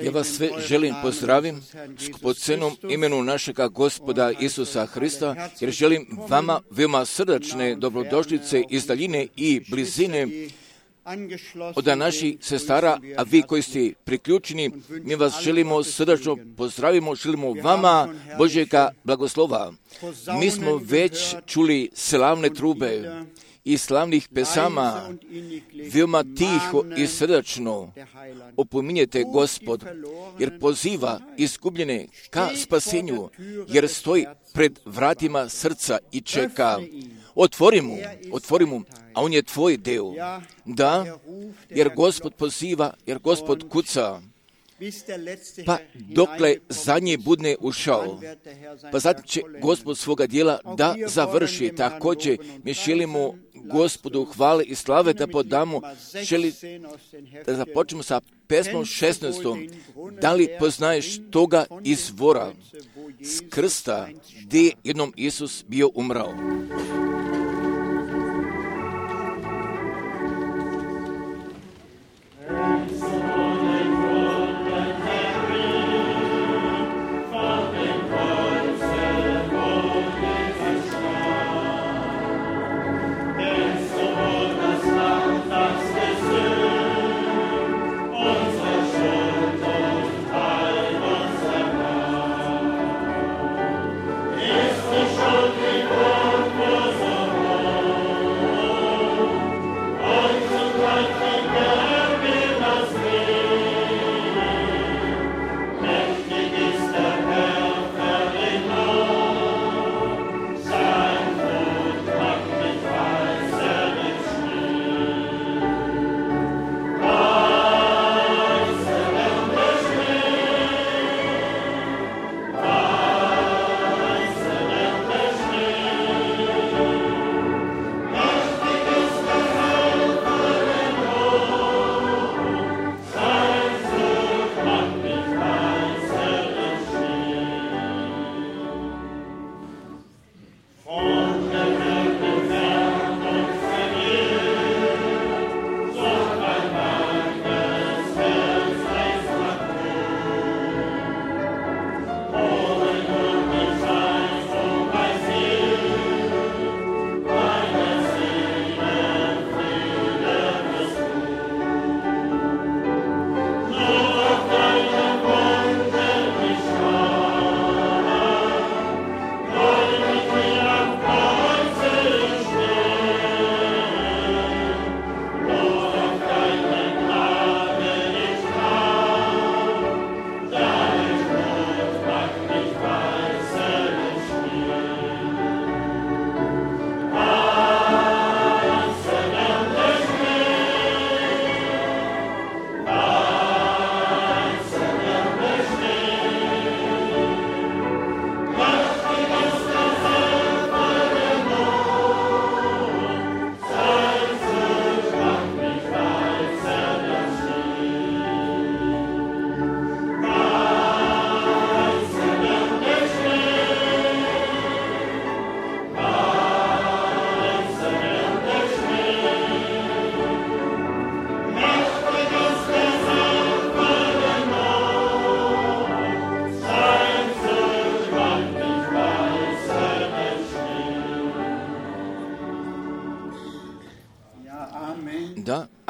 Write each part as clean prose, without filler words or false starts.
Ja vas sve želim pozdravim po cenom imenu našega Gospoda Isusa Hrista, jer želim vama veoma srdačne dobrodošlice iz daljine i blizine od naših sestara, a vi koji ste priključeni, mi vas želimo srdačno pozdravimo, želimo vama Božjega blagoslova. Mi smo već čuli slavne trube i slavnih pesama, veoma tiho i srdačno opominjete Gospod, jer poziva izgubljene ka spasenju, jer stoji pred vratima srca i čeka. Otvori mu, a on je tvoj deo. Da, jer Gospod poziva, jer Gospod kuca. Pa dokle zadnji budne ušao, pa zatim će Gospod svoga djela da završi. Također mi želimo Gospodu hvale i slave da podamo. Da započnemo sa pesmom 16. Da li poznaješ toga izvora s krsta gdje je jednom Isus bio umrao?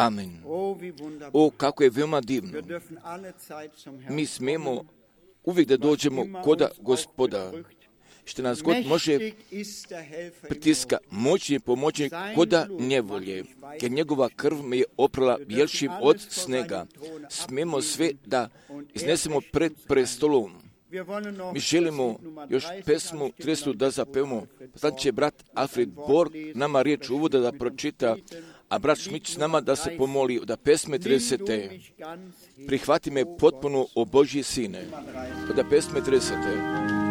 Amen. O, kako je veoma divno. Mi smemo uvijek da dođemo koda Gospoda, što nas God može pritiska, moćni pomoći koda njevolje, jer njegova krv me je oprala bjelšim od snega. Smemo sve da iznesemo pred prestolom. Mi želimo još pesmu 300 da zapevamo. Sad će brat Alfred Borg nama riječ uvoda da pročita, a brat Šmić s nama da se pomoli da pesme 30. Prihvati me potpuno, o Božji sine. Da pesme 30.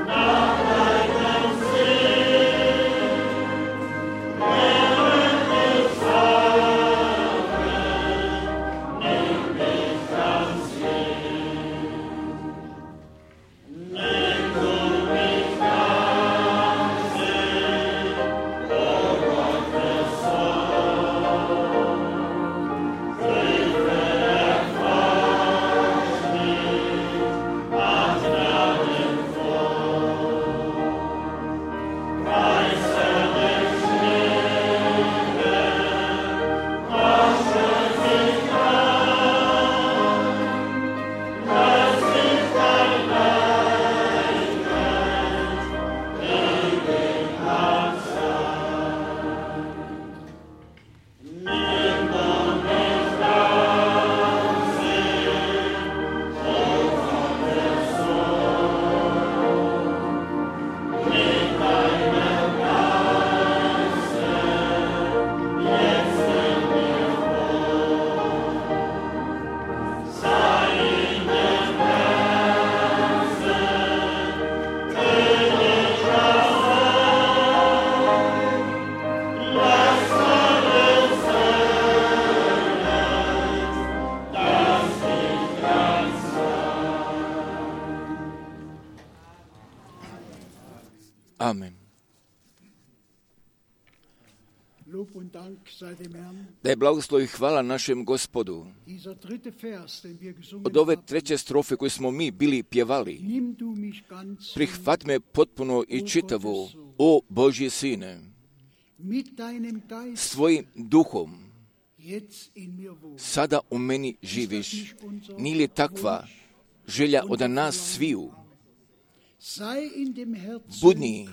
Now Amen. Da je blagoslov i hvala našem Gospodu. Od ove treće strofe koju smo mi bili pjevali, prihvat me potpuno i čitavo, o Božji Sine, svojim duhom sada u meni živiš. Nije li takva želja od nas sviju? Budni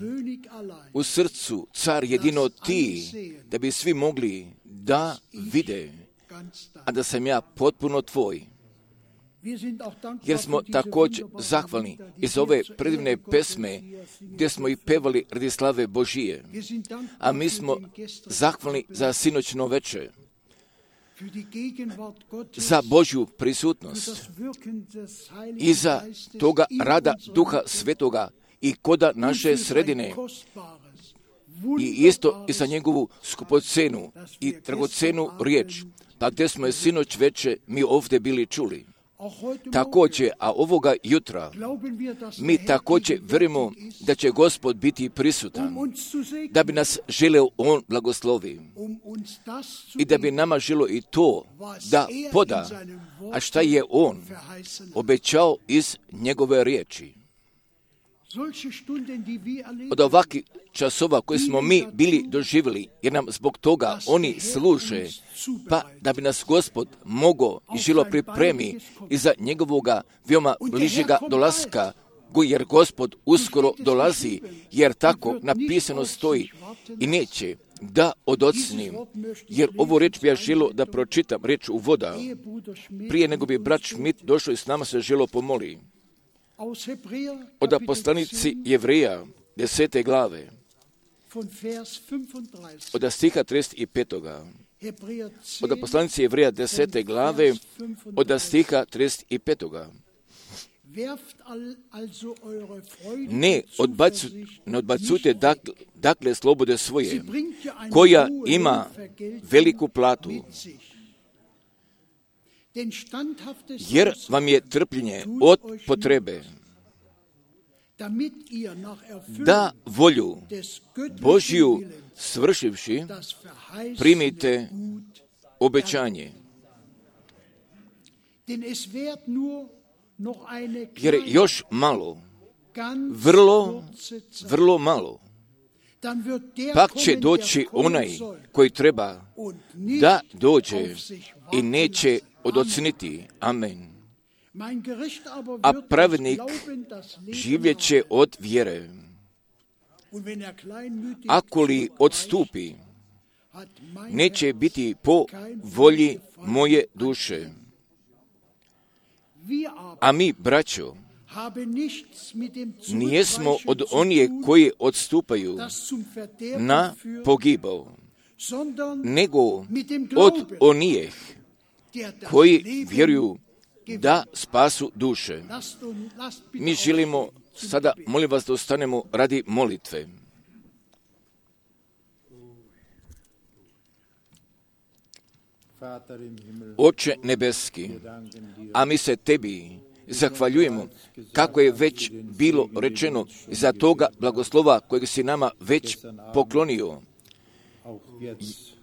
u srcu, car jedino ti, da bi svi mogli da vide, a da sam ja potpuno tvoj. Jer smo također zahvalni iz ove predivne pesme gdje smo ih pevali radi slave Božije. A mi smo zahvalni za sinoćno večer, za Božju prisutnost i za toga rada Duha Svetoga i koda naše sredine i isto i za njegovu skupocenu i dragocenu riječ, pa gdje smo je sinoć večer mi ovdje bili čuli. Također, a ovoga jutra mi također vjerujemo da će Gospod biti prisutan, da bi nas želeo On blagoslovi i da bi nama želio i to da poda, a šta je On obećao iz njegove riječi. Od ovakvih časova koje smo mi bili doživjeli, jer nam zbog toga oni služe, pa da bi nas Gospod mogao i želo pripremi i za njegovoga veoma bližega dolaska, jer Gospod uskoro dolazi, jer tako napisano stoji i neće da odocnim, jer ovu reč bi ja želo da pročitam, reč uvoda, prije nego bi brat Schmidt došao i s nama se želo pomoli. Od poslanici Jevreja 10. glave, od stiha 35. Od poslanici Jevreja 10. glave, od stiha 35. Ne odbacujte dakle slobode svoje, koja ima veliku platu, jer vam je trpljenje od potrebe, da volju Božju svršivši primite obećanje. Jer još malo, vrlo malo, pak će doći onaj koji treba da dođe i neće odocniti. Amen. A pravednik živjet će od vjere. Ako li odstupi, neće biti po volji moje duše. A mi, braćo, nijesmo od onih koji odstupaju na pogibao, nego od onih koji vjeruju da spasu duše. Mi želimo sada, molim vas da ostanemo radi molitve. Oče nebeski, a mi se tebi zahvaljujemo, kako je već bilo rečeno, za toga blagoslova kojeg si nama već poklonio.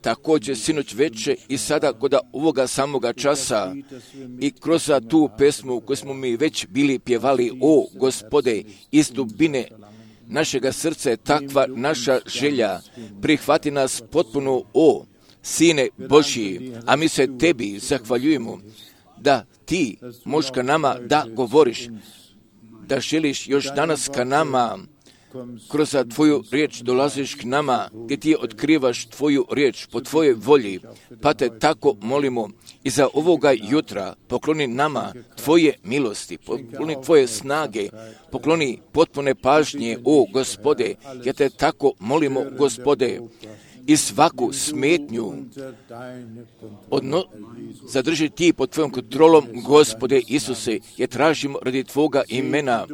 Također sinoć večer i sada kod ovoga samoga časa i kroz tu pesmu koju smo mi već bili pjevali, o Gospode, iz dubine našega srca je takva naša želja, prihvati nas potpuno, o Sine Božji, a mi se tebi zahvaljujemo da ti možeš ka nama da govoriš, da želiš još danas ka nama, kroz tvoju riječ dolaziš k nama, gdje ti otkrivaš tvoju riječ po tvojoj volji, pa te tako molimo i za ovoga jutra pokloni nama tvoje milosti, pokloni tvoje snage, pokloni potpune pažnje, o Gospode, ja te tako molimo, Gospode, i svaku smetnju zadrži ti pod tvojom kontrolom, Gospode Isuse, je tražimo radi tvoga imena.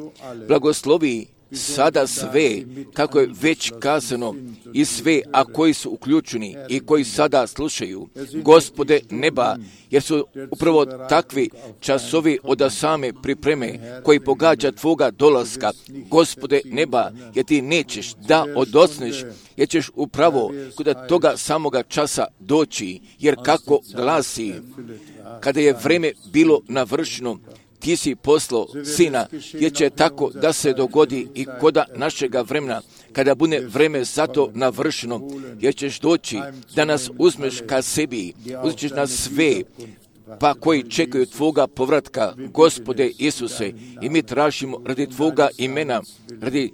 Blagoslovi sada sve, kako je već kazano, i sve, a koji su uključeni i koji sada slušaju, Gospode neba, jer su upravo takvi časovi od same pripreme koji pogađa Tvoga dolaska, Gospode neba, jer Ti nećeš da odosneš, jer ćeš upravo kod toga samoga časa doći, jer kako glasi, kada je vreme bilo navršeno, Ti si poslao Sina, jer će tako da se dogodi i koda našega vremena, kada bude vreme za to navršeno, jer ćeš doći da nas uzmeš ka sebi, uzmeš nas sve, pa koji čekaju Tvoga povratka, Gospode Isuse, i mi tražimo radi Tvoga imena, radi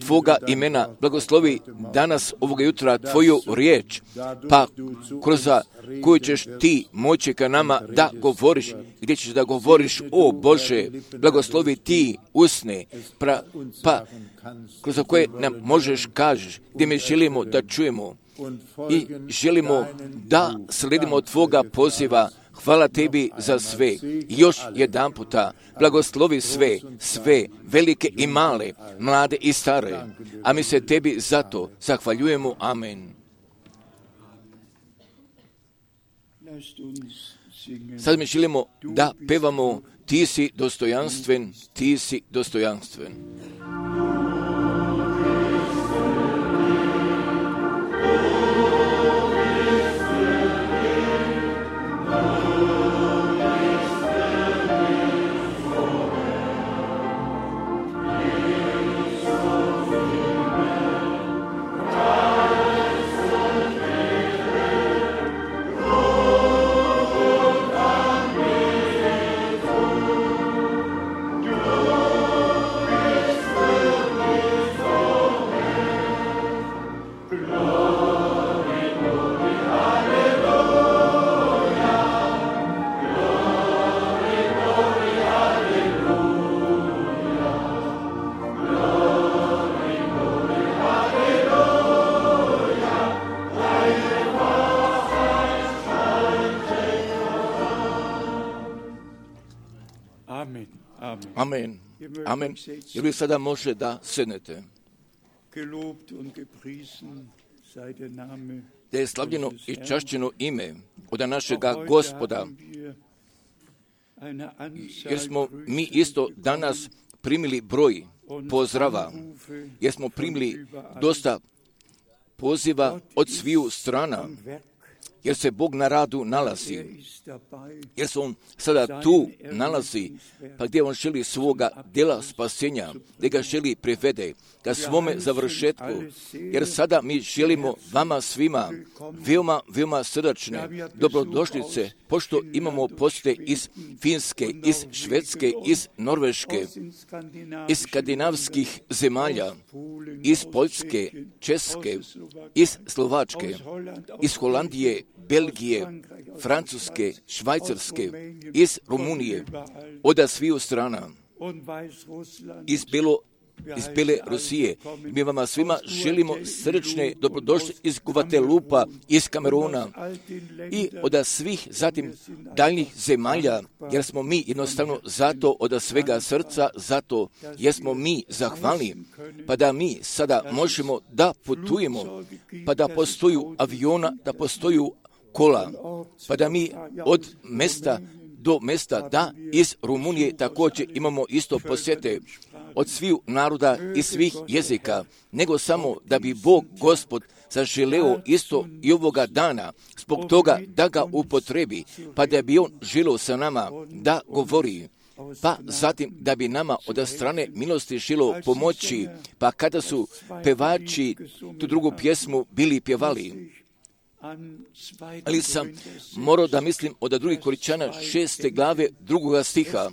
Tvoga imena, blagoslovi danas ovoga jutra Tvoju riječ, pa kroz koju ćeš Ti moći ka nama da govoriš, gdje ćeš da govoriš, o Bože, blagoslovi Ti usne, pa kroz koje nam možeš kažeš, gdje mi želimo da čujemo i želimo da sledimo Tvoga poziva. Hvala Tebi za sve. Još jedan puta blagoslovi sve, velike i male, mlade i stare. A mi se Tebi zato zahvaljujemo. Amen. Sad mi želimo da pevamo Ti si dostojanstven, Ti si dostojanstven. Amen. Amen. Jer vi sada može da sednete. Da je slavljeno i čašćeno ime od našega Gospoda. Jer smo mi isto danas primili broj pozdrava. Jer smo primili dosta poziva od sviju strana. Jer se Bog na radu nalazi, jer se On sada tu nalazi, pa gdje On želi svoga djela spasenja, gdje ga želi privede ka svome završetku, jer sada mi želimo vama svima veoma srdačne dobrodošlice, pošto imamo posjete iz Finske, iz Švedske, iz Norveške, iz skandinavskih zemalja, iz Poljske, Česke, iz Slovačke, iz Holandije, Belgije, Francuske, Švajcarske, iz Rumunije, od sviju strana, iz Bele Rusije. Mi vama svima želimo srdečne dobrodošli iz Guatelupa, iz Kameruna i od svih zatim daljnjih zemalja, jer smo mi jednostavno zato od svega srca, zato jer smo mi zahvalni, pa da mi sada možemo da putujemo, pa da postoju aviona, da postoju kola, pa da mi od mesta do mesta, da iz Rumunije također imamo isto posjete od svih naroda i svih jezika, nego samo da bi Bog Gospod zaželeo isto i ovoga dana, zbog toga da ga upotrebi, pa da bi On želeo sa nama da govori, pa zatim da bi nama od strane milosti želeo pomoći, pa kada su pevači tu drugu pjesmu bili pjevali. Ali sam morao da mislim od 2. Korinćana 6. glave 2. stiha,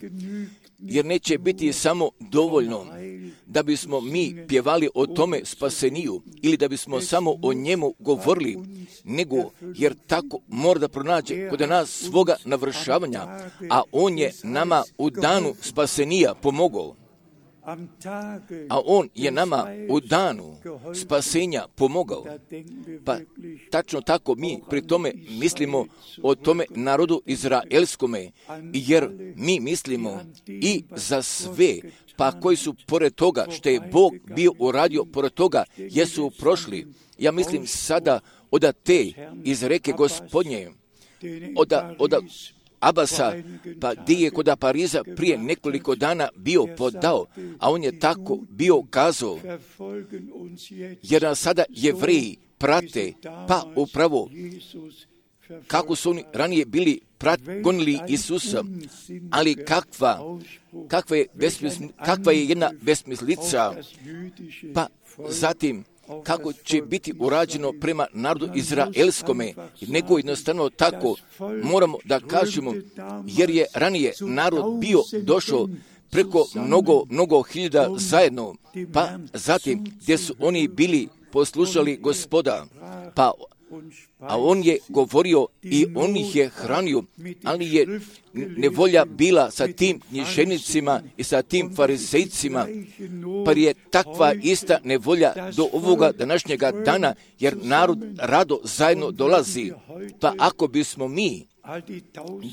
jer neće biti samo dovoljno da bismo mi pjevali o tome spaseniju ili da bismo samo o njemu govorili, nego jer tako mora da pronađe kod nas svoga navršavanja, a On je nama u danu spasenija pomogao. a On je nama u danu spasenja pomogao. Pa tačno tako mi pri tome mislimo o tome narodu izraelskome, jer mi mislimo i za sve, pa koji su pored toga što je Bog bio uradio, pored toga jesu prošli. Ja mislim sada od te iz reke Gospodnje, od Abasa, pa gdje je kod Pariza prije nekoliko dana bio podao, a on je tako bio kazao, jer nas sada Jevreji prate, pa upravo kako su oni ranije bili gonili Isusa, ali kakva je jedna besmislica, pa zatim kako će biti urađeno prema narodu izraelskome, nego jednostavno tako moramo da kažemo, jer je ranije narod bio došao preko mnogo hiljada zajedno, pa zatim gdje su oni bili poslušali Gospoda, a on je govorio i on ih je hranio, ali je nevolja bila sa tim književnicima i sa tim farizejcima, pa je takva ista nevolja do ovoga današnjega dana, jer narod rado zajedno dolazi. Pa ako bismo mi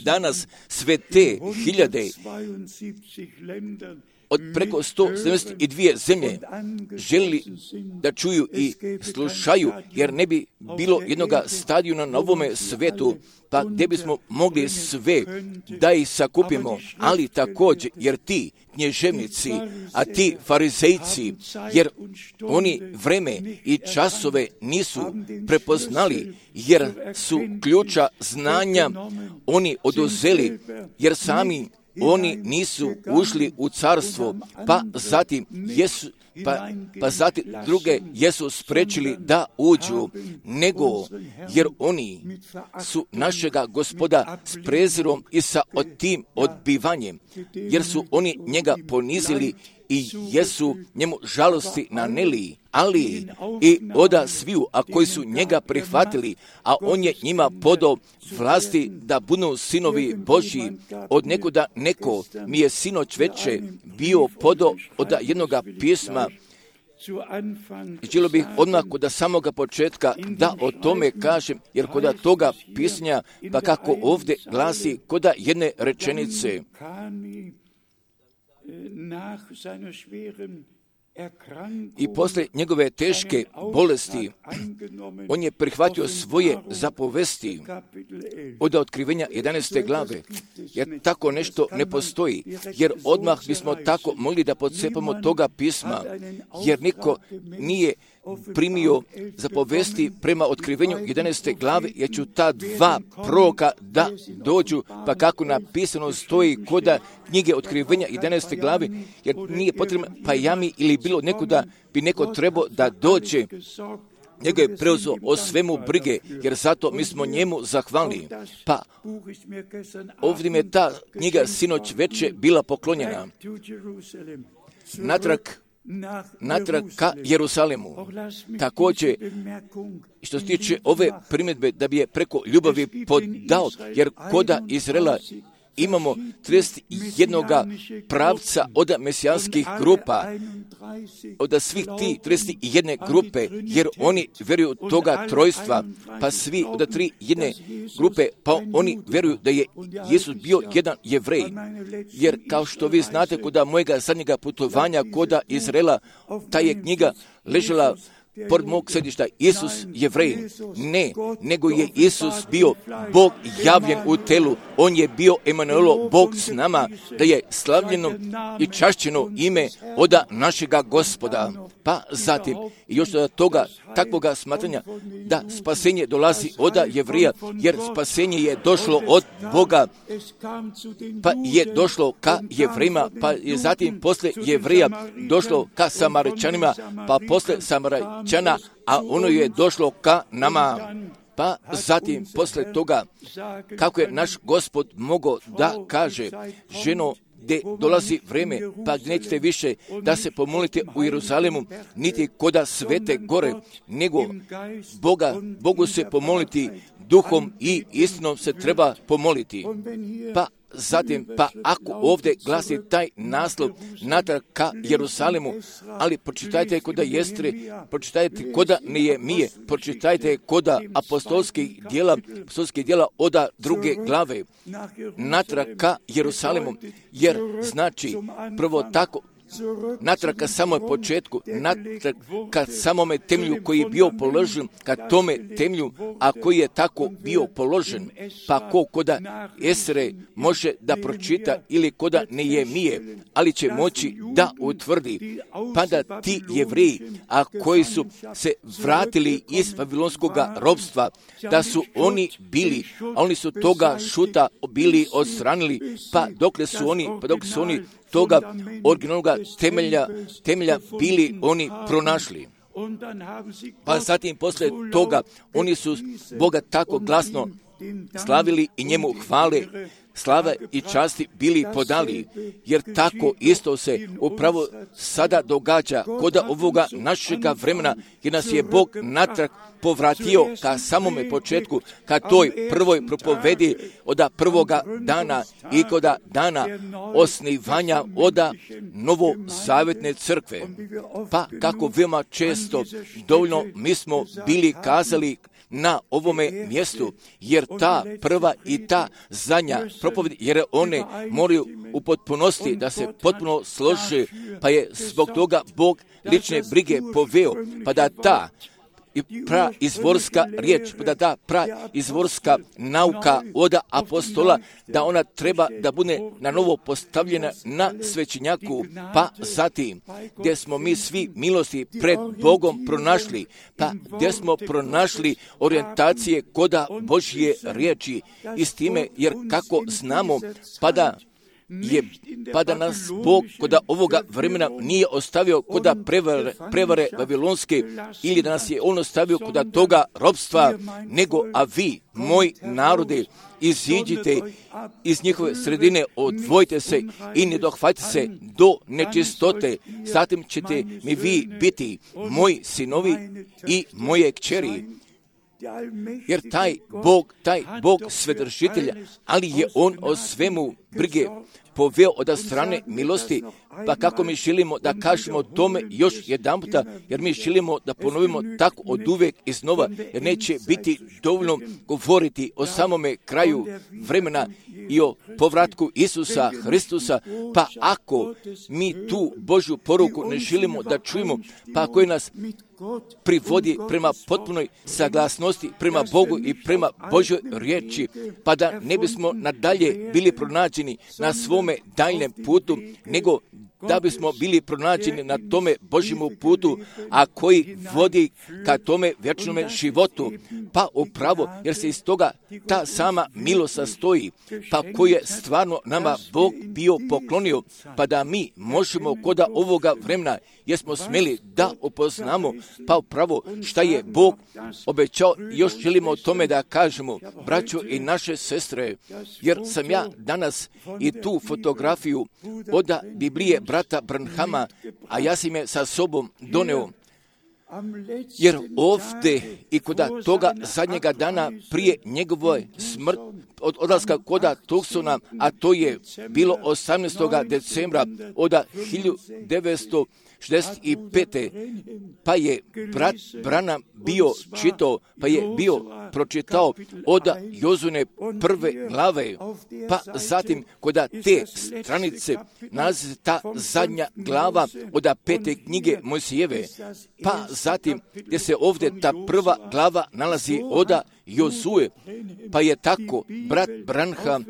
danas sve te hiljade od preko 172 zemlje želi da čuju i slušaju, jer ne bi bilo jednoga stadiona na ovome svetu, pa gdje bismo mogli sve da ih sakupimo, ali također, jer ti knježevnici, a ti farizejci, jer oni vreme i časove nisu prepoznali, jer su ključa znanja oni oduzeli, jer sami oni nisu ušli u carstvo, pa zatim druge jesu sprečili da uđu, nego jer oni su našega Gospoda s prezirom i sa tim odbivanjem, jer su oni njega ponizili i jesu njemu žalosti naneli, ali i oda sviju, a koji su njega prihvatili, a on je njima podao vlasti da budu sinovi Božji. Od nekuda neko mi je sinoć veče bio podao od jednoga pisma. Želio bih odmah kod samoga početka da o tome kažem, jer kod toga pisanja, pa kako ovdje glasi, kod jedne rečenice, i posle njegove teške bolesti, on je prihvatio svoje zapovesti od otkrivenja 11. glave, jer tako nešto ne postoji, jer odmah bismo tako mogli da podcepamo toga pisma, jer niko nije primio zapovesti prema otkrivenju 11. glave, jer ću ta dva proroka da dođu, pa kako napisano stoji koda knjige otkrivenja 11. glave, jer nije potrebno pa jami ili bilo nekuda bi neko trebao da dođe, njega je preuzeo o svemu brige, jer zato mi smo njemu zahvalni. Pa ovdje mi je ta knjiga sinoć veče bila poklonjena natrag ka Jerusalimu. Također, što se tiče ove primjedbe da bi je preko ljubavi podao, jer koda Izraela imamo 31 pravca od mesijanskih grupa, od svih ti 31 grupe, jer oni vjeruju toga trojstva, pa svi od 3 grupe, pa oni vjeruju da je Isus bio jedan Jevrej, jer kao što vi znate, kod mojega zadnjega putovanja koda Izraela, ta je knjiga ležela pored mog sedišta. Isus Jevrej, ne, nego je Isus bio Bog javljen u telu. On je bio Emanuelo, Bog s nama, da je slavljeno i čašćeno ime od našega Gospoda. Pa zatim, još od toga takvoga smatranja da spasenje dolazi od Jevrija, jer spasenje je došlo od Boga, pa je došlo ka Jevrejima, pa je zatim posle Jevrija došlo ka Samaričanima, pa posle Samaričana, a ono je došlo ka nama. Pa zatim posle toga, kako je naš Gospod mogao da kaže, ženo, gdje dolazi vreme, pa nećete više da se pomolite u Jeruzalemu, niti koda Svete gore, nego Bogu se pomoliti duhom i istinom se treba pomoliti. Pa zatim, pa ako ovdje glasi taj naslov natrag ka Jerusalimu, ali pročitajte koda Jestre, pročitajte koda Nehemije, pročitajte koda apostolskih djela oda 2. glave, natrag ka Jerusalimu, jer znači prvo tako, natrag ka samom početku, natrag ka samome temelju koji je bio položen, ka tome temelju, a koji je tako bio položen, pa ko koda Esre može da pročita ili koda Nehemije, ali će moći da utvrdi, pa da ti Jevreji, a koji su se vratili iz Vavilonskog ropstva, da su oni bili, a oni su toga šuta bili odstranili, pa dok su oni toga originalnog temelja bili oni pronašli. Pa zatim posle toga oni su Boga tako glasno slavili i njemu hvale, slava i časti bili podali, jer tako isto se upravo sada događa kod ovoga našega vremena, jer nas je Bog natrag povratio ka samome početku, ka toj prvoj propovedi od prvoga dana i kod dana osnivanja od novozavjetne crkve. Pa kako veoma često dovoljno mi smo bili kazali na ovome mjestu, jer ta prva i ta zadnja propoved, jer one moraju u potpunosti da se potpuno slože, pa je zbog toga Bog lične brige poveo, pa da ta praizvorska riječ, da ta praizvorska nauka od apostola, da ona treba da bude na novo postavljena na svećenjaku, pa zatim gdje smo mi svi milosti pred Bogom pronašli, pa gdje smo pronašli orijentacije koda Božje riječi i s time, jer kako znamo, pa da nas Bog koda ovoga vremena nije ostavio koda prevare vavilonske, ili da nas je On ostavio koda toga ropstva, nego a vi, moj narode, iziđite iz njihove sredine, odvojite se i ne dohvatite se do nečistote, zatim ćete mi vi biti moji sinovi i moje kćeri. Jer taj Bog svedržitelja, ali je On o svemu brige poveo od strane milosti, pa kako mi želimo da kažemo tome još jedan puta, jer mi želimo da ponovimo tako od uvijek iznova, jer neće biti dovoljno govoriti o samome kraju vremena i o povratku Isusa Hristusa, pa ako mi tu Božju poruku ne želimo da čujemo, pa koji nas privodi prema potpunoj saglasnosti, prema Bogu i prema Božjoj riječi, pa da ne bismo nadalje bili pronađeni na svome daljnjem putu, nego da bismo bili pronađeni na tome Božjemu putu, a koji vodi ka tome vječnome životu. Pa upravo, jer se iz toga ta sama milost sastoji, pa koju je stvarno nama Bog bio poklonio, pa da mi možemo koda ovoga vremena, jer smo smjeli da upoznamo, pa upravo šta je Bog obećao, još želimo o tome da kažemo, braćo i naše sestre, jer sam ja danas i tu fotografiju od Biblije brata Branhama, a ja sam je sa sobom doneo, jer ovdje i kod toga zadnjega dana prije njegove smrti, od odlaska koda Tucsona, a to je bilo 18. decembra od 1965. Pa je brat Branham bio čitao, pa je bio pročitao od Jozune 1. glave, pa zatim kod te stranice nalazi ta zadnja glava od 5. knjige Mojsijeve, pa zatim gdje se ovdje ta prva glava nalazi od Jozue, pa je tako brat Branham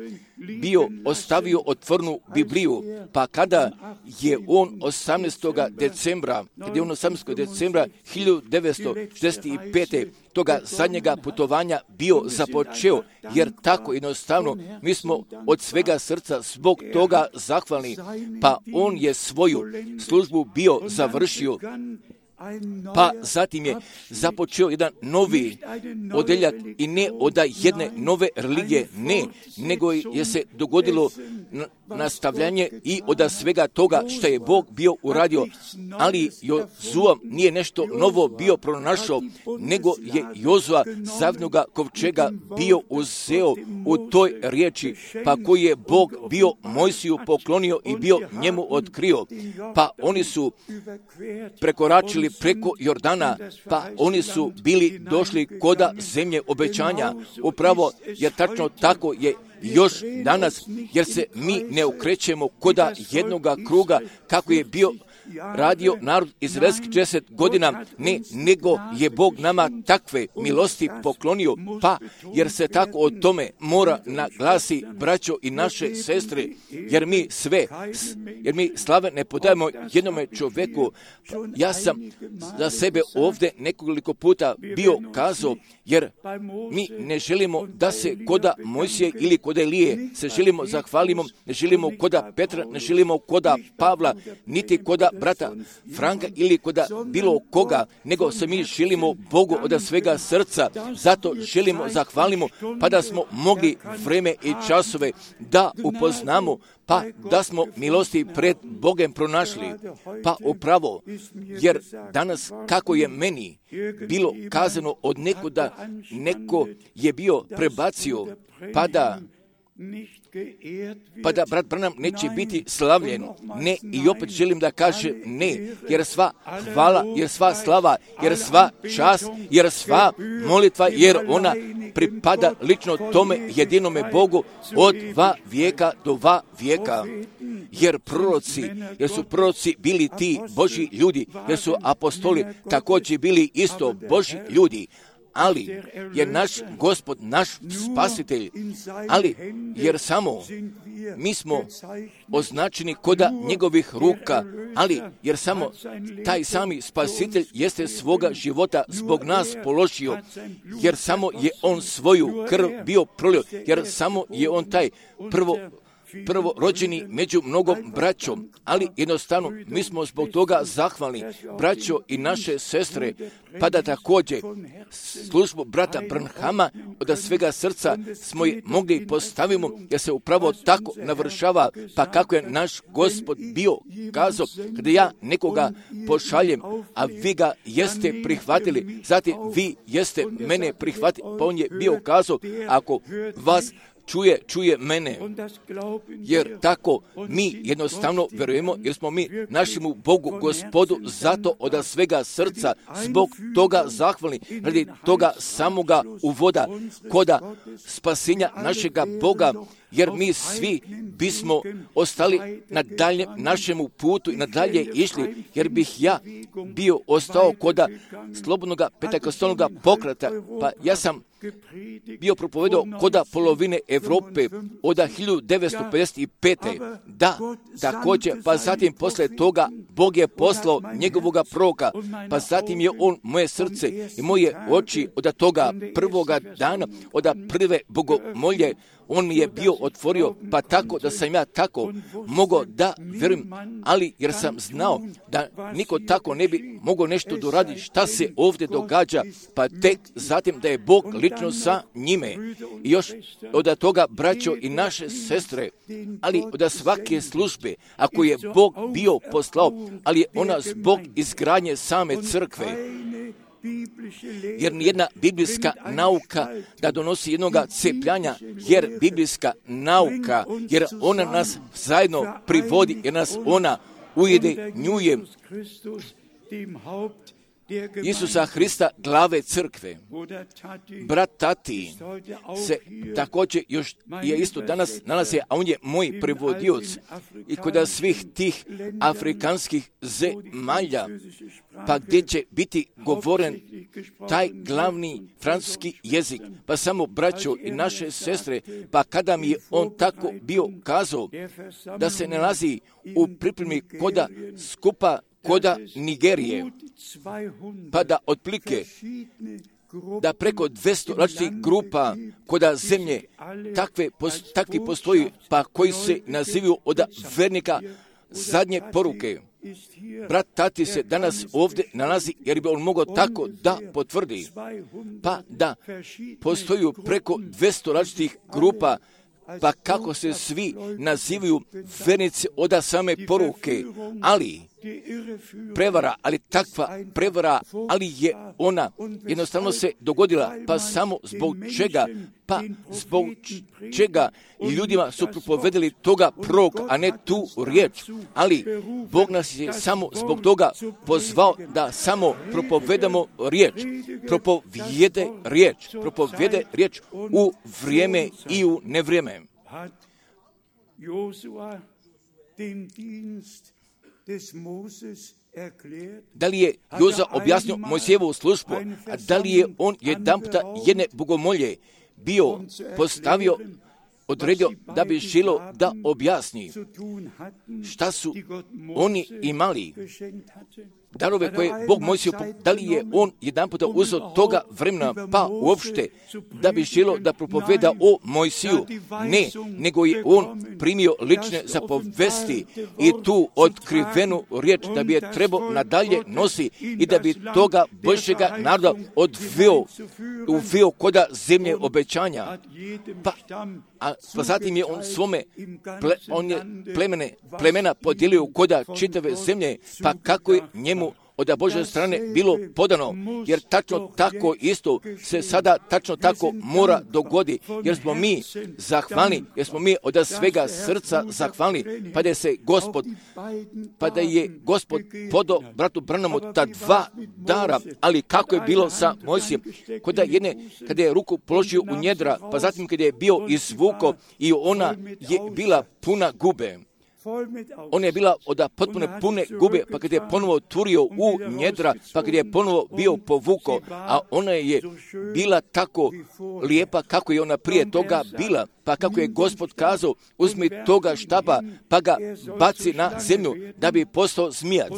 bio ostavio otvornu Bibliju, pa kada je on 18. decembra 1965. toga zadnjega putovanja bio započeo, jer tako jednostavno mi smo od svega srca zbog toga zahvalni, pa on je svoju službu bio završio, pa zatim je započeo jedan novi odeljak i ne od jedne nove religije, ne, nego je se dogodilo nastavljanje i od svega toga što je Bog bio uradio, ali Jozua nije nešto novo bio pronašao, nego je Jozua zavnoga kovčega bio uzeo u toj riječi, pa koji je Bog bio Mojsiju poklonio i bio njemu otkrio, pa oni su prekoračili preko Jordana, pa oni su bili došli koda zemlje obećanja, upravo jer tačno tako je još danas, jer se mi ne okrećemo koda jednoga kruga kako je bio radio narod izraelski 40 godina, ne, nego je Bog nama takve milosti poklonio, pa jer se tako o tome mora naglasi, braćo i naše sestre, jer mi slave ne podajemo jednome čovjeku. Ja sam za sebe ovdje nekoliko puta bio kazao, jer mi ne želimo da se koda Mojsije ili koda Elije se želimo zahvalimo, ne želimo koda Petra, ne želimo koda Pavla, niti koda brata Franka ili koda bilo koga, nego se mi želimo Bogu od svega srca, zato želimo zahvalimo, pa da smo mogli vreme i časove da upoznamo, pa da smo milosti pred Bogem pronašli, pa upravo, jer danas kako je meni bilo kazano od nekuda, neko je bio prebacio, pa da brat Branham neće biti slavljen. Ne, i opet želim da kažem ne, jer sva hvala, jer sva slava, jer sva čast, jer sva molitva, jer ona pripada lično tome jedinome Bogu od vijeka do vijeka. Jer su proroci bili ti Božji ljudi, jer su apostoli također bili isto Božji ljudi, ali je naš Gospod, naš Spasitelj, ali jer samo mi smo označeni koda njegovih ruka, ali jer samo taj sami Spasitelj jeste svoga života zbog nas položio, jer samo je on svoju krv bio prolio, jer samo je on taj prvorođeni među mnogom braćom, ali jednostavno mi smo zbog toga zahvalni, braćo i naše sestre, pa da također službu brata Branhama od svega srca smo i mogli postavimo, jer se upravo tako navršava, pa kako je naš Gospod bio kazao, kada ja nekoga pošaljem, a vi ga jeste prihvatili, zatim vi jeste mene prihvatili, pa on je bio kazao, ako vas čuje mene, jer tako mi jednostavno vjerujemo, jer smo mi našemu Bogu Gospodu zato od svega srca zbog toga zahvalni, radi toga samoga uvoda koda spasenja našega Boga, jer mi svi bismo ostali na daljem našemu putu i nadalje išli, jer bih ja bio ostao koda slobodnoga pentekostalnoga pokreta, pa ja sam bio propovedao koda polovine Europe od 1955. Da, također, pa zatim posle toga Bog je poslao njegovoga proroka, pa zatim je on moje srce i moje oči od toga prvoga dana, od prve bogomolje, on mi je bio otvorio, pa tako da sam ja tako mogao da vjerujem, ali jer sam znao da niko tako ne bi mogao nešto doraditi šta se ovdje događa, pa tek zatim da je Bog lično sa njime. I još od toga, braćo i naše sestre, ali od svake službe, ako je Bog bio poslao, ali je ona zbog izgradnje same crkve, jer nijedna biblijska nauka da donosi jednoga cepljanja, jer biblijska nauka, jer ona nas zajedno privodi, jer nas ona ujedinjuje Isusa Hrista, glave crkve. Brat Tati se također još je isto danas nalazi, a on je moj prevodioc i kod svih tih afrikanskih zemalja, pa gdje će biti govoren taj glavni francuski jezik, pa samo braćo i naše sestre, pa kada mi je on tako bio kazao da se nalazi u pripremi koda skupa koda Nigerije, pa da otplike da preko 200 različitih grupa koda zemlje takvi postoji, pa koji se nazivaju od vernika zadnje poruke. Brat Tati se danas ovdje nalazi, jer bi on mogao tako da potvrdi, pa da postoji preko 200 različitih grupa pa kako se svi nazivaju vernici od same poruke, ali prevara, ali takva prevara, ali je ona jednostavno se dogodila, pa samo zbog čega, ljudima su propovedali toga prorok, a ne tu riječ, ali Bog nas je samo zbog toga pozvao da samo propovedamo riječ, propovjede riječ u vrijeme i u nevrijeme. Da li je Joza objasnio Mojsijevu službu, a da li je on jedanputa jedne bogomolje bio postavio, odredio da bi želio da objasni šta su oni imali, darove koje Bog Mojsiju, da li je on jedanputa uzeo toga vremena, pa uopšte da bi želio da propoveda o Mojsiju? Ne, nego je on primio lične zapovesti i tu otkrivenu riječ da bi je trebao nadalje nosi i da bi toga Božjega naroda uveo koda zemlje obećanja. Pa zatim je on svome plemena podijelio koda čitave zemlje, pa kako je njemu od Božje strane bilo podano, jer tačno tako isto se sada tačno tako mora dogodi, jer smo mi zahvalni, jer smo mi od svega srca zahvalni, pa da je Gospod podao bratu Branhamu ta dva dara, ali kako je bilo sa Mojsijem, kada je ruku položio u njedra, pa zatim kada je bio izvuko i ona je bila puna gube. Ona je bila od potpuno pune gube, pa kad je ponovo turio u njedra, pa kad je ponovo bio povuko, a ona je bila tako lijepa kako je ona prije toga bila, pa kako je Gospod kazao, uzmi toga štapa, pa ga baci na zemlju, da bi postao zmijac.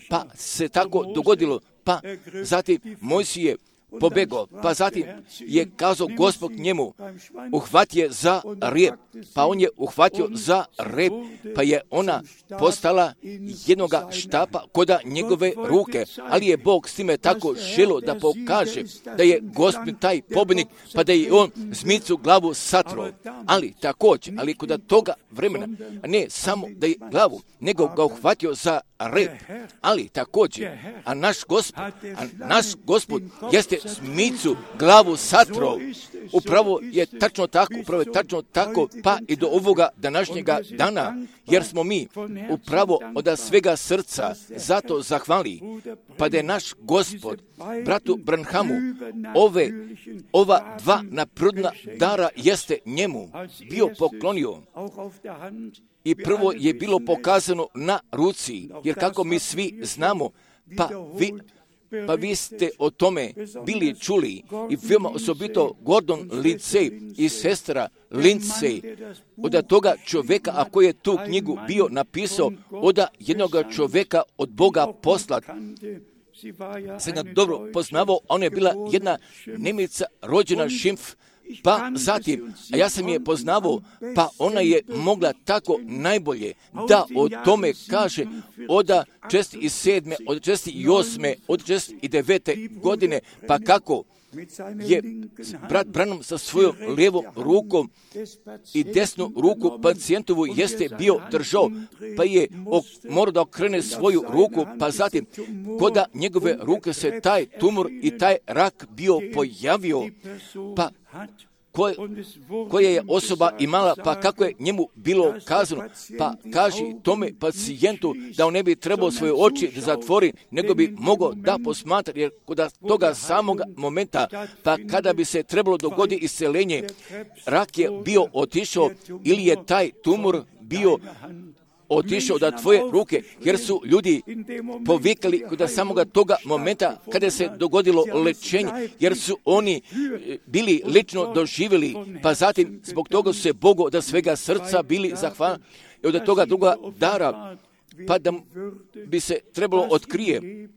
Pa se tako dogodilo, pa zatim Mojsije pobegao, pa zatim je kazao Gospod njemu, uhvati je za rep, pa on je uhvatio za rep, pa je ona postala jednoga štapa koda njegove ruke, ali je Bog s time tako želio da pokaže da je Gospod taj pobjednik, pa da je on zmicu glavu satro, ali također, ali kod toga vremena, ne samo da je glavu, nego ga uhvatio za rep, ali također, a naš Gospod jeste zmicu glavu satro. Upravo je tačno tako, pa i do ovoga današnjega dana, jer smo mi upravo od svega srca zato zahvali, pa da je naš Gospod bratu Branhamu ova dva naprodna dara jeste njemu bio poklonio. I prvo je bilo pokazano na ruci, jer kako mi svi znamo, pa vi ste o tome bili čuli i veoma osobito Gordon Lindsay i sestra Lindsay, od toga čovjeka, a koji je tu knjigu bio napisao, od jednog čovjeka od Boga poslat. Se ga dobro poznavao, ona je bila jedna Nemica rođena Šimpf, pa zatim, a ja sam je poznavao, pa ona je mogla tako najbolje da o tome kaže od 67. od 68. od 69. godine, pa kako je brat Branham sa svojom lijevom rukom i desnu ruku pacijentovu jeste bio držao, pa je morao da okrene svoju ruku, pa zatim koda njegove ruke se taj tumor i taj rak bio pojavio, pa koje je osoba imala, pa kako je njemu bilo kazano, pa kaži tome pacijentu da on ne bi trebao svoje oči da zatvori, nego bi mogao da posmatra, jer kod toga samog momenta, pa kada bi se trebalo dogoditi isceljenje, rak je bio otišao ili je taj tumor bio otišao da tvoje ruke, jer su ljudi povikali kod samoga toga momenta kada se dogodilo lečenje, jer su oni bili lično doživjeli, pa zatim zbog toga su se Bogu od svega srca bili zahvalni i od toga druga dara, pa da bi se trebalo otkrije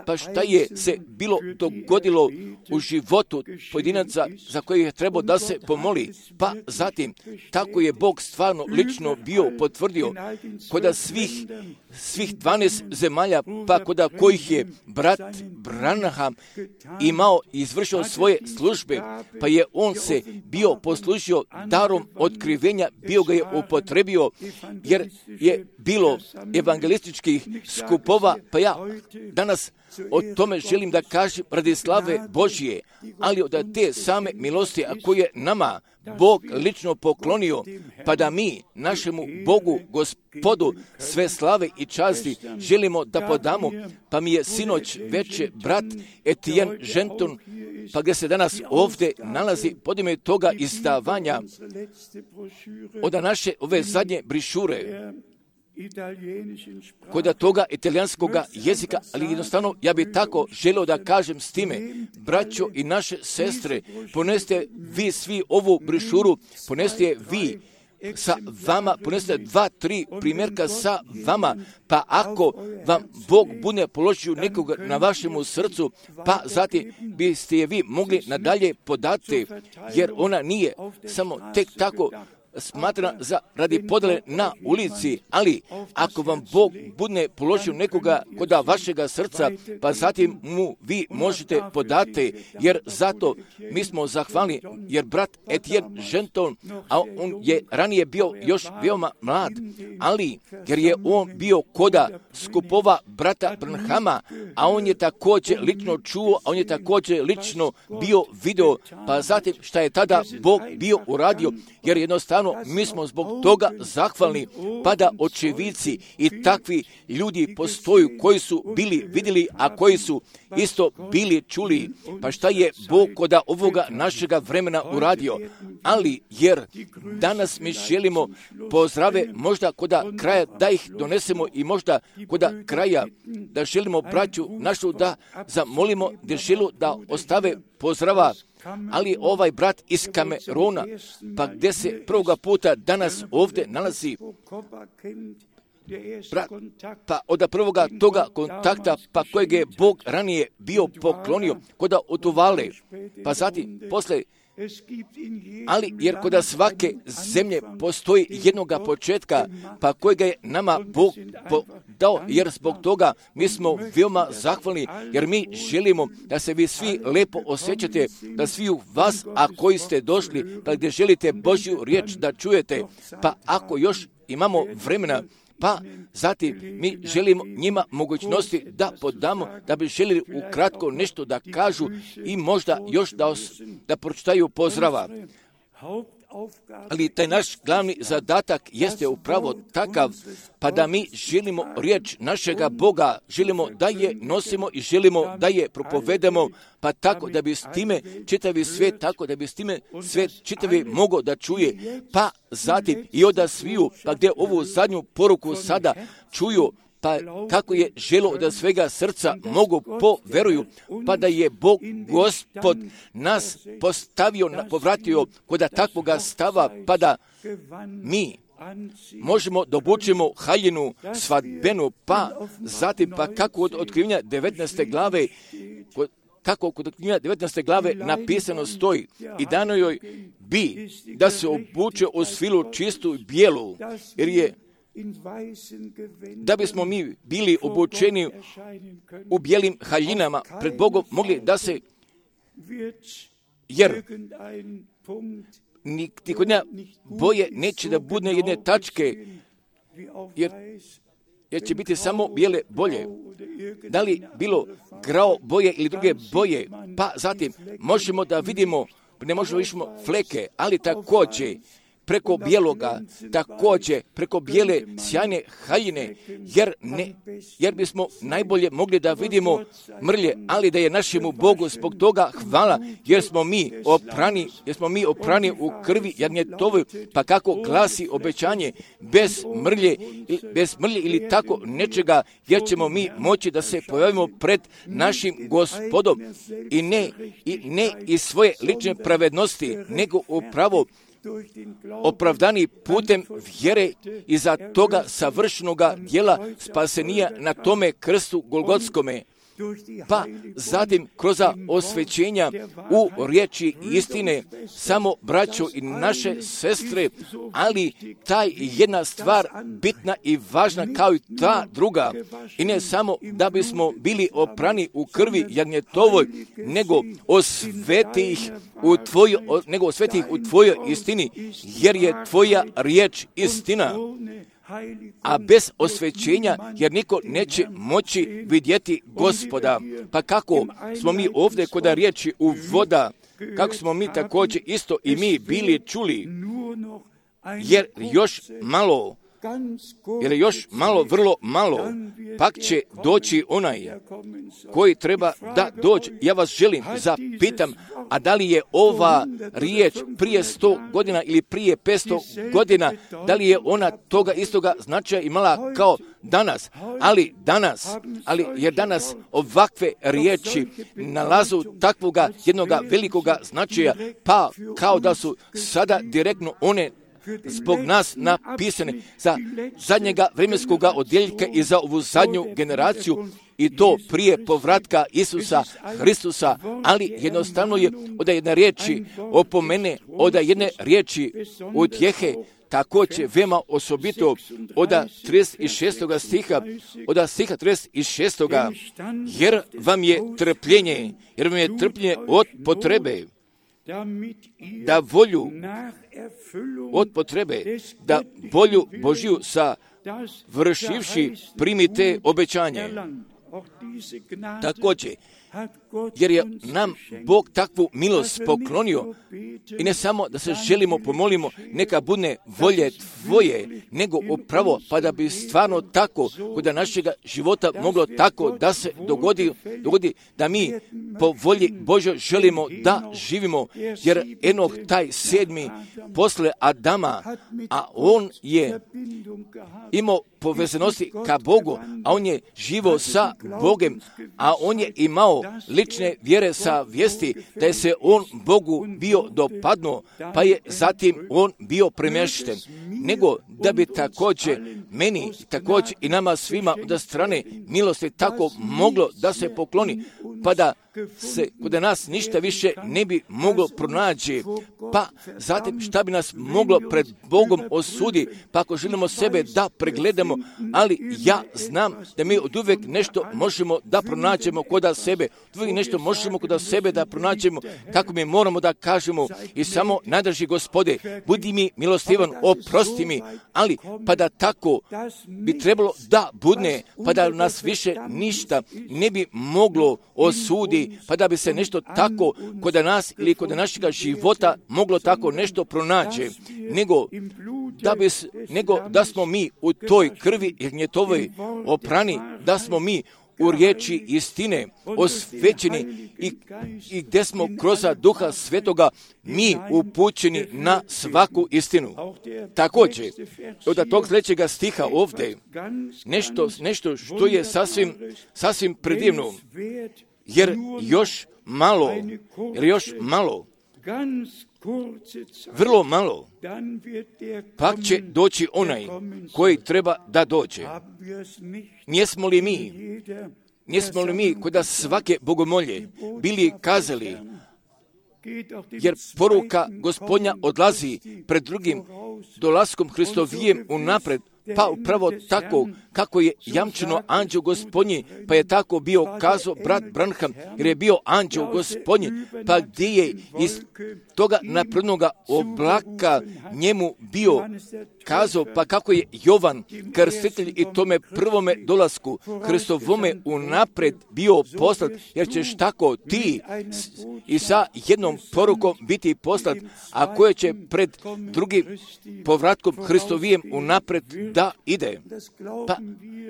Pa šta je se bilo dogodilo u životu pojedinaca za koje je trebao da se pomoli? Pa zatim, tako je Bog stvarno lično bio potvrdio kod svih 12 zemalja, pa kod kojih je brat Branham imao i izvršio svoje službe, pa je on se bio poslužio darom otkrivenja, bio ga je upotrebio, jer je bilo evangelističkih skupova, pa ja danas o tome želim da kažem radi slave Božje, ali od te same milosti, a koje je nama Bog lično poklonio, pa da mi našemu Bogu, Gospodu, sve slave i časti želimo da podamo, pa mi je sinoć veče brat Etienne Genton, pa gdje se danas ovdje nalazi podime toga izdavanja od naše ove zadnje brišure, kod toga italijanskoga jezika, ali jednostavno ja bih tako želio da kažem s time, braćo i naše sestre, poneste vi svi ovu brišuru, poneste vi sa vama, poneste 2-3 primjerka sa vama, pa ako vam Bog bude položio nekoga na vašemu srcu, pa zatim biste je vi mogli nadalje podati, jer ona nije samo tek tako smatrana za radi podjele na ulici, ali ako vam Bog bude položio nekoga kod vašega srca, pa zatim mu vi možete podati, jer zato mi smo zahvalni, jer brat Etienne Genton, a on je ranije bio još veoma mlad, ali jer je on bio koda skupova brata Branhama, a on je također lično čuo, a on je također lično bio video, pa zatim šta je tada Bog bio uradio, jer jednostavno mi smo zbog toga zahvalni, pa da očevici i takvi ljudi postoju koji su bili vidjeli, a koji su isto bili čuli, pa šta je Bog kod ovoga našega vremena uradio. Ali jer danas mi želimo pozdrave možda kod kraja da ih donesemo i možda kod kraja da želimo braću našu da zamolimo, da želu da ostave pozdrava, ali ovaj brat iz Kameruna, pa gdje se prvoga puta danas ovdje nalazi, pa od prvoga toga kontakta, pa kojeg je Bog ranije bio poklonio kod Otuvale, pa zatim posle, ali jer kod svake zemlje postoji jednoga početka, pa kojega je nama Bog dao, jer zbog toga mi smo veoma zahvalni, jer mi želimo da se vi svi lepo osjećate, da svi u vas, a koji ste došli, pa gdje želite Božju riječ da čujete, pa ako još imamo vremena, pa zatim mi želimo njima mogućnosti da podamo, da bi želili ukratko nešto da kažu i možda još da pročitaju pozdrava. Ali taj naš glavni zadatak jeste upravo takav, pa da mi želimo riječ našega Boga, želimo da je nosimo i želimo da je propovedemo, pa tako da bi s time čitavi svijet, tako da bi s time svijet čitavi mogao da čuje, pa zatim i od sviju, pa gdje ovu zadnju poruku sada čuju, pa kako je želo da svega srca mogu poveruju, pa da je Bog Gospod nas povratio kod takvoga stava, pa da mi možemo da obučimo haljinu svadbenu, pa zatim pa kako od otkrivenja 19. glave, kako kod otkrivenja 19. glave napisano stoji, i dano joj bi da se obuče u svilu čistu i bijelu, jer je da bismo mi bili obučeni u bijelim haljinama pred Bogom mogli da se, jer niti kod nja boje neće da bude jedne tačke, jer će biti samo bijele boje. Da li bilo grao boje ili druge boje, pa zatim možemo da vidimo, ne možemo vidimo fleke, ali također preko bijeloga, također preko bijele sjajne haljine, jer bismo najbolje mogli da vidimo mrlje, ali da je našemu Bogu zbog toga hvala, jer smo mi oprani u krvi Jagnjetovi, pa kako glasi obećanje, bez mrlje ili tako nečega, jer ćemo mi moći da se pojavimo pred našim Gospodom i ne iz svoje lične pravednosti, nego upravo opravdani putem vjere iza toga savršenoga djela spasenija na tome krstu Golgotskome. pa zatim kroz osvećenja u riječi istine, samo braćo i naše sestre, ali ta jedna stvar bitna i važna kao i ta druga, i ne samo da bismo bili oprani u krvi jagnjetovoj, nego osveti ih u tvojoj istini, jer je tvoja riječ istina. A bez osvećenja, jer niko neće moći vidjeti Gospoda. Pa kako smo mi ovdje kod riječi uvoda, kako smo mi također isto i mi bili čuli, jer još malo, vrlo malo, pak će doći onaj koji treba da dođe. Ja vas želim zapitam, a da li je ova riječ prije 100 godina ili prije 500 godina, da li je ona toga istoga značaja imala kao danas? Jer danas ovakve riječi nalazu takvoga jednoga velikoga značaja, pa kao da su sada direktno one zbog nas napisane za zadnjega vremenskoga odjeljka i za ovu zadnju generaciju, i to prije povratka Isusa Hristusa, ali jednostavno je od jedne riječi opomene, od jedne riječi utjehe, također veoma osobito od 36. stiha, od stiha 36. jer vam je trpljenje od potrebe, da volju Božju sa vršivši primite obećanje. Također, jer je nam Bog takvu milost poklonio, i ne samo da se želimo pomolimo, neka bude volje tvoje, nego upravo pa da bi stvarno tako kod našega života moglo tako da se dogodi da mi po volji Božoj želimo da živimo, jer Enoh taj 7. posle Adama, a on je imao povezanosti ka Bogu, a on je živo sa Bogem, a on je imao lične vjere sa vijesti da je se on Bogu bio dopadnuo, pa je zatim on bio premješten, nego da bi također meni, također i nama svima od strane milosti tako moglo da se pokloni, pa da se kod nas ništa više ne bi moglo pronaći, pa zatim šta bi nas moglo pred Bogom osudi, pa ako želimo sebe da pregledamo, ali ja znam da mi od uvijek nešto možemo da pronaćemo kod sebe, uvijek nešto možemo kod sebe da pronaćemo, kako mi moramo da kažemo, i samo najdraži Gospode, budi mi milostivan, oprosti mi, ali pa da tako bi trebalo da budne, pa da nas više ništa ne bi moglo osudi, pa da bi se nešto tako kod nas ili kod našega života moglo tako nešto pronaći, nego da smo mi u toj krvi jagnjetovoj oprani, da smo mi u riječi istine osvećeni i gdje smo kroz Duha Svetoga mi upućeni na svaku istinu. Također, od tog sljedećega stiha ovdje nešto što je sasvim predivno, jer još malo, vrlo malo, pak će doći onaj koji treba da dođe. Nismo li mi kod svake bogomolje bili kazali, jer poruka Gospodnja odlazi pred drugim dolaskom Hristovijem unapred, pa upravo tako kako je jamčeno anđeo Gospodnji, pa je tako bio kazao brat Branham, jer je bio anđeo Gospodnji, pa gdje je iz toga naprednoga oblaka njemu bio kazao, pa kako je Jovan krstitelj i tome prvome dolasku Hristovome unapred bio poslat, jer ćeš tako ti i sa jednom porukom biti poslat, a koje će pred drugim povratkom Hristovijem unapred da ide. Pa,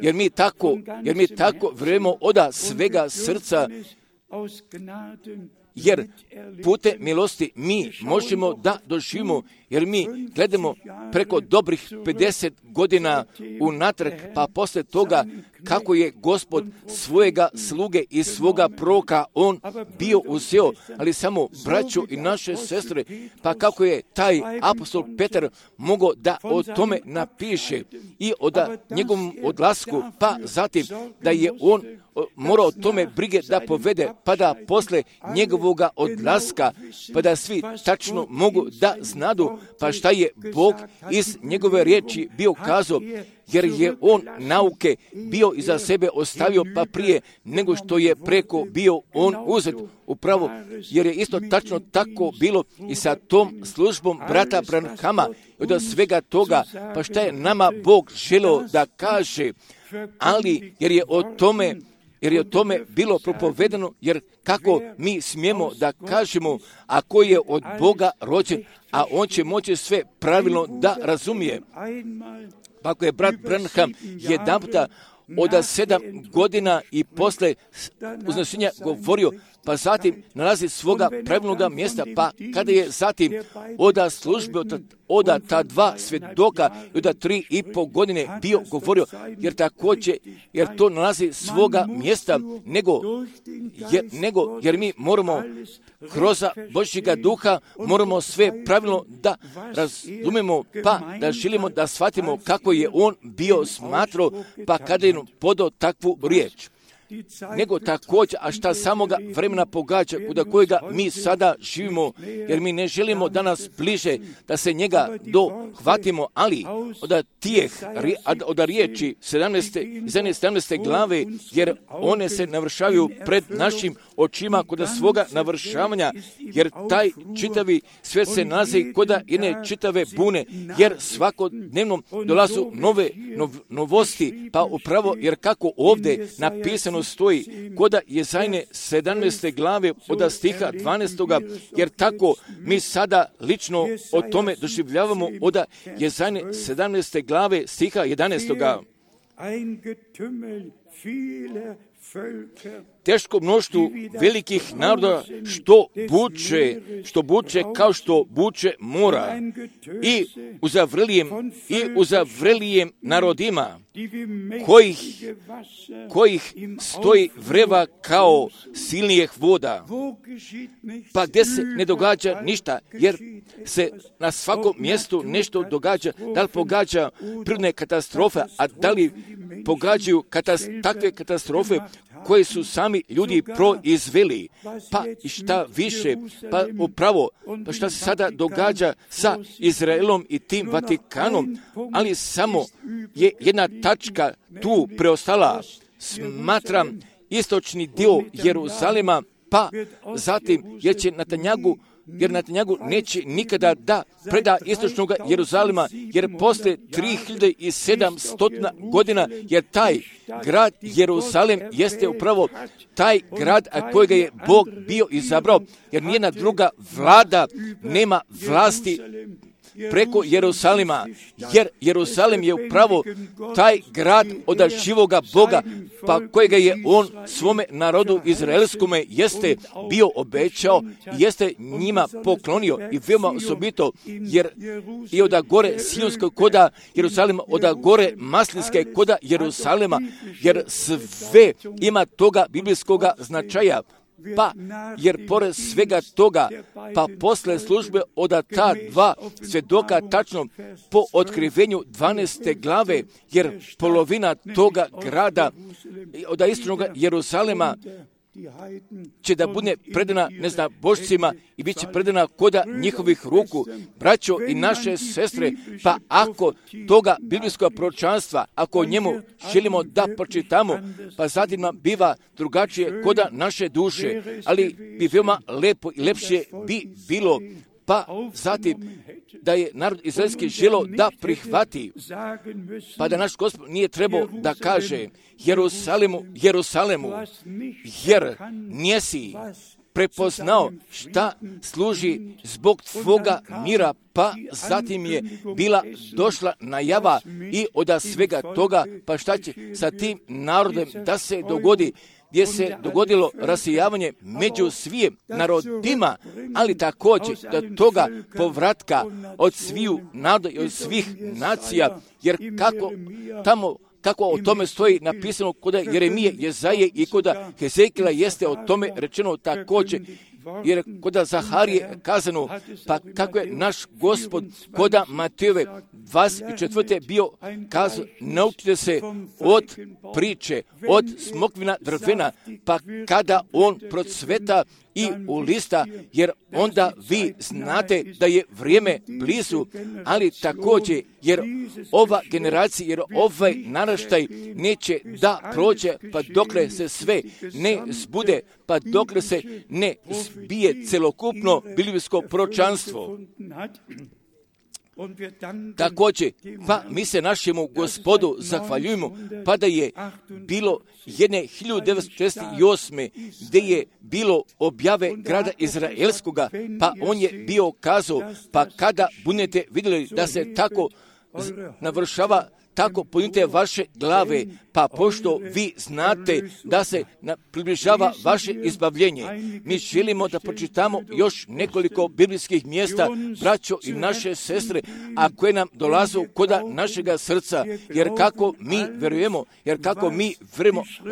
jer mi tako vjerujemo od svega srca jer putem milosti mi možemo da doživimo, jer mi gledamo preko dobrih 50 godina unatrag, pa posle toga kako je Gospod svojega sluge i svoga proroka on bio uzeo, ali samo braću i naše sestre, pa kako je taj apostol Petar mogao da o tome napiše i o njegovom odlasku, pa zatim da je on morao o tome brige da povede, pa da posle njegovoga odlaska, pa da svi tačno mogu da znadu, pa šta je Bog iz njegove riječi bio kazao, jer je on nauke bio iza sebe ostavio, pa prije nego što je preko bio on uzet. Upravo, jer je isto tačno tako bilo i sa tom službom brata Branhama i od svega toga, pa šta je nama Bog želeo da kaže, ali jer je o tome bilo propovedano, jer kako mi smijemo da kažemo, ako je od Boga rođen, a on će moći sve pravilno da razumije. Pa ako je brat Branham jedanputa od 7 godina i posle uznesenja govorio, pa zatim nalazi svoga pravilnog mjesta, pa kada je zatim oda službe od ta 2 svjedoka i od 3,5 godine bio govorio, jer to nalazi svoga mjesta, jer mi moramo kroz Božjega duha moramo sve pravilno da razumemo, pa da želimo da shvatimo kako je on bio smatrao, pa kada je podao takvu riječ. Nego također, a šta samoga vremena pogađa, kod kojega mi sada živimo, jer mi ne želimo danas bliže da se njega dohvatimo, ali od riječi 17. glave, jer one se navršavaju pred našim očima kod svoga navršavanja, jer taj čitavi svijet se nalazi kod jedne čitave bune, jer svakodnevno dolazu novosti, pa upravo, jer kako ovdje napisano stoji kod Jezajne 17. glave od stiha 12. jer tako mi sada lično o tome doživljavamo od Jezajne 17. glave stiha 11. Teško mnoštvu velikih naroda što buče kao što buče mora i uzavrelijem narodima kojih stoji vreva kao silnijih voda, pa gdje se ne događa ništa, jer se na svakom mjestu nešto događa, da li pogađa prirodne katastrofe, a da li pogađaju takve katastrofe koje su sami ljudi proizveli, pa i šta više, pa upravo, pa šta se sada događa sa Izraelom i tim Vatikanom, ali samo je jedna tačka tu preostala, smatram istočni dio Jeruzalema, pa zatim jer Netanjahu neće nikada da preda istočnog Jeruzalema, jer posle 3700 godina, jer taj grad Jeruzalem jeste upravo taj grad kojega je Bog bio izabrao, jer nijedna druga vlada nema vlasti preko Jeruzalema, jer Jeruzalem je upravo taj grad od živoga Boga, pa kojega je on svome narodu izraelskome jeste bio obećao, jeste njima poklonio i veoma osobito, jer i od gore Sionskog koda Jeruzalema, od gore Maslinske koda Jeruzalema, jer sve ima toga biblijskoga značaja. Pa, jer pored svega toga, pa posle službe od ta 2 svjedoka tačno po otkrivenju 12. glave, jer polovina toga grada od istočnog Jeruzalema će da bude predana, božcima i bit će predana koda njihovih ruku. Braćo i naše sestre, pa ako toga biblijskog proročanstva, ako o njemu želimo da pročitamo, pa zatim nam biva drugačije koda naše duše, ali bi veoma lepo i lepše bi bilo, pa zatim da je narod izraelski želeo da prihvati, pa da naš Gospod nije trebao da kaže Jeruzalemu, jer nisi prepoznao šta služi zbog tvoga mira, pa zatim je bila došla najava i od svega toga, pa šta će sa tim narodom da se dogodi, gdje se dogodilo rasijavanje među svim narodima, ali također do toga povratka od sviju naroda i od svih nacija, jer kako o tome stoji napisano kod Jeremije, Jezaje i kod Hezekila jeste o tome rečeno također, jer kod Zaharije kazano, pa kako je naš Gospod kod Matejove 24. bio kazao, naučite se od priče, od smokvina drvena, pa kada on procveta i ulista, jer onda vi znate da je vrijeme blizu, ali također, jer ova generacija, jer ovaj naraštaj neće da prođe, pa dokle se sve ne zbude, pa dokle se ne zbije celokupno biblijsko proročanstvo. Također, pa mi se našemu Gospodu zahvaljujemo, pa da je bilo jedne 1948. gdje je bilo objave grada Izraelskoga, pa on je bio kazao, pa kada budete vidjeli da se tako navršava, tako podignite vaše glave, pa pošto vi znate da se približava vaše izbavljenje. Mi želimo da pročitamo još nekoliko biblijskih mjesta, braćo i naše sestre, a koje nam dolaze kod našega srca, jer kako mi verujemo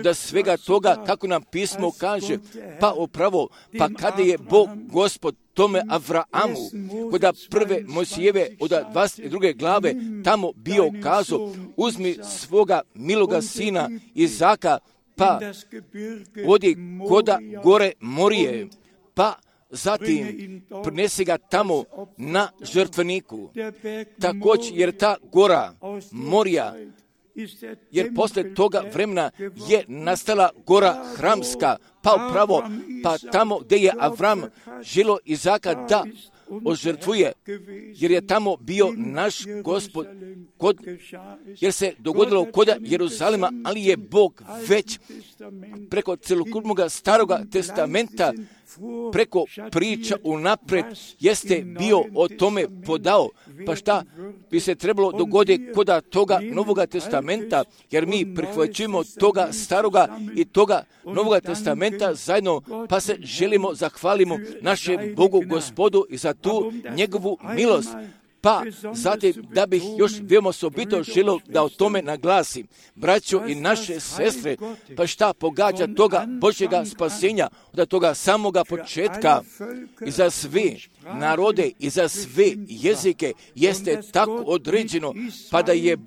da svega toga, kako nam pismo kaže, pa upravo, pa kada je Bog Gospod tome Avraamu, kod prve Mojsijeve od 22. glave, tamo bio kazao, uzmi svoga miloga sina Izaka, pa odi koda gore Morije, pa zatim prinesi ga tamo na žrtveniku. Također, jer ta gora Morija, jer posle toga vremena je nastala gora Hramska, pa upravo, pa tamo gdje je Avram želio Izaka da ožrtvuje, jer je tamo bio naš Gospod, jer se dogodilo kod Jeruzalema, ali je Bog već preko celokupnog staroga testamenta, preko priča unapred, jeste bio o tome podao. Pa šta bi se trebalo dogoditi kod toga Novoga testamenta, jer mi prihvaćujemo toga staroga i toga Novoga testamenta zajedno, pa se želimo zahvalimo našem Bogu Gospodu i za tu njegovu milost. Pa zatim da bih još veoma osobito želio da o tome naglasim, braćo i naše sestre, pa šta pogađa toga Božjega spasenja od toga samoga početka i za sve narode i za sve jezike jeste tako određeno, pa da je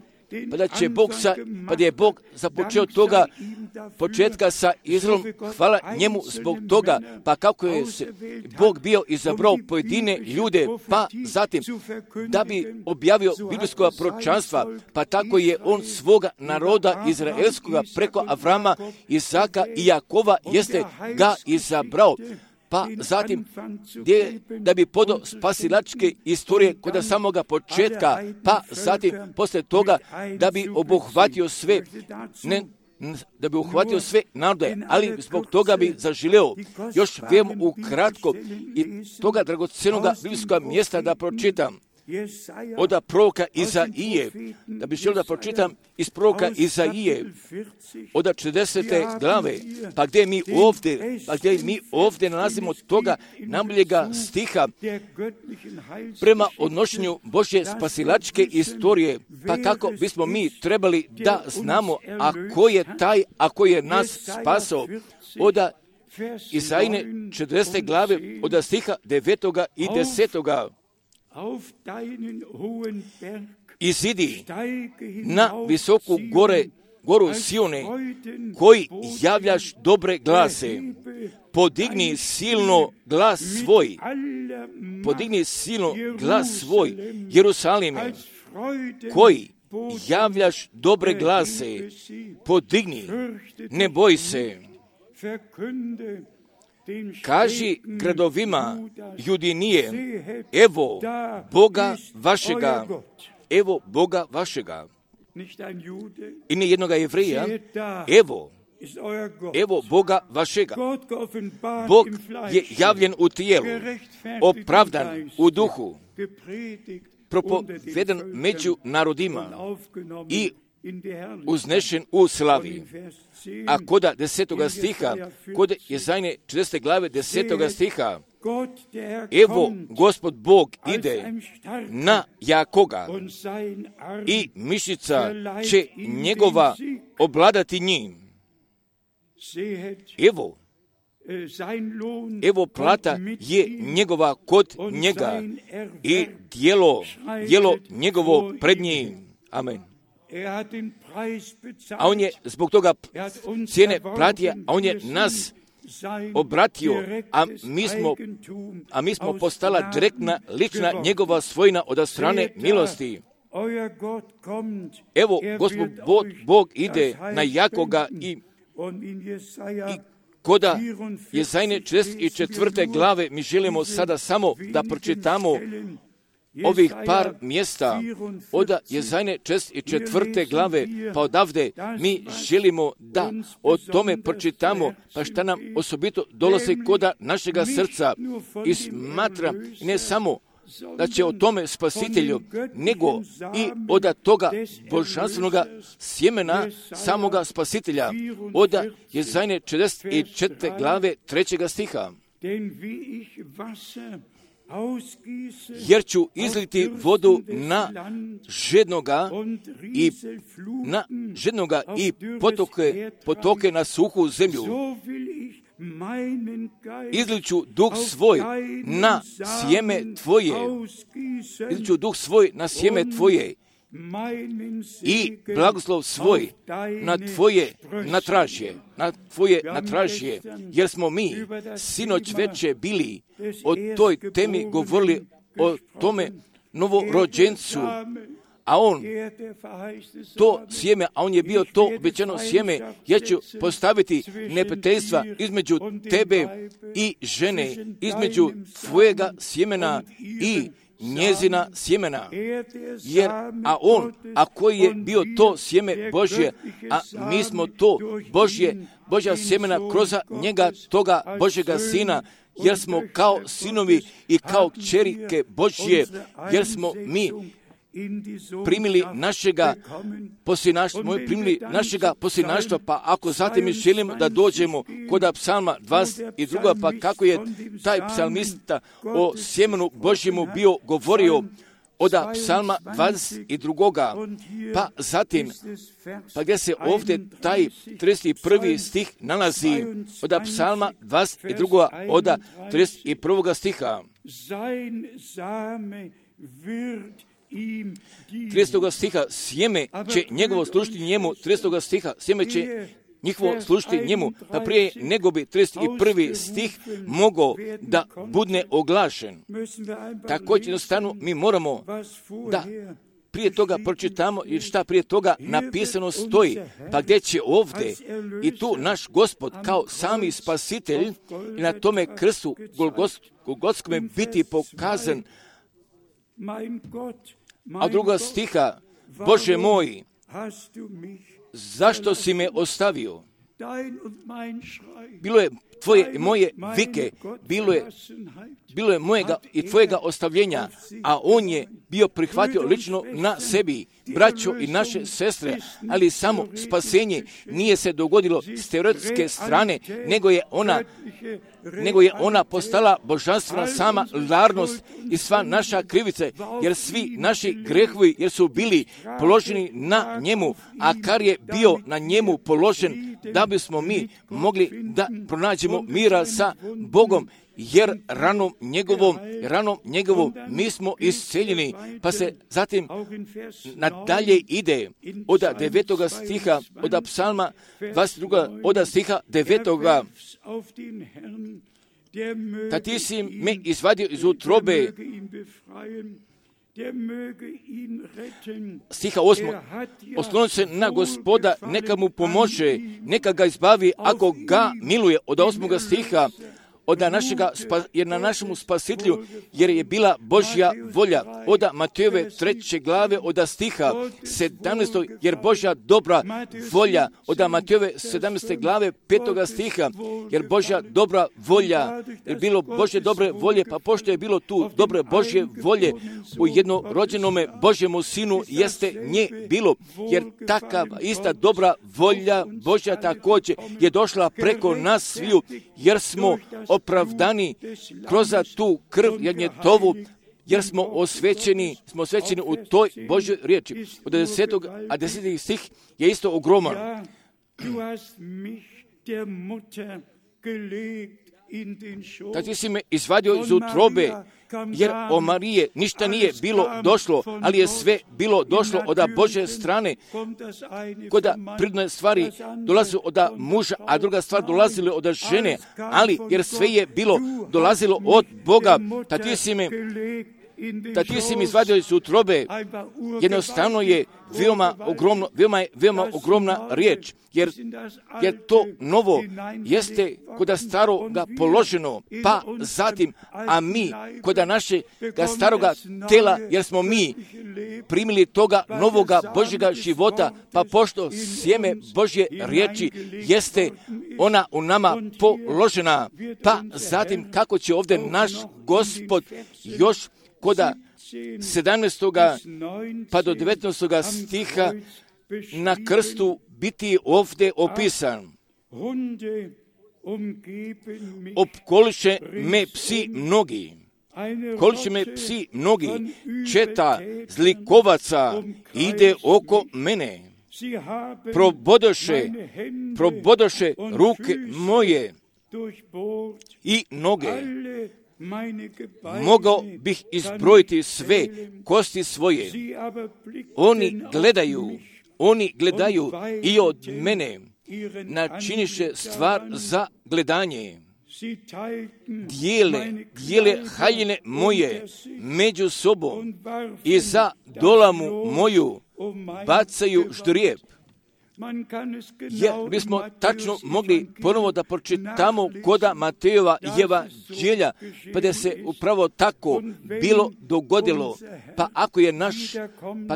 Bog započeo toga početka sa Izraelom, hvala njemu zbog toga, pa kako je Bog bio izabrao pojedine ljude, pa zatim da bi objavio biblijskoga proročanstva, pa tako je on svoga naroda izraelskoga preko Avrama, Izaka i Jakova jeste ga izabrao. Pa zatim, da bi podao spasilačke istorije kod samoga početka, pa zatim, posle toga, da bi obuhvatio sve, narode, ali zbog toga bi zaželeo još veoma ukratko i toga dragocenoga biblijskoga mjesta da pročitam. Od proroka Izaije, da bi želio da pročitam iz proroka Izaije, od 40. glave, pa gdje mi ovdje nalazimo toga najboljega stiha prema odnošenju Božje spasilačke istorije, pa kako bismo mi trebali da znamo, a ko je taj, a ko je nas spasao, od Izajine 40. glave, od stiha 9. i 10. Izidi na visoku goru Sione, koji javljaš dobre glase, podigni silno glas svoj, Jerusalime, koji javljaš dobre glase, podigni, ne boj se. Kaži gradovima Judinije, evo Boga vašega. I ne jednoga Jevrija, evo Boga vašega. Bog je javljen u tijelu, opravdan u duhu, propoveden među narodima i uznešen u slavi. A koda 10. stiha, kod Jezajne 40. glave 10. stiha, evo Gospod Bog ide na jakoga i mišica će njegova obladati njim. Evo plata je njegova kod njega i djelo njegovo pred njim. Amen. A on je zbog toga cijene platio, a on je nas obratio, a mi smo postala direktna, lična njegova svojina od strane milosti. Evo, Gospod Bog ide na jakoga i koda Jezajne 44. glave mi želimo sada samo da pročitamo ovih par mjesta od Jezajne 44. glave, pa odavde mi želimo da o tome pročitamo, pa šta nam osobito dolazi koda našega srca i smatra ne samo da će o tome spasitelju, nego i od toga božanstvenoga sjemena samoga spasitelja, od Jezajne 44. glave 3. stiha. Jer ću izliti vodu na žednoga i potoke na suhu zemlju. Izliću duh svoj na sjeme tvoje. Izliću duh svoj na sjeme tvoje i blagoslov svoj na tvoje natražje, jer smo mi sinoć veče bili o toj temi govorili, o tome novorođencu, a on to sjeme, a on je bio to obećano sjeme, ja ću postaviti neprijateljstva između tebe i žene, između tvojega sjemena i njezina sjemena, jer koji je bio to sjeme Božje, a mi smo to Božja sjemena kroz njega, toga Božjega Sina, jer smo kao sinovi i kao kćerike Božje, jer smo mi primili našega posljednaštva, pa ako zatim mi želimo da dođemo kod psalma 22, pa kako je taj psalmista o sjemenu Božjemu bio govorio od psalma 22, pa zatim, pa gdje se ovdje taj 31. stih nalazi od psalma 22, od 31. stiha. 30. stiha, sjeme će njegovo služiti njemu, 30. stiha, sjeme će njihovo služiti njemu, pa prije nego bi 31. stih mogao da budne oglašen. Također jednostavno mi moramo da prije toga pročitamo i šta prije toga napisano stoji, pa gdje će ovdje i tu naš Gospod kao sami spasitelj i na tome krstu Golgotskome biti pokazan. A druga stiha, Bože moj, zašto si me ostavio? Bilo je tvoje i moje vike, bilo je mojega i tvojega ostavljenja, a on je bio prihvatio lično na sebi, braćo i naše sestre, ali samo spasenje nije se dogodilo s teoretske strane, nego je ona postala božanstvena sama larnost i sva naša krivice, jer svi naši grehovi, jer su bili položeni na njemu, a kar je bio na njemu položen, da bismo mi mogli da pronađemo mira sa Bogom, jer ranom njegovom mi smo isceljeni, pa se zatim nadalje ide od 9. stiha, od psalma 22. od stiha 9. Da ti si me izvadio iz utrobe, stiha 8. Osloni se na Gospoda, neka mu pomože, neka ga izbavi ako ga miluje. Od 8. stiha, jer na našemu spasitelju, jer je bila Božja volja. Od Matejove 3. glave, od stiha 17. jer Božja dobra volja. Od Matejove 17. glave 5. stiha, jer Božja dobra volja, jer bilo Božje dobre volje, pa pošto je bilo tu dobre Božje volje u jednorođenome Božjemu sinu, jeste nje bilo, jer takav ista dobra volja Božja također je došla preko nas sviju, jer smo opravdani kroz tu krv jagnjetovu, jer smo osvećeni u toj Božjoj riječi. Od 10. stih je isto ogroman. Da ti si me izvadio iz utrobe, jer o Marije ništa nije bilo došlo, ali je sve bilo došlo od Božje strane. Koda prirodne stvari dolaze od muža, a druga stvar dolazile od žene, ali jer sve je bilo dolazilo od Boga. Da ti si mi izvadio iz utrobe, jednostavno je veoma ogromna riječ, jer to novo jeste koda staroga položeno, pa zatim, a mi koda našega staroga tela, jer smo mi primili toga novoga Božjega života, pa pošto sjeme Božje riječi jeste ona u nama položena, pa zatim kako će ovdje naš Gospod još koda 17. pa do 19. stiha na krstu biti ovdje opisan. Opkoliše me psi mnogi, četa zlikovaca ide oko mene. Probodoše ruke moje i noge. Mogao bih izbrojiti sve kosti svoje. Oni gledaju i od mene načiniše stvar za gledanje. Dijele haljine moje među sobom i za dolamu moju bacaju ždrijeb. Jer bismo tačno mogli ponovo da pročitamo koda Matejova evanđelja, pa da se upravo tako bilo dogodilo. Pa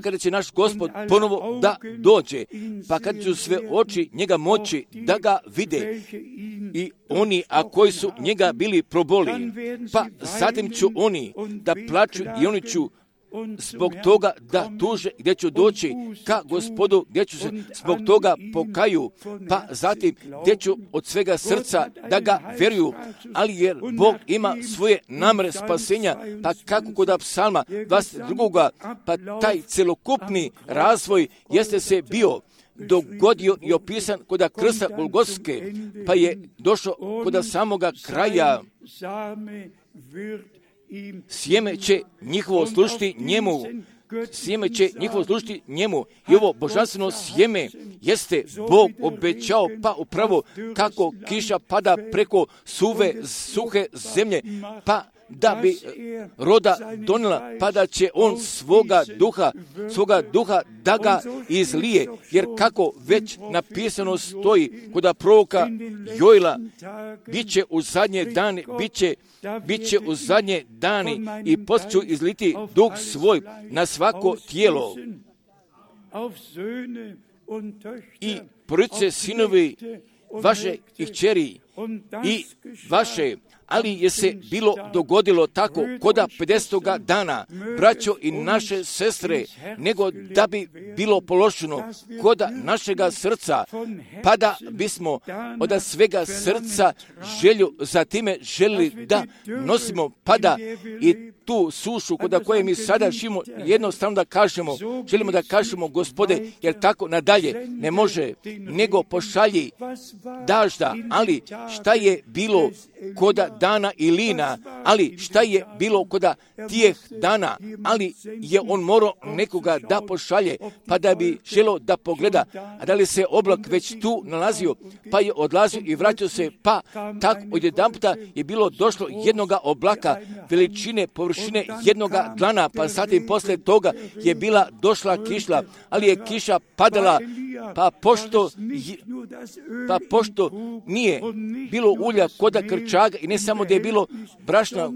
kada će naš Gospod ponovo da dođe, pa kada će sve oči njega moći da ga vide, i oni, a koji su njega bili proboli, pa zatim ću oni da plaču i oni ću zbog toga da tuže gdje ću doći ka Gospodu, gdje ću se zbog toga pokaju, pa zatim gdje ću od svega srca da ga vjeruju, ali jer Bog ima svoje namere spasenja, pa kako kod psalma 22. pa taj celokupni razvoj jeste se bio dogodio i opisan kod krsta Golgotske, pa je došao kod samoga kraja. Sjeme će njihovo služiti njemu. I ovo božanstveno sjeme jeste Bog obećao, pa upravo kako kiša pada preko suhe zemlje, pa da bi roda donijela, pa da će on svoga duha da ga izlije, jer kako već napisano stoji kod proroka Joela, bit će u zadnje dani i poslije ću izliti duh svoj na svako tijelo. I porodice sinovi vaše i kćeri i vaše, ali je se bilo dogodilo tako koda 50. dana, braćo i naše sestre, nego da bi bilo položeno koda našega srca, pa da bismo od svega srca želju za time želili da nosimo, pa da i tu sušu koda koje mi sada živimo, jednostavno da kažemo, želimo da kažemo, Gospode, jer tako nadalje ne može, nego pošalji dažda, ali šta je bilo koda dana Ilina, ali šta je bilo koda tijeh dana, ali je on morao nekoga da pošalje, pa da bi želo da pogleda, a da li se oblak već tu nalazio, pa je odlazio i vraćao se, pa tako odjedanputa je bilo došlo jednoga oblaka, veličine, površine jednoga dlana, pa zatim posle toga je bila došla kišla, ali je kiša padala, pa pošto nije bilo ulja koda krčaga i ne samo da je bilo brašna,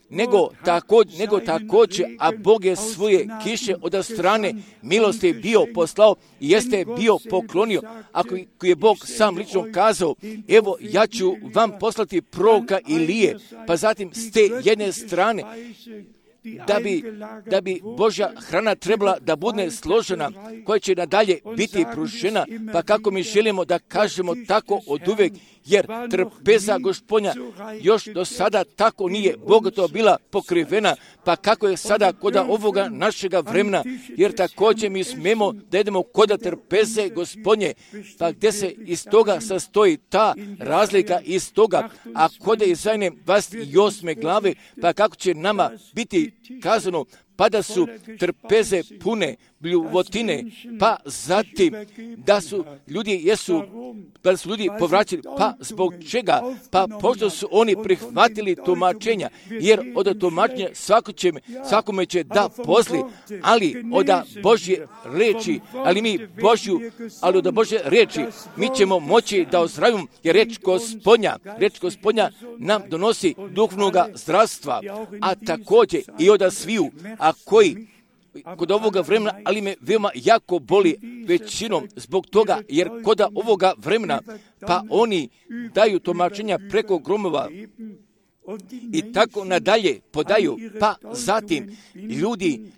nego također, a Bog je svoje kiše od strane milosti bio poslao i jeste bio poklonio. Ako je Bog sam lično kazao, evo ja ću vam poslati proroka Ilije, pa zatim s te jedne strane, da bi Božja hrana trebala da bude složena, koja će nadalje biti pružena, pa kako mi želimo da kažemo tako od uvek, jer trpeza Gospodnja još do sada tako nije bogato bila pokrivena, pa kako je sada kod ovoga našega vremena, jer također mi smemo da idemo kod trpeze Gospodnje, pa gdje se iz toga sastoji ta razlika iz toga, a kod Izaine 28. glave, pa kako će nama biti kazano, pa da su trpeze pune bljuvotine, pa zatim da su ljudi povraćali, pa zbog čega? Pa pošto su oni prihvatili tumačenja, jer od tumačenja svakome će da posli, ali od Božje reči, ali od Božje reči mi ćemo moći da ozdravimo, jer reč Gospodnja nam donosi duhovnoga zdravstva, a također i od sviju, a koji kod ovoga vremena, ali me veoma jako boli većinom zbog toga, jer kod ovoga vremena, pa oni daju tumačenja preko gromova i tako nadalje podaju, pa zatim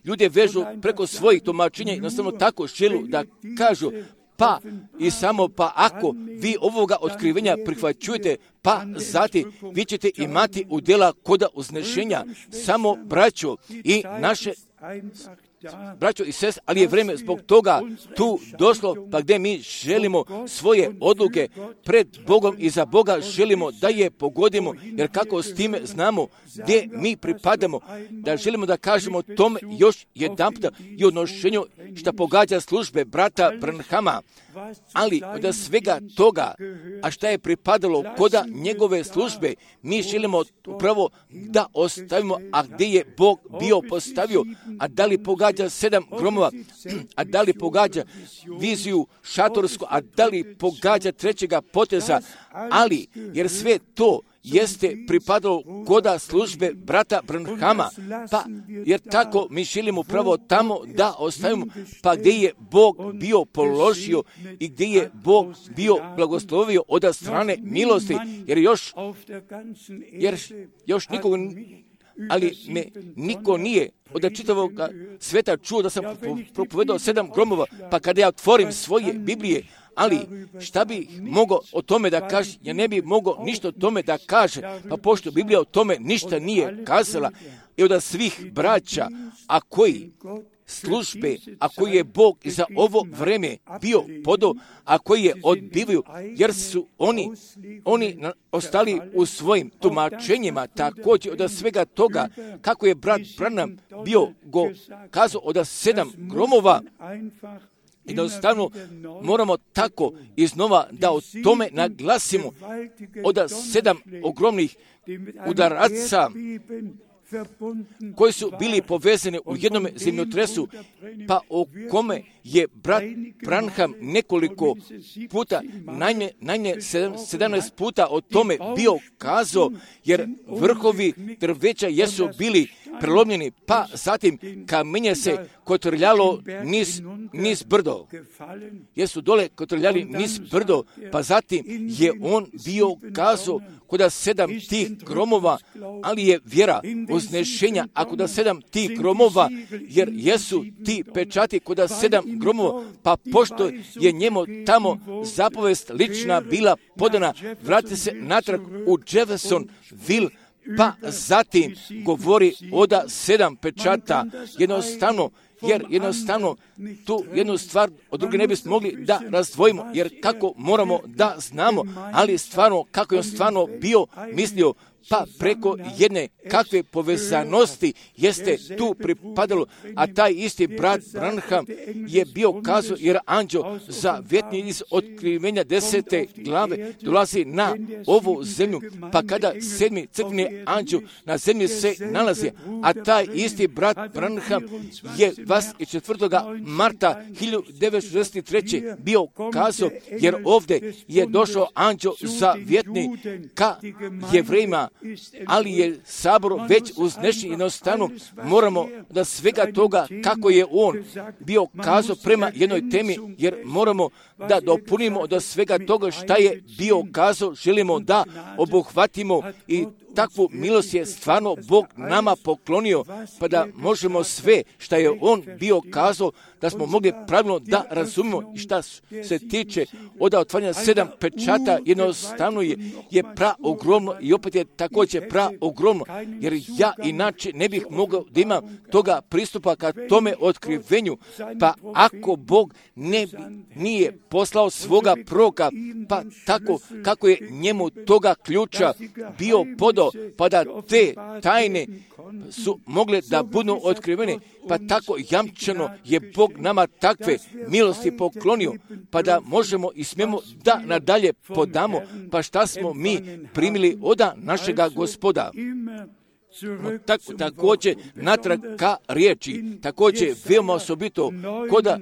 ljude vežu preko svojih tumačenja i jednostavno tako želu da kažu, pa ako vi ovoga otkrivenja prihvaćujete, pa zatim vi ćete imati udjela koda uznešenja, samo braćo i naše braćo i sestre, ali je vrijeme zbog toga tu došlo, pa gdje mi želimo svoje odluke pred Bogom i za Boga želimo da je pogodimo, jer kako s time znamo gdje mi pripadamo, da želimo da kažemo tome još jedanputa i odnošenju što pogađa službe brata Branhama, ali od svega toga, a šta je pripadalo koda njegove službe, mi želimo upravo da ostavimo, a gdje je Bog bio postavio, a da li pogađa 7 gromova, a da li pogađa viziju šatorsku, a da li pogađa trećega poteza, ali jer sve to jeste pripadalo koda službe brata Branhama, pa jer tako mi želimo upravo tamo da ostavimo, pa gdje je Bog bio položio i gdje je Bog bio blagoslovio od strane milosti, jer još niko nije od čitavog sveta čuo da sam propovedao 7 gromova, pa kada ja otvorim svoje Biblije, ali šta bi mogao o tome da kaže? Ja ne bi mogao ništa o tome da kaže, pa pošto Biblija o tome ništa nije kazala, i od svih braća, a koji službe, a koji je Bog i za ovo vreme bio podao, a koji je odbivaju, jer su oni ostali u svojim tumačenjima, također od svega toga, kako je brat Branham bio kazao od 7 gromova, jednostavno moramo tako iznova da o tome naglasimo od 7 ogromnih udaraca koji su bili povezani u jednom zemljotresu, pa o kome je brat Branham nekoliko puta, najmanje 17 puta o tome bio kazao, jer vrhovi drveća jesu bili prelomljeni, pa zatim kamenje se kotrljalo niz brdo. Jesu dole kotrljali niz brdo, pa zatim je on bio kazao kod 7 tih gromova, ali je vjera uznešenja, a kod 7 tih gromova, jer jesu ti pečati kod 7 gromova, pa pošto je njemu tamo zapovest lična bila podana, vrati se natrag u Jeffersonville, pa zatim govori od 7 pečata, jednostavno tu jednu stvar od druge ne bismo mogli da razdvojimo, jer kako moramo da znamo, ali stvarno, kako je on stvarno bio mislio, pa preko jedne kakve povezanosti jeste tu pripadalo, a taj isti brat Branham je bio kazao, jer anđeo zavjetni iz otkrivenja 10. glave dolazi na ovu zemlju, pa kada 7. crkveni anđeo na zemlji se nalazi, a taj isti brat Branham je 24. marta 1963. bio kazao, jer ovdje je došao anđeo zavjetni ka Jevrejima, ali je sabor već uznešen. Jednostavno moramo da svega toga kako je on bio kazao prema jednoj temi, jer moramo da dopunimo do svega toga šta je bio kazao, želimo da obuhvatimo i takvu milost je stvarno Bog nama poklonio, pa da možemo sve šta je on bio kazao, da smo mogli pravilno da razumimo. Šta se tiče od otvaranja 7 pečata, jednostavno je praogromno i opet je također praogromno, jer ja inače ne bih mogao da imam toga pristupa ka tome otkrivenju, pa ako Bog nije poslao svoga proroka, pa tako kako je njemu toga ključa bio podao, pa da te tajne su mogle da budu otkrivene, pa tako jamčeno je Bog nama takve milosti poklonio, pa da možemo i smijemo da nadalje podamo, pa šta smo mi primili od našega Gospoda. Također natrag ka riječi, također veoma osobito koda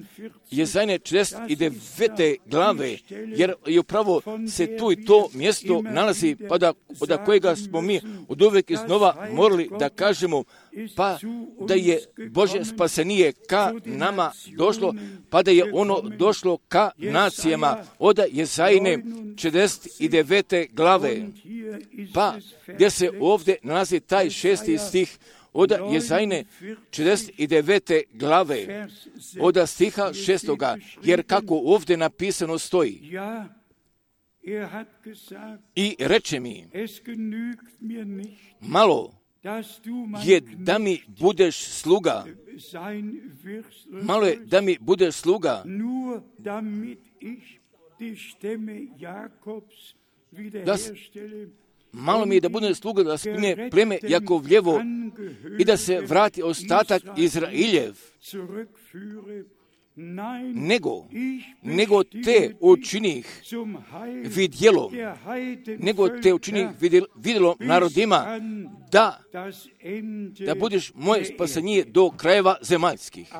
Jezajne 49. glave, jer je upravo se tu i to mjesto nalazi, pa od kojega smo mi od uvijek iznova morali da kažemo, pa da je Božje spasenije ka nama došlo, pa da je ono došlo ka nacijama od Jezajne 49. glave, pa gdje se ovdje nalazi taj 6. stih od Jezajne 49. glave, od stiha 6. jer kako ovdje napisano stoji, i reče mi, malo je da mi budeš sluga, malo je da mi budeš sluga, malo mi je da budem sluga da spune pleme Jakovljevo i da se vrati ostatak Izrailjev, nego te učinih vidjelom, vidjelom narodima, da budeš moje spasenije do krajeva zemaljskih.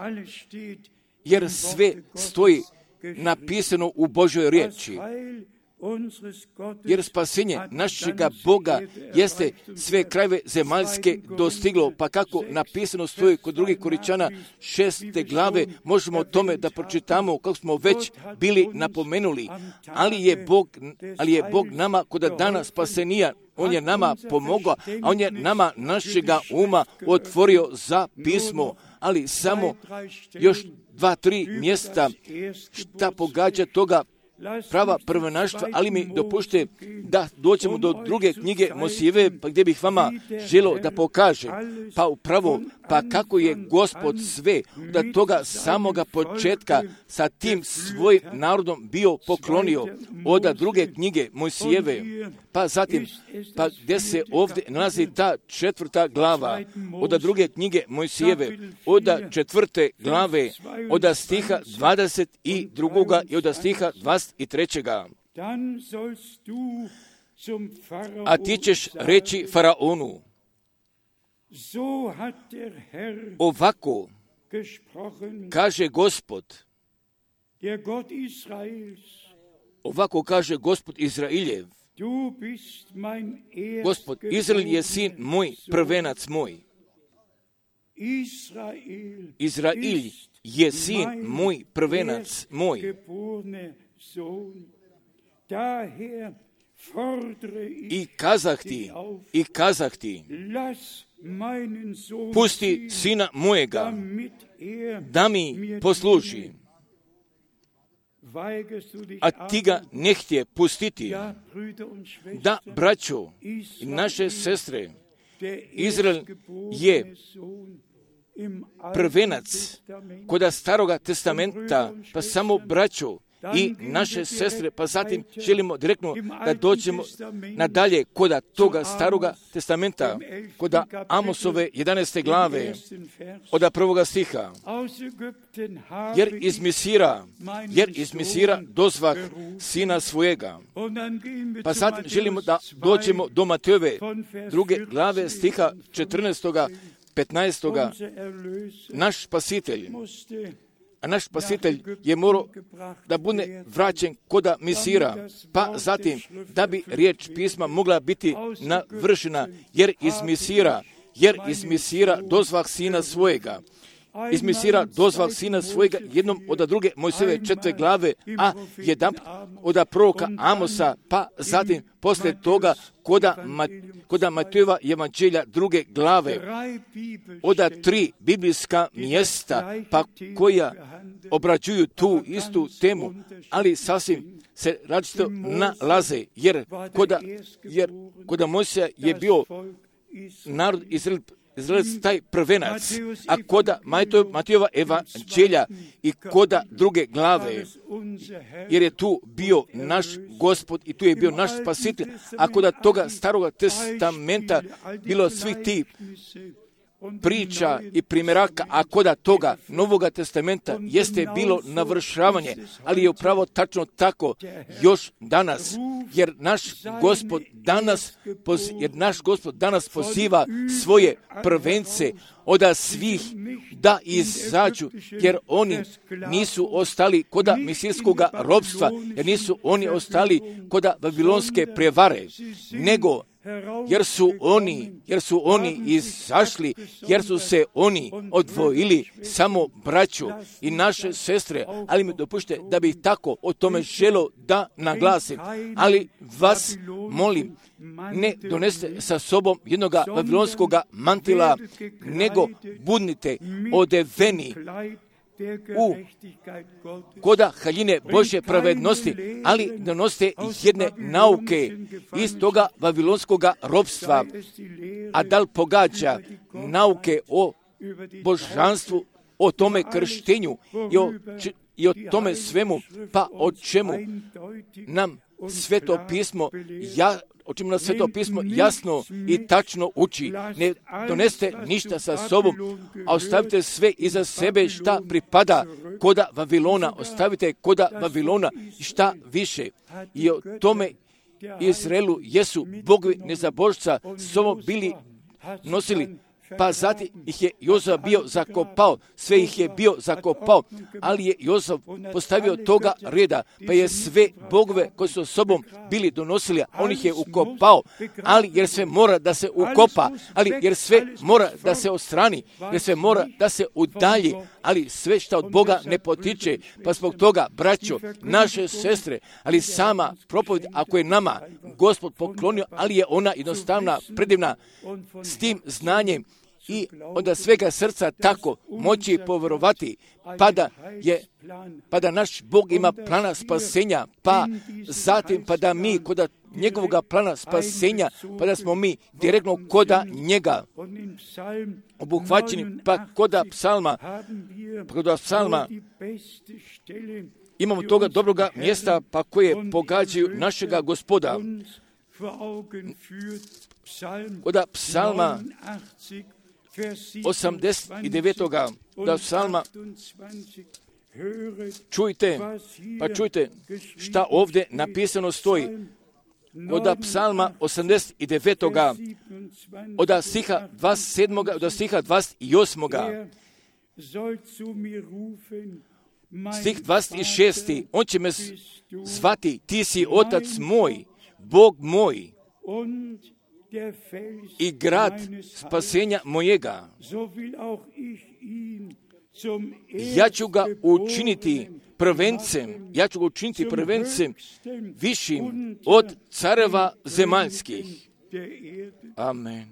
Jer sve stoji napisano u Božoj riječi. Jer spasenje našega Boga jeste sve krajeve zemaljske dostiglo, pa kako napisano stoji kod drugih Koričana 6. glave, možemo o tome da pročitamo kako smo već bili napomenuli, ali je Bog nama kod dana spasenija, on je nama pomogao, a on je nama našega uma otvorio za pismo, ali samo još 2-3 mjesta šta pogađa toga prava prvenaštva, ali mi dopušte da dođemo do druge knjige Mojsijeve, pa gdje bih vama želio da pokaže, pa upravo, pa kako je Gospod sve od toga samoga početka sa tim svojim narodom bio poklonio od druge knjige Mojsijeve, pa zatim, pa gdje se ovdje nalazi ta 4. glava od druge knjige Mojsijeve, od 4. glave, od stiha 22. i od stiha 23. A ti ćeš reći faraonu, ovako kaže Gospod, ovako kaže Gospod Izrailjev, Gospod Izrael je sin moj, prvenac moj. Izrail je sin moj, prvenac moj. I kazah ti, pusti sina mojega, da mi posluži, a ti ga ne htje pustiti. Da, braćo i naše sestre, Izrael je prvenac kod Staroga testamenta, pa samo braćo, i naše sestre, pa zatim želimo direktno da dođemo nadalje koda toga staroga testamenta, koda Amosove 11. glave, od 1. stiha. Jer iz Misira dozvah sina svojega. Pa zatim želimo da dođemo do Matejove 2. glave stiha 14. 15. Naš spasitelj je morao da bude vraćen koda Misira, pa zatim da bi riječ pisma mogla biti navršena, jer iz Misira dozvah sina svojega. Iz Misira dozvah sina svojega jednom od druge Mojsijeve 4. glave, a jedan od proroka Amosa, pa zatim poslije toga koda Matejova evanđelja 2. glave, od 3 biblijska mjesta, pa koja obrađuju tu istu temu, ali sasvim se različito nalaze, jer koda Mojsija je bio narod Izraelac taj prvenac, a koda Matejova evanđelja i koda 2. glave, jer je tu bio naš Gospod i tu je bio naš spasitelj, a koda toga staroga testamenta bilo svih ti priča i primjeraka, a koda toga Novoga testamenta jeste bilo navršavanje, ali je upravo tačno tako još danas, jer naš Gospod danas poziva svoje prvence od svih da izađu, jer oni nisu ostali koda misirskoga ropstva, jer nisu oni ostali koda babilonske prevare, nego jer su oni izašli, jer su se oni odvojili, samo braću i naše sestre, ali mi dopušte da bih tako o tome želio da naglasim, ali vas molim, ne doneste sa sobom jednoga babilonskoga mantila, nego budnite odeveni koda haljine Božje pravednosti, ali donosite jedne nauke iz toga babilonskoga ropstva, a da li pogađa nauke o božanstvu, o tome krštenju i o tome svemu, pa o čemu nam Sveto pismo jasno i tačno uči. Ne donesite ništa sa sobom, a ostavite sve iza sebe šta pripada koda Vavilona. Ostavite koda Vavilona šta više. I o tome Izraelu jesu bogovi nezabožca s sobom bili nosili, pa zatim ih je Jozaf bio zakopao, sve ih je bio zakopao, ali je Jozaf postavio toga reda, pa je sve bogove koji su sobom bili donosili, on ih je ukopao, ali jer sve mora da se ukopa, ali jer sve mora da se odstrani, jer sve mora da se udalji, ali sve što od Boga ne potiče, pa zbog toga, braćo, naše sestre, ali sama propovjed, ako je nama Gospod poklonio, ali je ona jednostavna, predivna, s tim znanjem, i onda svega srca tako moći povjerovati, pa da naš Bog ima plana spasenja, pa zatim pa da mi koda njegovoga plana spasenja, pa da smo mi direktno koda njega obuhvaćeni, pa koda psalma imamo toga dobroga mjesta, pa koje pogađaju našega Gospoda. Koda psalma 89. da psalma čujte šta ovdje napisano stoji. Od psalma 89. od stiha 27. do stiha 28. Stih 26. On će me zvati, ti si otac moj, Bog moj i grad spasenja mojega. Ja ću ga učiniti prvencem višim od careva zemaljskih. Amen.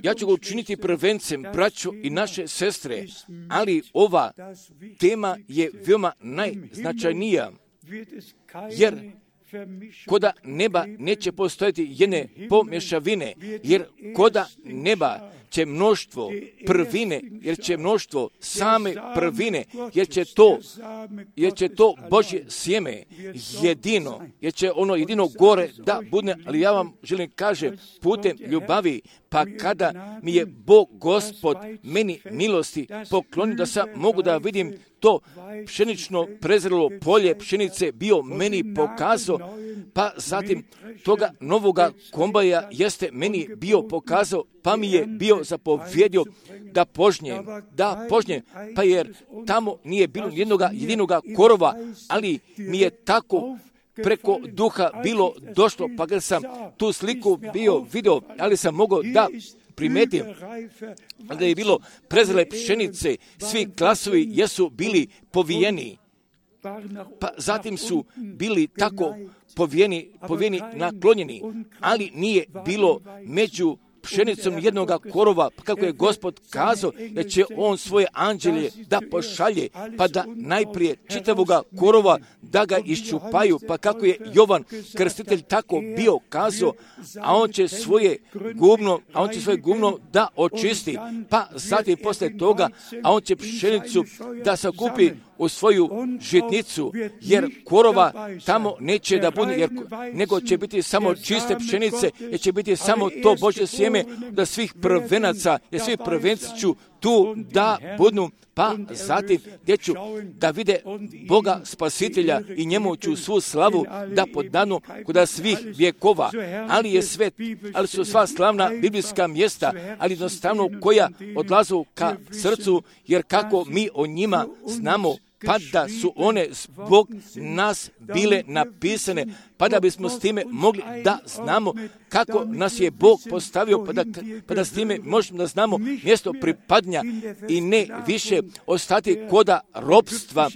Ja ću ga učiniti prvencem, braćo i naše sestre, ali ova tema je veoma najznačajnija, jer koda neba neće postojati jedne pomješavine, jer koda neba će mnoštvo prvine, jer će mnoštvo same prvine, jer će to Božje sjeme jedino, jer će ono jedino gore da bude, ali ja vam želim kažem putem ljubavi, pa kada mi je Bog Gospod meni milosti poklonio da sam mogu da vidim to pšenično prezrelo polje pšenice bio meni pokazao, pa zatim toga novoga kombaja jeste meni bio pokazao, pa mi je bio zapovjedio da požnjem, pa jer tamo nije bilo jedinoga korova, ali mi je tako preko duha bilo došlo, pa kad sam tu sliku bio video, ali sam mogao da primetim da je bilo prezrele pšenice, svi klasovi jesu bili povijeni, pa zatim su bili tako povijeni naklonjeni, ali nije bilo među pšenicom jednoga korova, pa kako je Gospod kazao da će on svoje anđelje da pošalje, pa da najprije čitavoga korova da ga iščupaju, pa kako je Jovan Krstitelj tako bio kazao, a on će svoje gumno da očisti, pa zatim posle toga, a on će pšenicu da sakupi u svoju žitnicu, jer korova tamo neće da bude, nego će biti samo čiste pšenice, jer će biti samo to Božje sjeme da svih prvenaca, jer svi prvenci ću tu da budu, pa zatim gdje ću da vide Boga Spasitelja i njemu ću svu slavu da podanu kod svih vjekova, ali su sva slavna biblijska mjesta, ali jednostavno koja odlazu ka srcu, jer kako mi o njima znamo, pa da su one zbog nas bile napisane, pa da bismo s time mogli da znamo kako nas je Bog postavio, pa da s time možemo da znamo mjesto pripadnja i ne više ostati koda ropstva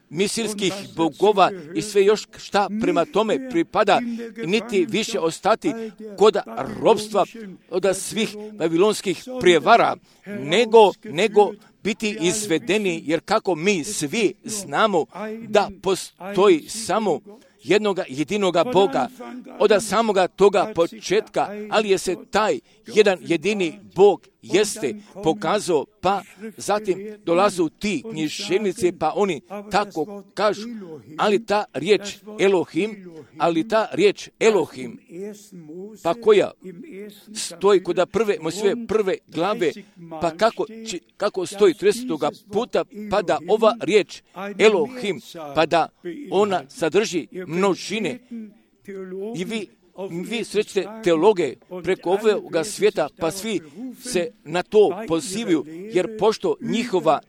misirskih bogova i sve još šta prema tome pripada, niti više ostati koda ropstva od svih babilonskih prijevara, nego biti izvedeni, jer kako mi svi znamo da postoji samo jedinoga Boga, od samoga toga početka, ali je se taj jedan jedini Bog jeste pokazao, pa zatim dolazu ti književnici, pa oni tako kažu, ali ta riječ Elohim, pa koja stoji kod prve glave, pa kako stoji 30. puta, pa da ova riječ Elohim, pa da ona sadrži množine, i vi srećete teologe preko ovoga svijeta, pa svi se na to pozivaju, jer pošto njihova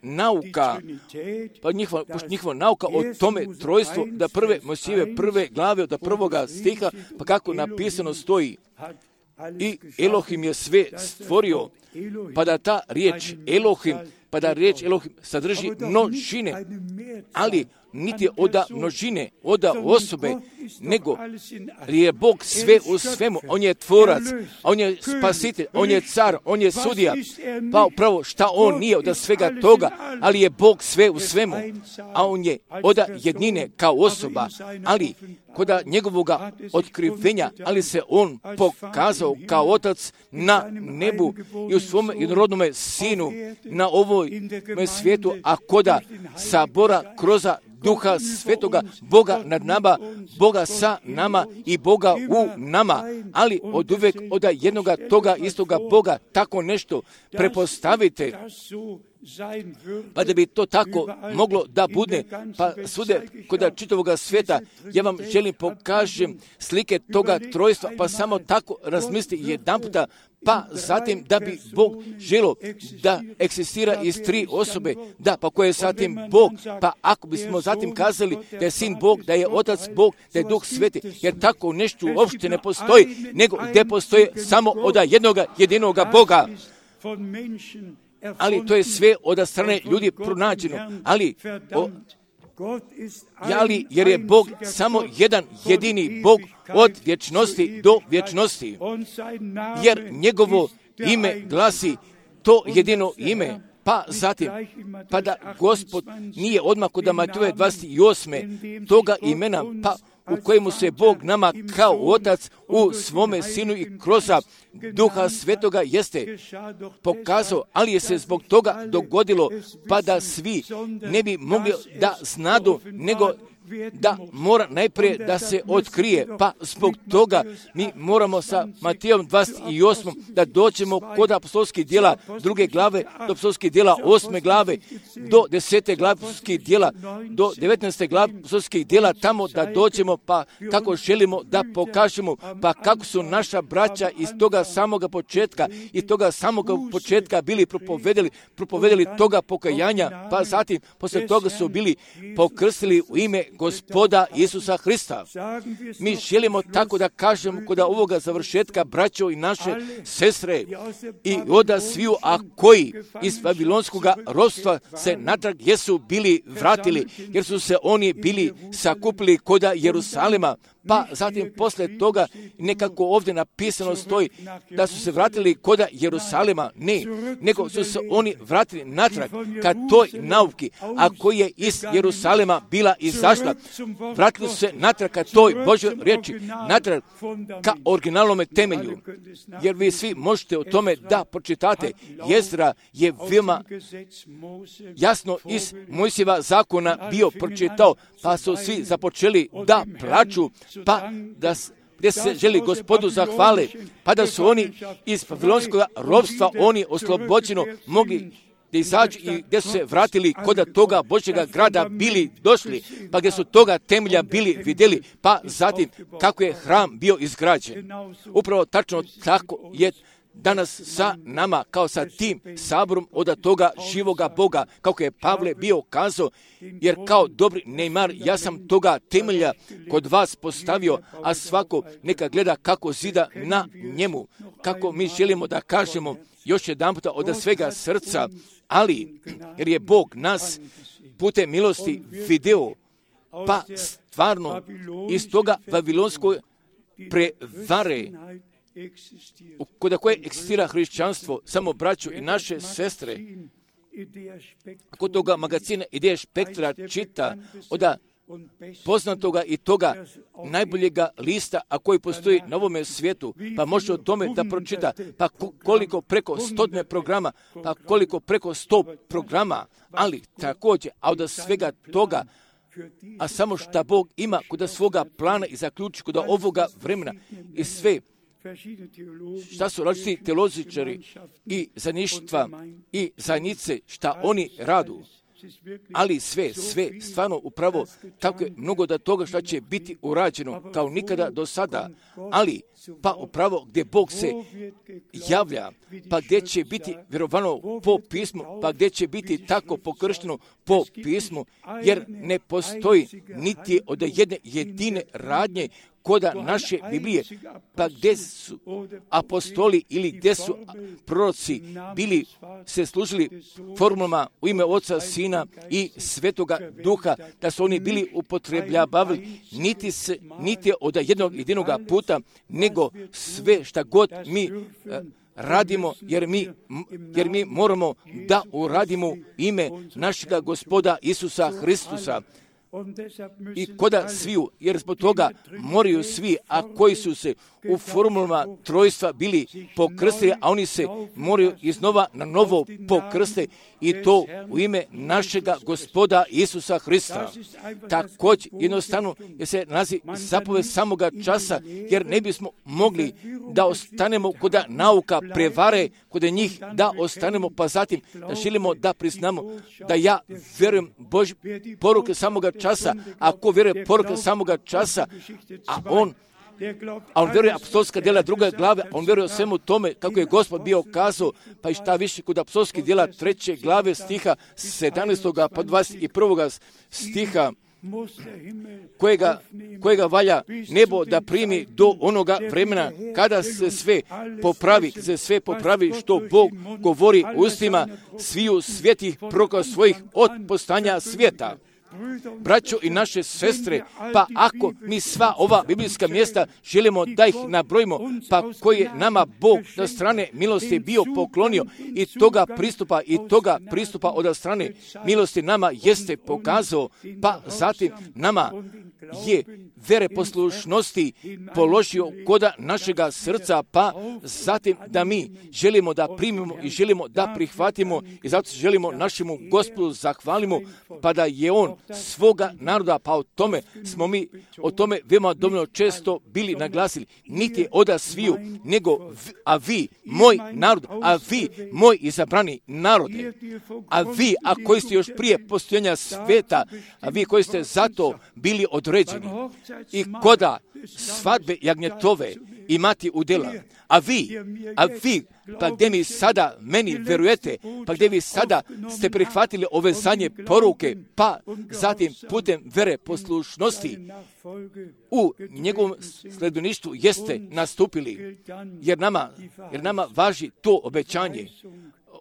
nauka o tome trojstvu, da prve glave od prvoga stiha, pa kako napisano stoji, i Elohim je sve stvorio, pa da ta riječ Elohim sadrži množine, ali niti od množine, od osobe, nego je Bog sve u svemu. On je tvorac, on je spasitelj, on je car, on je sudija. Pa upravo šta on nije od svega toga, ali je Bog sve u svemu. A on je od jednine kao osoba, ali kod njegovoga otkrivenja, ali se on pokazao kao otac na nebu i u svom jednorodnome sinu na ovoj svijetu, a koda sabora kroz Duha Svetoga, Boga nad nama, Boga sa nama i Boga u nama, ali od uvijek od jednoga toga istoga Boga tako nešto prepostavite, pa da bi to tako moglo da bude, pa svude kod čitavoga svijeta, ja vam želim pokažem slike toga trojstva, pa samo tako razmisli jedan puta, pa zatim da bi Bog želio da eksistira iz tri osobe, pa ko je zatim Bog, pa ako bismo zatim kazali da je Sin Bog, da je Otac Bog, da je Duh Sveti, jer tako nešto uopšte ne postoji, nego gdje postoje samo od jedinoga Boga. Ali to je sve od strane ljudi pronađeno, jer je Bog samo jedan jedini Bog od vječnosti do vječnosti, jer njegovo ime glasi to jedino ime, pa zatim, pa da Gospod nije odmah kod Mateja 28. toga imena, pa u kojemu se Bog nama kao Otac u svome Sinu i kroz Duha Svetoga jeste pokazao, ali je se zbog toga dogodilo, pa da svi ne bi mogli da znadu, nego da mora najprije da se otkrije, pa zbog toga mi moramo sa Matejom 28. da dođemo kod apostolskih djela 2. glave, do apostolskih djela 8. glave, do 10. glave apostolskih djela, do 19. glave apostolskih djela, tamo da dođemo, pa kako želimo da pokažemo, pa kako su naša braća iz toga samoga početka bili propovedali toga pokajanja, pa zatim posle toga su bili pokrstili u ime Gospoda Isusa Hrista. Mi želimo tako da kažemo kod ovoga završetka, braćo i naše sestre, i oda sviju, a koji iz babilonskog ropstva se natrag jesu bili vratili, jer su se oni bili sakupili kod Jerusalima, pa zatim posle toga nekako ovdje napisano stoji da su se vratili kod Jerusalima, ne, nego su se oni vratili natrag ka toj nauki, a koji je iz Jerusalima bila izašla. Vratili su se natrag ka toj Božoj riječi, natrag ka originalnome temelju, jer vi svi možete o tome da pročitate. Jezra je veoma jasno iz Mojsijeva zakona bio pročitao, pa su svi započeli da plaču, pa da gdje se želi Gospodu zahvale, pa da su oni iz babilonskog ropstva oni oslobođeno mogli da izađu i gdje su se vratili kod toga Božjega grada bili došli, pa gdje su toga temelja bili vidjeli, pa zatim kako je hram bio izgrađen. Upravo tačno tako je danas sa nama, kao sa tim saborom od toga živoga Boga, kako je Pavle bio kazao, jer kao dobri Neymar, ja sam toga temelja kod vas postavio, a svako neka gleda kako zida na njemu. Kako mi želimo da kažemo još jedan puta od svega srca, ali jer je Bog nas putem milosti video, pa stvarno iz toga babilonskog prevare kod koje eksistira hrišćanstvo, samo braću i naše sestre, kod toga magazina Ideje Spektra čita od poznatoga i toga najboljega lista, a koji postoji na ovome svijetu, pa može o tome da pročita, pa koliko preko 100 programa, pa koliko preko 100 programa, ali također, a od svega toga, a samo šta Bog ima kod svoga plana i zaključi kod ovoga vremena i sve, šta su različiti teolozičari i zaništva i zajednice, šta oni radu. Ali sve, stvarno upravo tako je mnogo da toga što će biti urađeno kao nikada do sada, ali pa upravo gdje Bog se javlja, pa gdje će biti vjerovano po pismu, pa gdje će biti tako pokršteno po pismu, jer ne postoji niti od jedne jedine radnje koda naše Biblije, pa gdje su apostoli ili gdje su proroci bili se služili formulama u ime Oca, Sina i Svetoga Duha, da su oni bili upotrebljavali niti od jednog jedinog puta, nego sve šta god mi radimo, jer mi moramo da uradimo ime našega Gospoda Isusa Hristusa. I koda sviju, jer zbog toga moraju svi, a koji su se u formulama trojstva bili pokrstili, a oni se moraju iznova na novo pokrste, i to u ime našega Gospoda Isusa Hrista. Također jednostavno jer se nalazi zapoved samoga časa, jer ne bismo mogli da ostanemo kod nauka prevare, kod njih da ostanemo, pa zatim da želimo da priznamo da ja vjerujem Božje poruke samoga časa, ako vjeruje poruke samoga časa, a on vjeruje apostolska djela 2. glave, on vjeruje o svemu tome kako je Gospod bio kazao, pa i šta više kod apostolskih djela 3. glave stiha 17. pa 21. stiha, kojega valja nebo da primi do onoga vremena kada se sve popravi što Bog govori ustima sviju svetih proroka svojih od postanja svijeta. braćo i naše sestre, pa ako mi sva ova biblijska mjesta želimo da ih nabrojimo, pa koje nama Bog od strane milosti bio poklonio i toga pristupa od strane milosti nama jeste pokazao, pa zatim nama je vere poslušnosti položio koda našega srca, pa zatim da mi želimo da primimo i želimo da prihvatimo i zato želimo našemu Gospodu zahvalimo, pa da je On svoga naroda, pa o tome veoma dovoljno često bili naglasili, niti oda sviju, nego a vi, moj narod, a vi, moj izabrani narode, a vi, a koji ste još prije postojanja sveta, a vi koji ste zato bili određeni i koda svadbe jagnjetove imati udjela, a vi, pa gdje mi sada meni verujete, pa gdje vi sada ste prihvatili ove zadnje poruke, pa zatim putem vere poslušnosti u njegovom sledbeništvu jeste nastupili, jer nama važi to obećanje.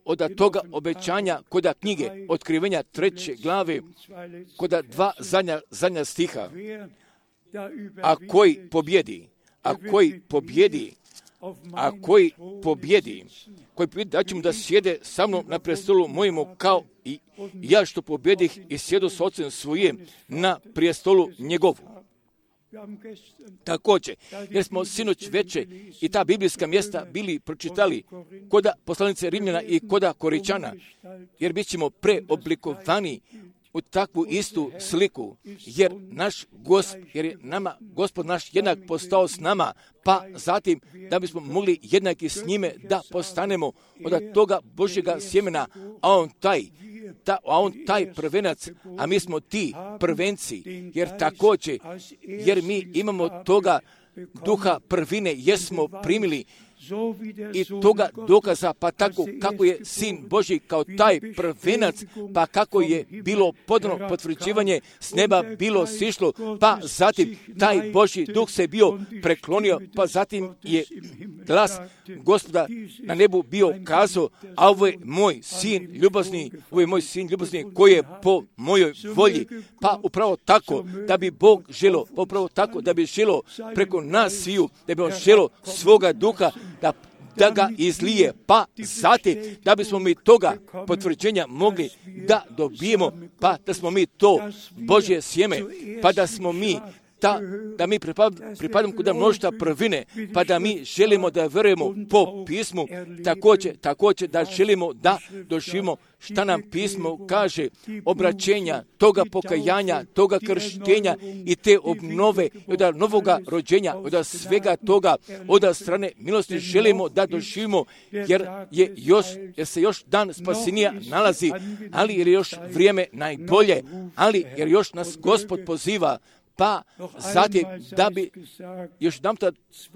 Od toga obećanja koda knjige Otkrivenja 3. glave, koda 2 zadnja stiha, a koji pobjedi, da ćemo da sjede sa mnom na prestolu mojemu kao i ja što pobjedih i sjedu s Ocem svojim na prijestolu njegovu. Također, jer smo sinoć veče i ta biblijska mjesta bili pročitali koda poslanice Rimljana i koda Koričana, jer bit ćemo preoblikovani u takvu istu sliku, jer je nama Gospod naš jednak postao s nama, pa zatim da bismo mogli jednaki s njime da postanemo od toga Božjega sjemena, a on taj prvenac, a mi smo ti prvenci, jer mi imamo toga duha prvine, jesmo primili i toga dokaza, pa tako kako je Sin Božji kao taj prvenac, pa kako je bilo podano potvrđivanje s neba bilo sišlo, pa zatim taj Božji duh se bio preklonio, pa zatim je glas Gospoda na nebu bio kazao, a ovo je moj sin ljubazni koji je po mojoj volji, pa upravo tako da bi Bog želio, upravo tako da bi želio preko nas sviju, da bi on želio svoga duha da ga izlije, pa zatim da bismo mi toga potvrđenja mogli da dobijemo, pa da smo mi to Božje sjeme, pa da smo mi da mi pripadamo kuda mnoštva prvine, pa da mi želimo da verujemo po pismu, također da želimo da doživimo šta nam pismo kaže, obraćenja, toga pokajanja, toga krštenja i te obnove, od novoga rođenja, od svega toga, od strane milosti želimo da doživimo, jer se još dan spasenja nalazi, ali jer je još vrijeme najbolje, ali jer još nas Gospod poziva, pa zatim da bi još nam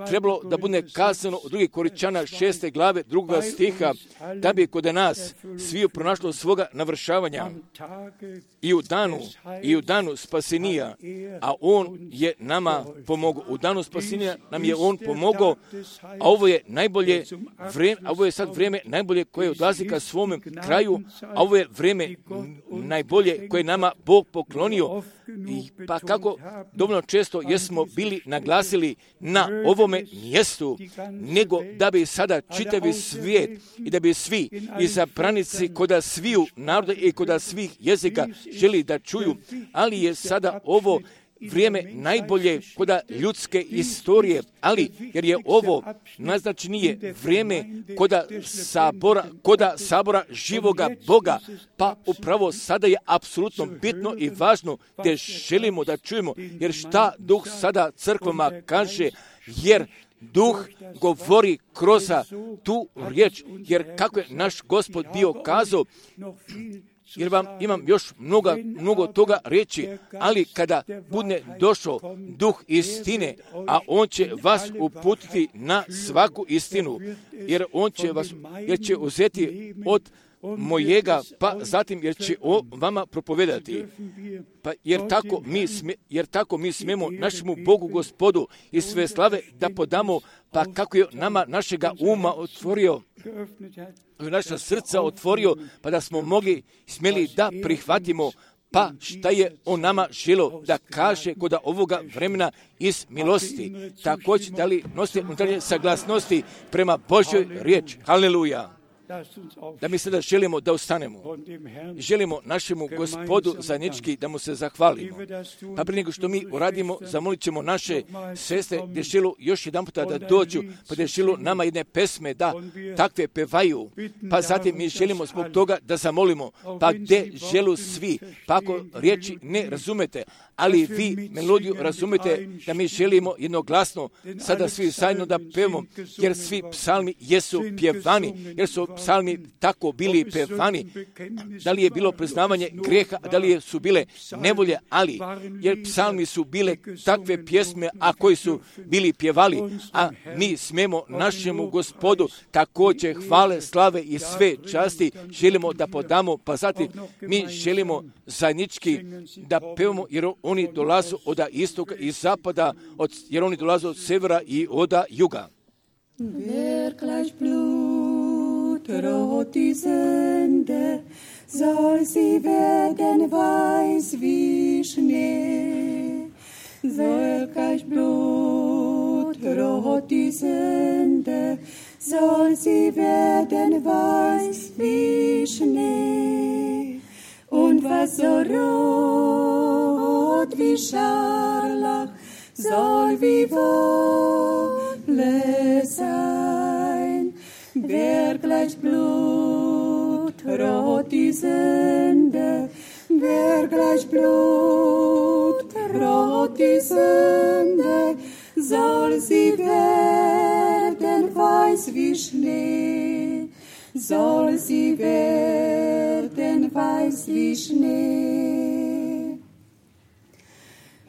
trebalo da bude kazano u 2. Koričana 6. glave 2. stiha, da bi kod nas sviju pronašlo svoga navršavanja i u danu spasenija, a on je nama pomogao. U danu spasenija nam je on pomogao, a ovo je najbolje vrijeme, a ovo je sad vrijeme najbolje koje odlazi ka svome kraju, a ovo je vrijeme najbolje koje nama Bog poklonio. Pa kako dovoljno često jesmo bili naglasili na ovome mjestu, nego da bi sada čitavi svijet i da bi svi izabranici koda sviju naroda i koda svih jezika želi da čuju, ali je sada ovo vrijeme najbolje koda ljudske istorije, ali jer je ovo najznačajnije vrijeme koda sabora živoga Boga, pa upravo sada je apsolutno bitno i važno da želimo da čujemo, jer šta Duh sada crkvama kaže, jer Duh govori kroz tu riječ, jer kako je naš Gospod bio kazao, jer vam imam još mnogo toga reći, ali kada bude došao Duh istine, a on će vas uputiti na svaku istinu, jer će uzeti od mojega, pa zatim jer će o vama propovedati. Pa jer tako mi smemo našemu Bogu Gospodu i sve slave da podamo, pa kako je nama našega uma otvorio, naša srca otvorio, pa da smo smjeli da prihvatimo, Pa šta je on nama želo da kaže kod ovoga vremena iz milosti? Također da li nosite unutarnje saglasnosti prema Božjoj riječi? Haleluja! Da mi sada želimo da ustanemo. Želimo našemu Gospodu zajednički da mu se zahvalimo. Pa prije nego što mi uradimo, zamolit ćemo naše sestre gdje želu još jedan puta da dođu, pa gdje želu nama jedne pesme da takve pevaju. Pa zatim mi želimo zbog toga da zamolimo, pa gdje želu svi, pa ako riječi ne razumete, ali vi melodiju razumete, da mi želimo jednoglasno sada svi zajedno da pevamo, jer svi psalmi jesu pjevani, jer su psalmi tako bili pevani. Da li je bilo priznavanje grijeha, da li su bile nevolje, ali jer psalmi su bile takve pjesme, a koji su bili pjevali, a mi smemo našemu Gospodu također hvale, slave i sve časti želimo da podamo, pa zatim mi želimo zajednički da pevamo, jer oni dolaze od istoka i zapada, jer oni dolaze od severa i od juga. Rot die Sünde, soll sie werden weiß wie Schnee. Soll gleich Blut, rot die Sünde, soll sie werden weiß wie Schnee. Und was so rot wie Scharlach, soll wie Wolle sein. Wer gleich Blut, rot die Sünde, wer gleich Blut, rot die Sünde, soll sie werden weiß wie Schnee, soll sie werden weiß wie Schnee.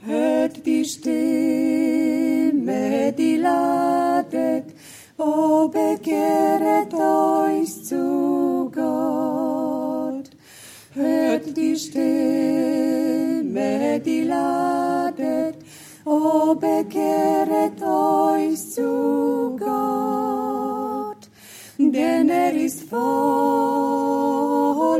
Hört die Stimme, die ladet, o bekehret euch zu Gott. Hört die Stimme, die ladet, o bekehret euch zu Gott. Denn ist voll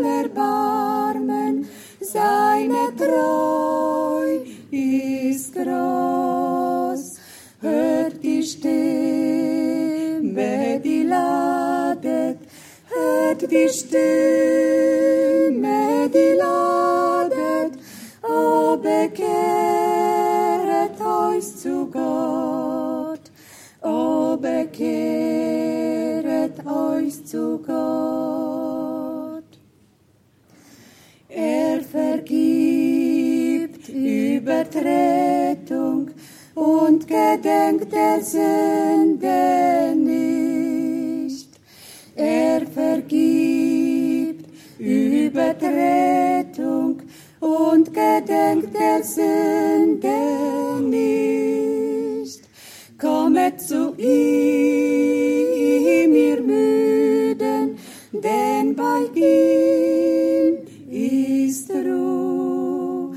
Erbarmen, seine Treu ist groß. Hört die Stimme, die ladet, hört die Stimme, die ladet, o bekehret euch zu Gott, o bekehret euch zu Gott. Vergibt Übertretung und gedenkt der Sünde nicht. Vergibt Übertretung und gedenkt der Sünde nicht. Kommet zu ihm, ihr Müden, denn bei ihm ist Ruhe.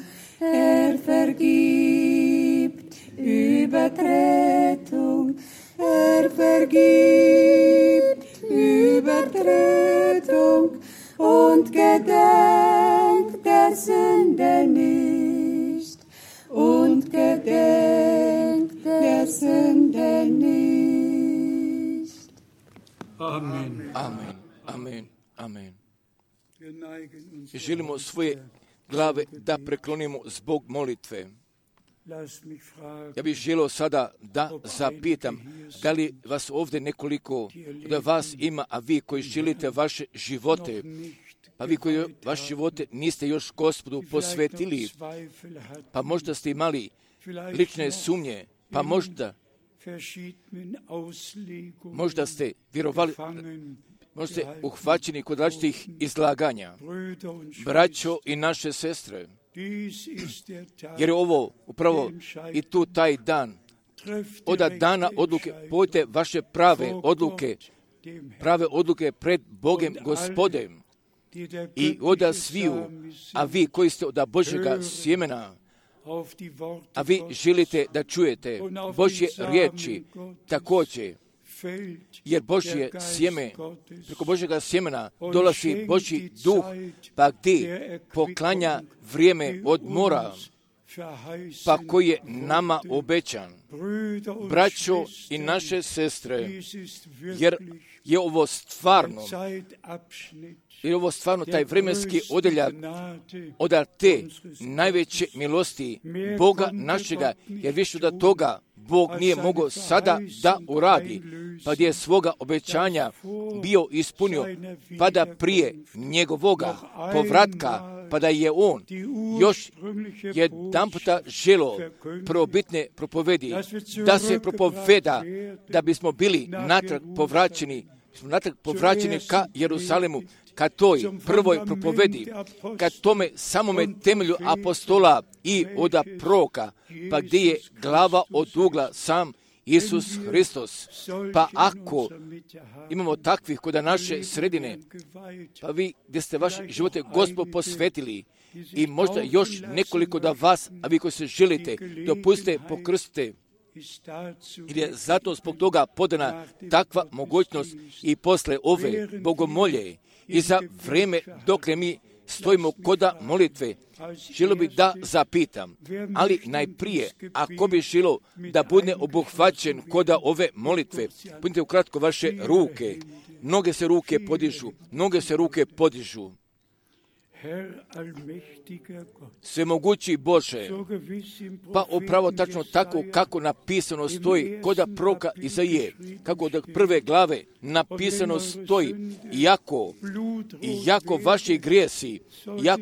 Vergibt Übertretung, vergibt Übertretung und gedenkt der Sünde nicht, und gedenkt der Sünde nicht. Amen. Amen. Amen. Amen. Želimo svoje glave da preklonimo zbog molitve. Ja bih želio sada da zapitam, da li vas ovdje nekoliko da vas ima, a vi koji želite vaše živote, pa vi koji vaše živote niste još Gospodu posvetili, pa možda ste imali lične sumnje, pa možda ste vjerovali, možda ste uhvaćeni kod različitih izlaganja. Braćo i naše sestre, jer je ovo upravo i tu taj dan, od dana odluke, pojte vaše prave odluke pred Bogem Gospodem i od sviju, a vi koji ste od Božjega sjemena, a vi želite da čujete Božje riječi, također jer Božje sjeme, preko Božjega sjemena dolazi Božji duh, pa gdje poklanja vrijeme odmora, pa koji je nama obećan. Braćo i naše sestre, jer je ovo stvarno taj vremenski odeljak od te najveće milosti Boga našega, jer više da toga Bog nije mogao sada da uradi, pa gdje je svoga obećanja bio ispunio, pa da prije njegovoga povratka, pa da je on još jedan puta želo prvobitne propovedi, da se propoveda, da bismo bili natrag povraćeni ka Jerusalemu, ka toj prvoj propovedi, ka tome samome temelju apostola i od proroka, pa gdje je glava od ugla sam Isus Hristos. Pa ako imamo takvih kod naše sredine, pa vi gdje ste vaše živote Gospod posvetili, i možda još nekoliko da vas, a vi koji se želite, dopustite, pokrstite, jer je zato zbog toga podana takva mogućnost i posle ove bogomolje i za vrijeme dok mi stojimo koda molitve, želo bi da zapitam, ali najprije, ako bi želo da bude obuhvaćen koda ove molitve, budite ukratko vaše ruke, mnoge se ruke podižu. Svemogući Bože, pa upravo tačno tako kako napisano stoji koda proroka Izaije, kako od prve glave napisano stoji, iako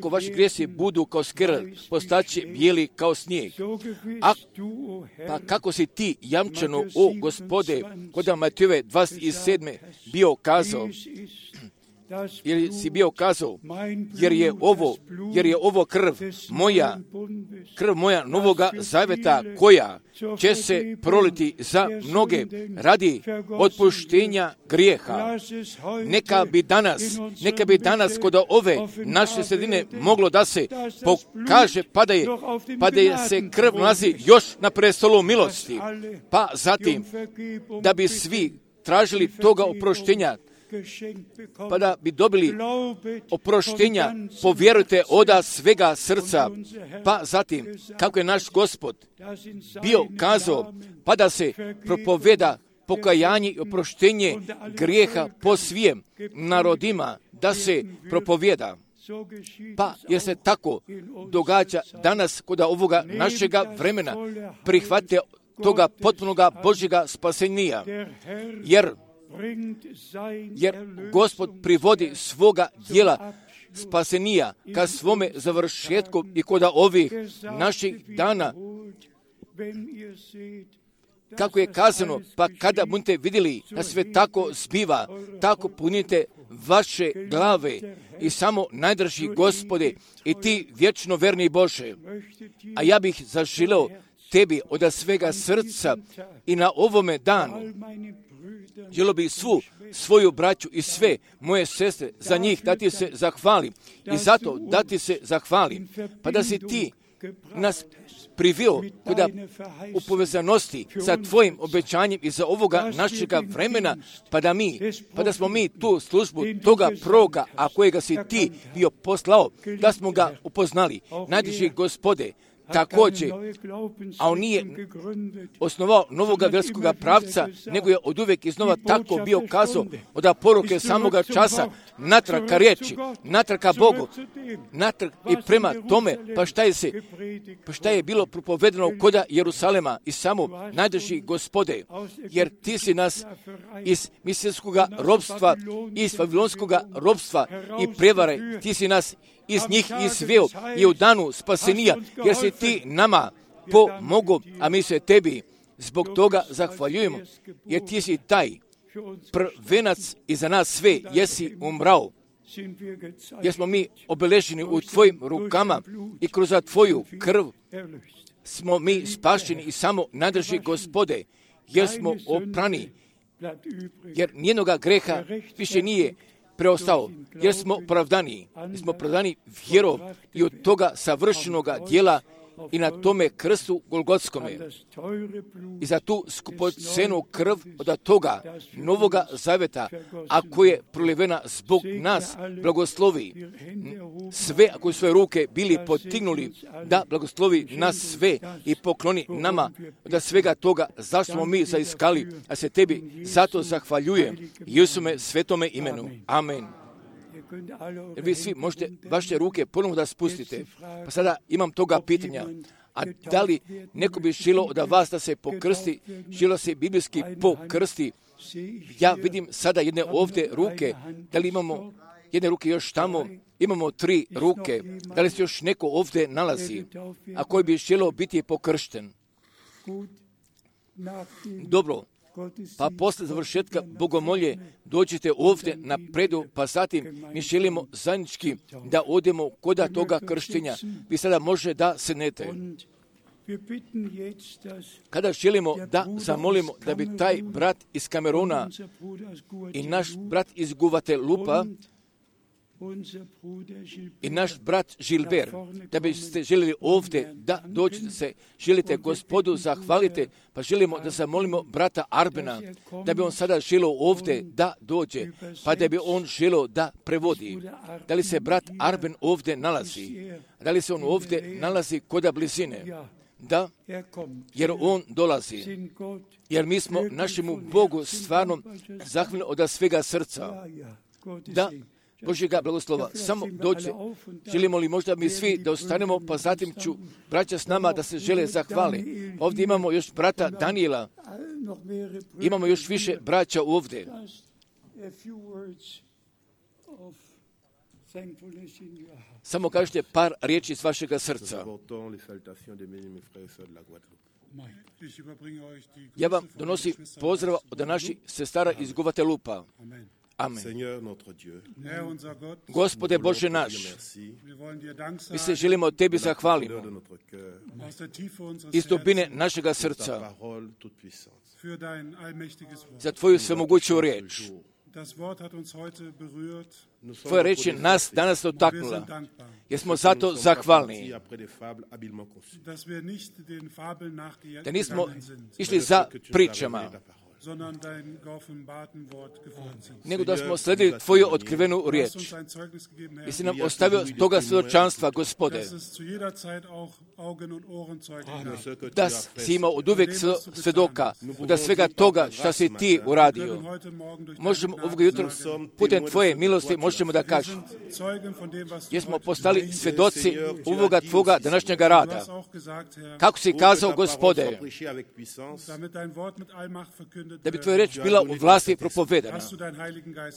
vaši grijesi budu kao skr, postaće bijeli kao snijeg. Pa kako si ti jamčano, o Gospode, koda Matejove 27. bio kazao, jer si bio kazao, jer je ovo krv moja novoga zaveta, koja će se proliti za mnoge radi otpuštenja grijeha. Neka bi danas kod ove naše sredine moglo da se pokaže, pa da je se krv nalazi još na prestolu milosti, pa zatim da bi svi tražili toga oproštenja, pa da bi dobili oproštenja, povjerujte oda svega srca, pa zatim, kako je naš Gospod bio kazao, pa da se propoveda pokajanje i oproštenje grijeha po svim narodima, da se propoveda. Pa jer se tako događa danas kod ovoga našega vremena, prihvatite toga potpunoga Božjega spasenija, jer Gospod privodi svoga djela spasenija ka svome završetku i kod ovih naših dana. Kako je kazano, pa kada budete vidjeli da sve tako zbiva, tako punite vaše glave i samo najdrži Gospode i ti vječno verni Bože. A ja bih zaželeo tebi od svega srca i na ovome danu želio bih svu svoju braću i sve moje sestre za njih da ti se zahvalim i zato da ti se zahvalim, pa da si ti nas privio kuda u povezanosti sa tvojim obećanjem i za ovoga našega vremena, pa da smo mi tu službu toga proroka, a kojega si ti bio poslao, da smo ga upoznali. Najdraži Gospode, također, a on nije osnovao novoga vjerskoga pravca, nego je od uvijek iznova tako bio kazao od poruke samoga časa, natrag ka riječi, natrag ka Bogu, natrag i prema tome, pa šta je bilo propovedeno koda Jerusalema i samo najdrži Gospode, jer ti si nas iz misijskoga robstva, iz vavilonskoga robstva i prevare, ti si nas iz njih izveo i u danu spasenija, jer si ti nama pomogao, a mi se tebi zbog toga zahvaljujemo, jer ti si taj prvenac i za nas sve jesi umrao, jer smo mi obeleženi u tvojim rukama i kroz tvoju krv smo mi spašeni i samo nadrži Gospode, jer smo oprani, jer nijednoga greha više nije preostao, jer smo opravdani vjerom i od toga savršenoga djela i na tome krstu Golgotskome i za tu skupocenu krv od toga novoga zaveta, ako je prolivena zbog nas, blagoslovi sve, ako svoje ruke bili potignuli, da blagoslovi nas sve i pokloni nama da svega toga zašto smo mi zaiskali, a se tebi zato zahvaljujem Isume svetome imenu. Amen. Jer vi svi možete vaše ruke ponovno da spustite. Pa sada imam toga pitanja. A da li neko bi želio od vas da se pokrsti, želio se biblijski pokrsti? Ja vidim sada jedne ovdje ruke. Da li imamo jedne ruke još tamo? Imamo 3 ruke. Da li se još neko ovdje nalazi, a koji bi želio biti pokršten? Dobro. Pa posle završetka bogomolje dođete ovdje na predu, pa zatim mi želimo zajednički da odemo kod toga krštenja. Vi sada može da sednete. Kada želimo da zamolimo da bi taj brat iz Kamerona i naš brat iz Guvatelupa i naš brat Gilbert, da biste željeli ovdje da dođete se, želite Gospodu zahvalite, pa želimo da zamolimo brata Arbena, da bi on sada želio ovdje da dođe, pa da bi on želio da prevodi. Da li se brat Arben ovdje nalazi? Da li se on ovdje nalazi kod blizine? Da, jer on dolazi. Jer mi smo našemu Bogu stvarno zahvalni od svega srca. Da, Božjega blagoslova. Samo dođe. Želimo li možda mi svi da ostanemo, pa zatim ću braća s nama da se žele zahvali. Ovdje imamo još brata Daniela. Imamo još više braća ovdje. Samo kažete par riječi iz vašega srca. Ja vam donosim pozdrav od naših sestara iz Guvatelupa. Amen. Gospode Bože naš, mi se želimo tebi zahvaliti iz dubine našega srca za tvoju svemoguću riječ. Tvoja riječ je nas danas dotaknula, jer smo zato zahvalni. Da nismo išli za pričama, nego da smo sledili tvoju otkrivenu riječ. I si nam ostavio toga svjedočanstva, Gospode, da si imao od uvijek svjedoka, da svega toga što si ti uradio. Možemo ovog jutra putem tvoje milosti možemo da kažemo, jer smo postali svjedoci ovoga tvoga današnjega rada. Kako si kazao, Gospode, da bi tvoja reč bila u vlasti propovedana.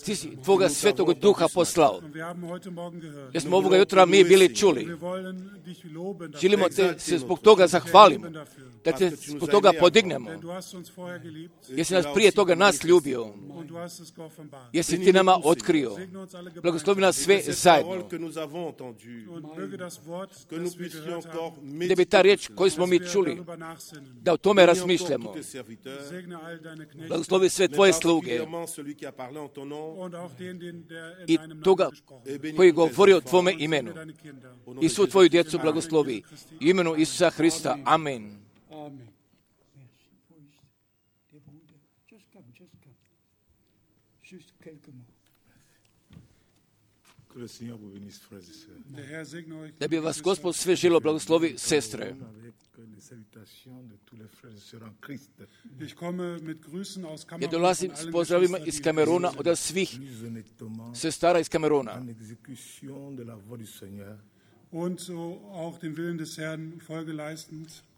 Ti si tvoga svetog duha poslao. Jer smo ovoga jutra mi bili čuli. Želimo te se zbog toga zahvalimo, da te zbog toga podignemo. Jer si nas prije toga nas ljubio. Jer si ti nama otkrio. Blagoslovi nas sve zajedno. Da bi ta riječ koju smo mi čuli, da o tome razmišljamo. Blagoslovi sve tvoje sluge i toga koji govori o tvome imenu. I svu tvoju djecu blagoslovi. U imenu Isusa Hrista. Amen. Da bi vas Gospod sve želio blagoslovi, sestre. Ja dolazim s pozdravima iz Kamerona od svih sestara iz Kamerona.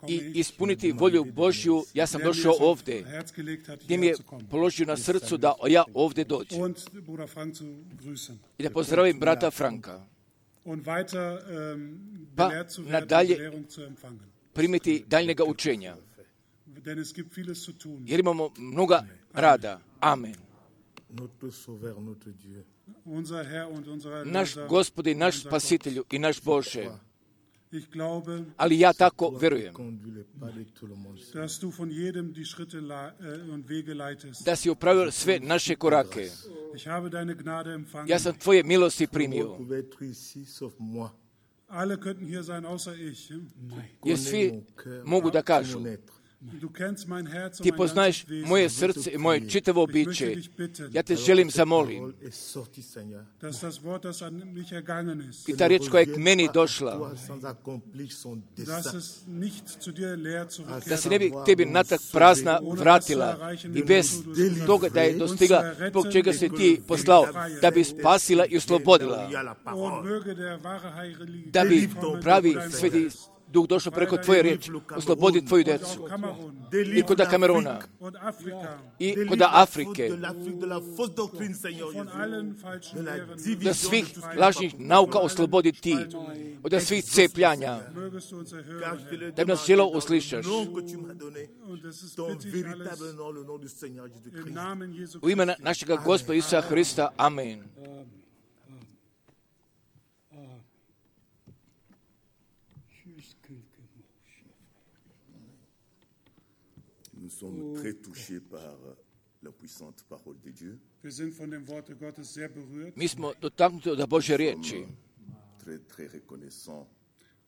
I ispuniti volju Božju, ja sam došao ovdje, gdje mi je položio na srcu da ja ovdje dođem. I da pozdravim brata Franka. Pa nadalje primiti daljnjega učenja. Jer imamo mnoga rada. Amen. Naš Gospod i naš Spasitelju i naš Bože. Ali ja tako verujem da si upravio sve naše korake. Ja sam tvoje milosti primio. Alle könnten hier sein, außer ich. Jer svi mogu da kažu, Du kennst mein Herz und ti mein poznaješ ganzes Wesen. moje srce i moje čitavo biće. Ja te želim zamolim. Dass das Wort, das an mich ergangen ist, I ta riječ koja je k meni došla, dass es nicht zu dir leer da se ne bi zurückkehrt, tebi natrag prazna vratila i bez toga da je dostigla zbog čega se ti poslao, da bi spasila i oslobodila, und möge der wahre Heilige da bi kommen pravi zu deinem sveti Herz. duh došao preko tvoje riječi, oslobodi tvoju decu. Kamerun I kod Kameruna, und Afrika i kod Afrike, von allen falschen Lehren da svih lažnih nauka oslobodi ti, od svih cepljanja, mögest du uns erhören. da bi nas želeo uslišaš. Und das ist bitte ich alles im Namen Jesu U ime našega Gospoda Isusa Hrista, amen. Nous sommes très touchés par la puissante parole de Dieu, Wir sind von dem Worte Gottes sehr berührt. Mi smo dotaknuti od Božje riječi. très reconnaissants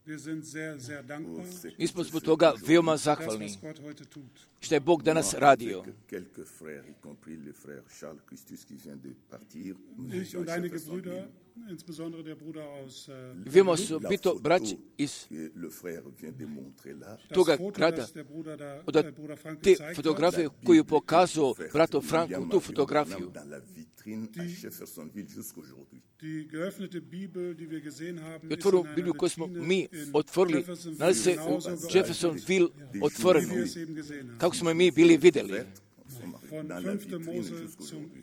Wir sind sehr, sehr dankbar Mi smo zbog toga veoma für das, zahvalni was Gott heute tut. što je Bog danas radio. avec quelques frères, y compris le frère Charles Christus qui vient de partir. Ich und einige Brüder, insbesondere der Bruder aus Veoma su bito braći iz Que le frère vient de montrer là, das toga Foto, grada, das der Bruder da, od Bruder Frank te gezeigt hat, fotografije koju pokazao brato Franku, tu fotografiju. dans la vitrine à Jeffersonville jusqu'aujourd'hui. die geöffnete Bibel, die wir gesehen haben, I ist otvoru in einer Bibliju koju smo Vitrine mi in otvorili, Jeffersonville nalazi se u genauso geöffnet, Jeffersonville wie wir otvoreno, es eben gesehen haben. kako smo je mi bili vidjeli. Von Dans la 5. vitrine Mose jusqu'aujourd'hui.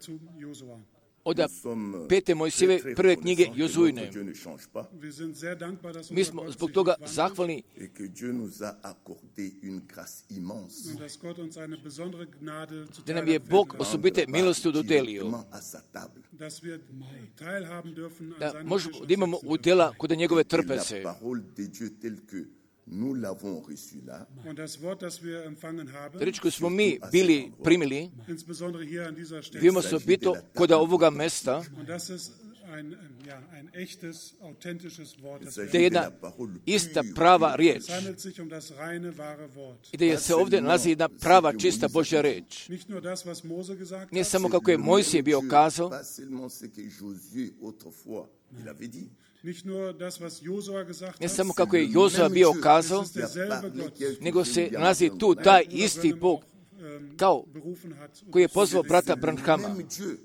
zum Josua. Od Nous sommes 5. Mojsijeve très prve knjige reconnaissants que Jozujne. notre Dieu ne change pas Wir sind sehr dankbar, dass Mi unser smo Gott zbog sich toga nicht wandelt zahvalni et que Dieu nous a accordé une grâce immense und dass Gott uns eine besondere Gnade da zuteil nam je hat Bog werden lassen, osobite milosti dodelio, directement à sa table. dass wir teilhaben dürfen an da seinem možemo Tisch da imamo udjela kod njegove Et la trpeze. parole de Dieu telle que nous l'avons reçue là, und das Wort, das wir empfangen haben, Riječ koju smo mi bili primili, insbesondere hier an dieser Stelle, veoma su bito kod ovoga mesta, und das ist ein echtes, authentisches Wort. Das da je jedna ista prava riječ es handelt sich um das reine, wahre Wort. i da se ovdje nalazi jedna prava, čista Božja riječ. Nicht nur das, was Mose gesagt Nije hat, samo kako je Mojsije bio kazao, pas seulement ce que Josué autrefois il avait dit. nicht nur das, was Josua gesagt ne hat, samo kako je Jozua bio kazao, es ist derselbe Gott, nego se nalazi tu taj isti Bog kao berufen hat. koji je pozvao brata Branhama. Même Dieu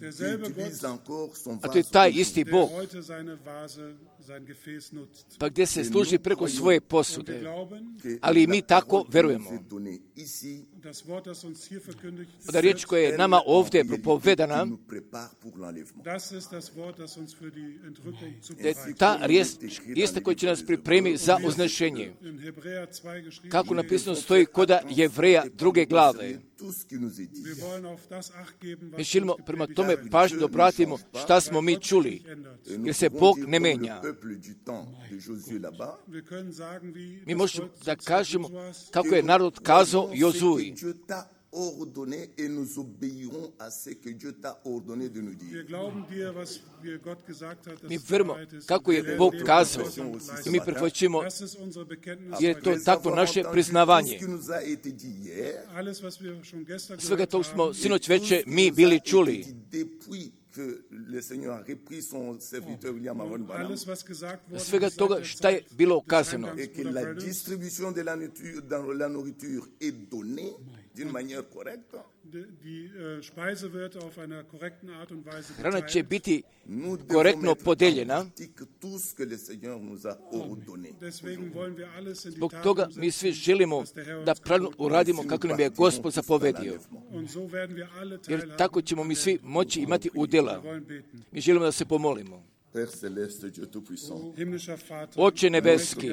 derselbe qui utilise encore son A to je vase taj isti der Bog, heute seine Vase, sein Gefäß nutzt. pa gdje se služi preko svoje Wir posude. glauben, que Ali i la mi tako parole qui verujemo. nous est donnée ici, das Wort, das uns hier verkündigt, Da riječ koja je nama ovdje qui propovedana, nous prépare pour l'enlèvement. das ist das Wort, das uns für die Entrückung da je zubereitet. ta riječ ista koja će nas pripremi za uznešenje. In Hebräer 2 geschrieben, Kako napisano stoji koda Jevreja 2. glave. Tout ce qui nous est dit. wir wollen auf das Acht geben, Mi was želimo uns prema gepredigt tome wird. pažnju obratimo šta smo mi čuli, Et nous jer se pouvons Bog dire ne comme menja. le peuple du temps de Josué là-bas, Wir können sagen, wie Mi das možemo Volk da zur Zeit kažemo Josuas, kako je narod kazao Jozuji. Dieu t'a ordonné et nous obéirons à ce que Dieu t'a ordonné de nous wir dire. glauben dir, was dir Gott gesagt hat, dass Mi es verujemo bereit ist, kako und je wir Bog werden kazao Gehorsam i leisten. mi prihvaćamo, Das ist unsere Bekenntnis. jer je to heute. takvo naše priznavanje. Tout ce qui nous a été dit hier, Alles, was wir schon gestern Svega gehört tog smo haben, sinoć tout ce veče qui mi nous a bili été čuli. dit depuis que le Seigneur a repris son serviteur William Aaron Branham, alles, was gesagt wurde, Svega seit toga der šta je Zeit bilo des kazano. Heimgangs et que Bruder la Branhams, distribution de la nourriture est donnée d'une manière correcte. die Speise wird auf einer korrekten Art und Weise Hrana će geteilt. biti Nous devons korektno mettre en podeljena. pratique tout ce que le Seigneur nous a ordonné. Deswegen wollen wir alles in die Zbog Tat toga umsetzen, mi svi želimo was der Herr uns da pravilno geboten uradimo kako nam je Gospod zapovedio. hat. Und so werden wir alle Jer teilhaben tako ćemo mi svi moći imati udjela. Wir wollen beten. Mi želimo da se pomolimo. Père céleste, Dieu tout-puissant, Himmlischer Vater, Oče nebeski,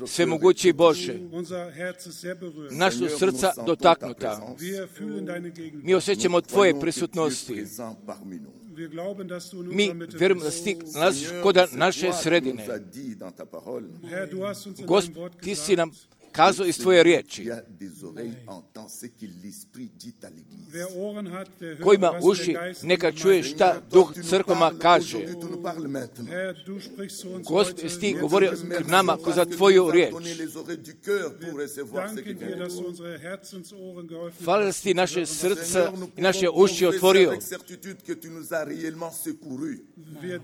svemogući Bože, unser Herz ist sehr berührt. naša su srca dotaknuta. Wir fühlen deine Gegenwart. Mi osjećamo Tvoje croyons que tu es prisutnosti. présent parmi nous. Wir glauben, dass du in Mi unserer Mitte vjerujemo da bist. si ti nalaziš koda naše Toi, tu nous sredine. as dit dans ta parole Herr, du hast uns in Gospod, deinem Wort ti si gesagt, nam kazao iz tvoje riječi. Qui a des oreilles entend ce que l'Esprit dit à l'Église. Wer Ohren hat, der Ko hört, ima was der uši, Geist neka in čuje Gemeinde šta Duh crkvama kaže. Aujourd'hui, tu nous parles maintenant. Herr, du sprichst zu uns Gospod, heute. jesi ti govorio k nama kroz tvoju riječ. Donner les oreilles du cœur pour recevoir ce qui Danke dir, vient. dass du unsere Herzensohren geöffnet Hvala da hast. si ti naše srca Seigneur, nous i naše pouvons uši confesser otvorio. avec certitude que tu nous as réellement secourus. Wir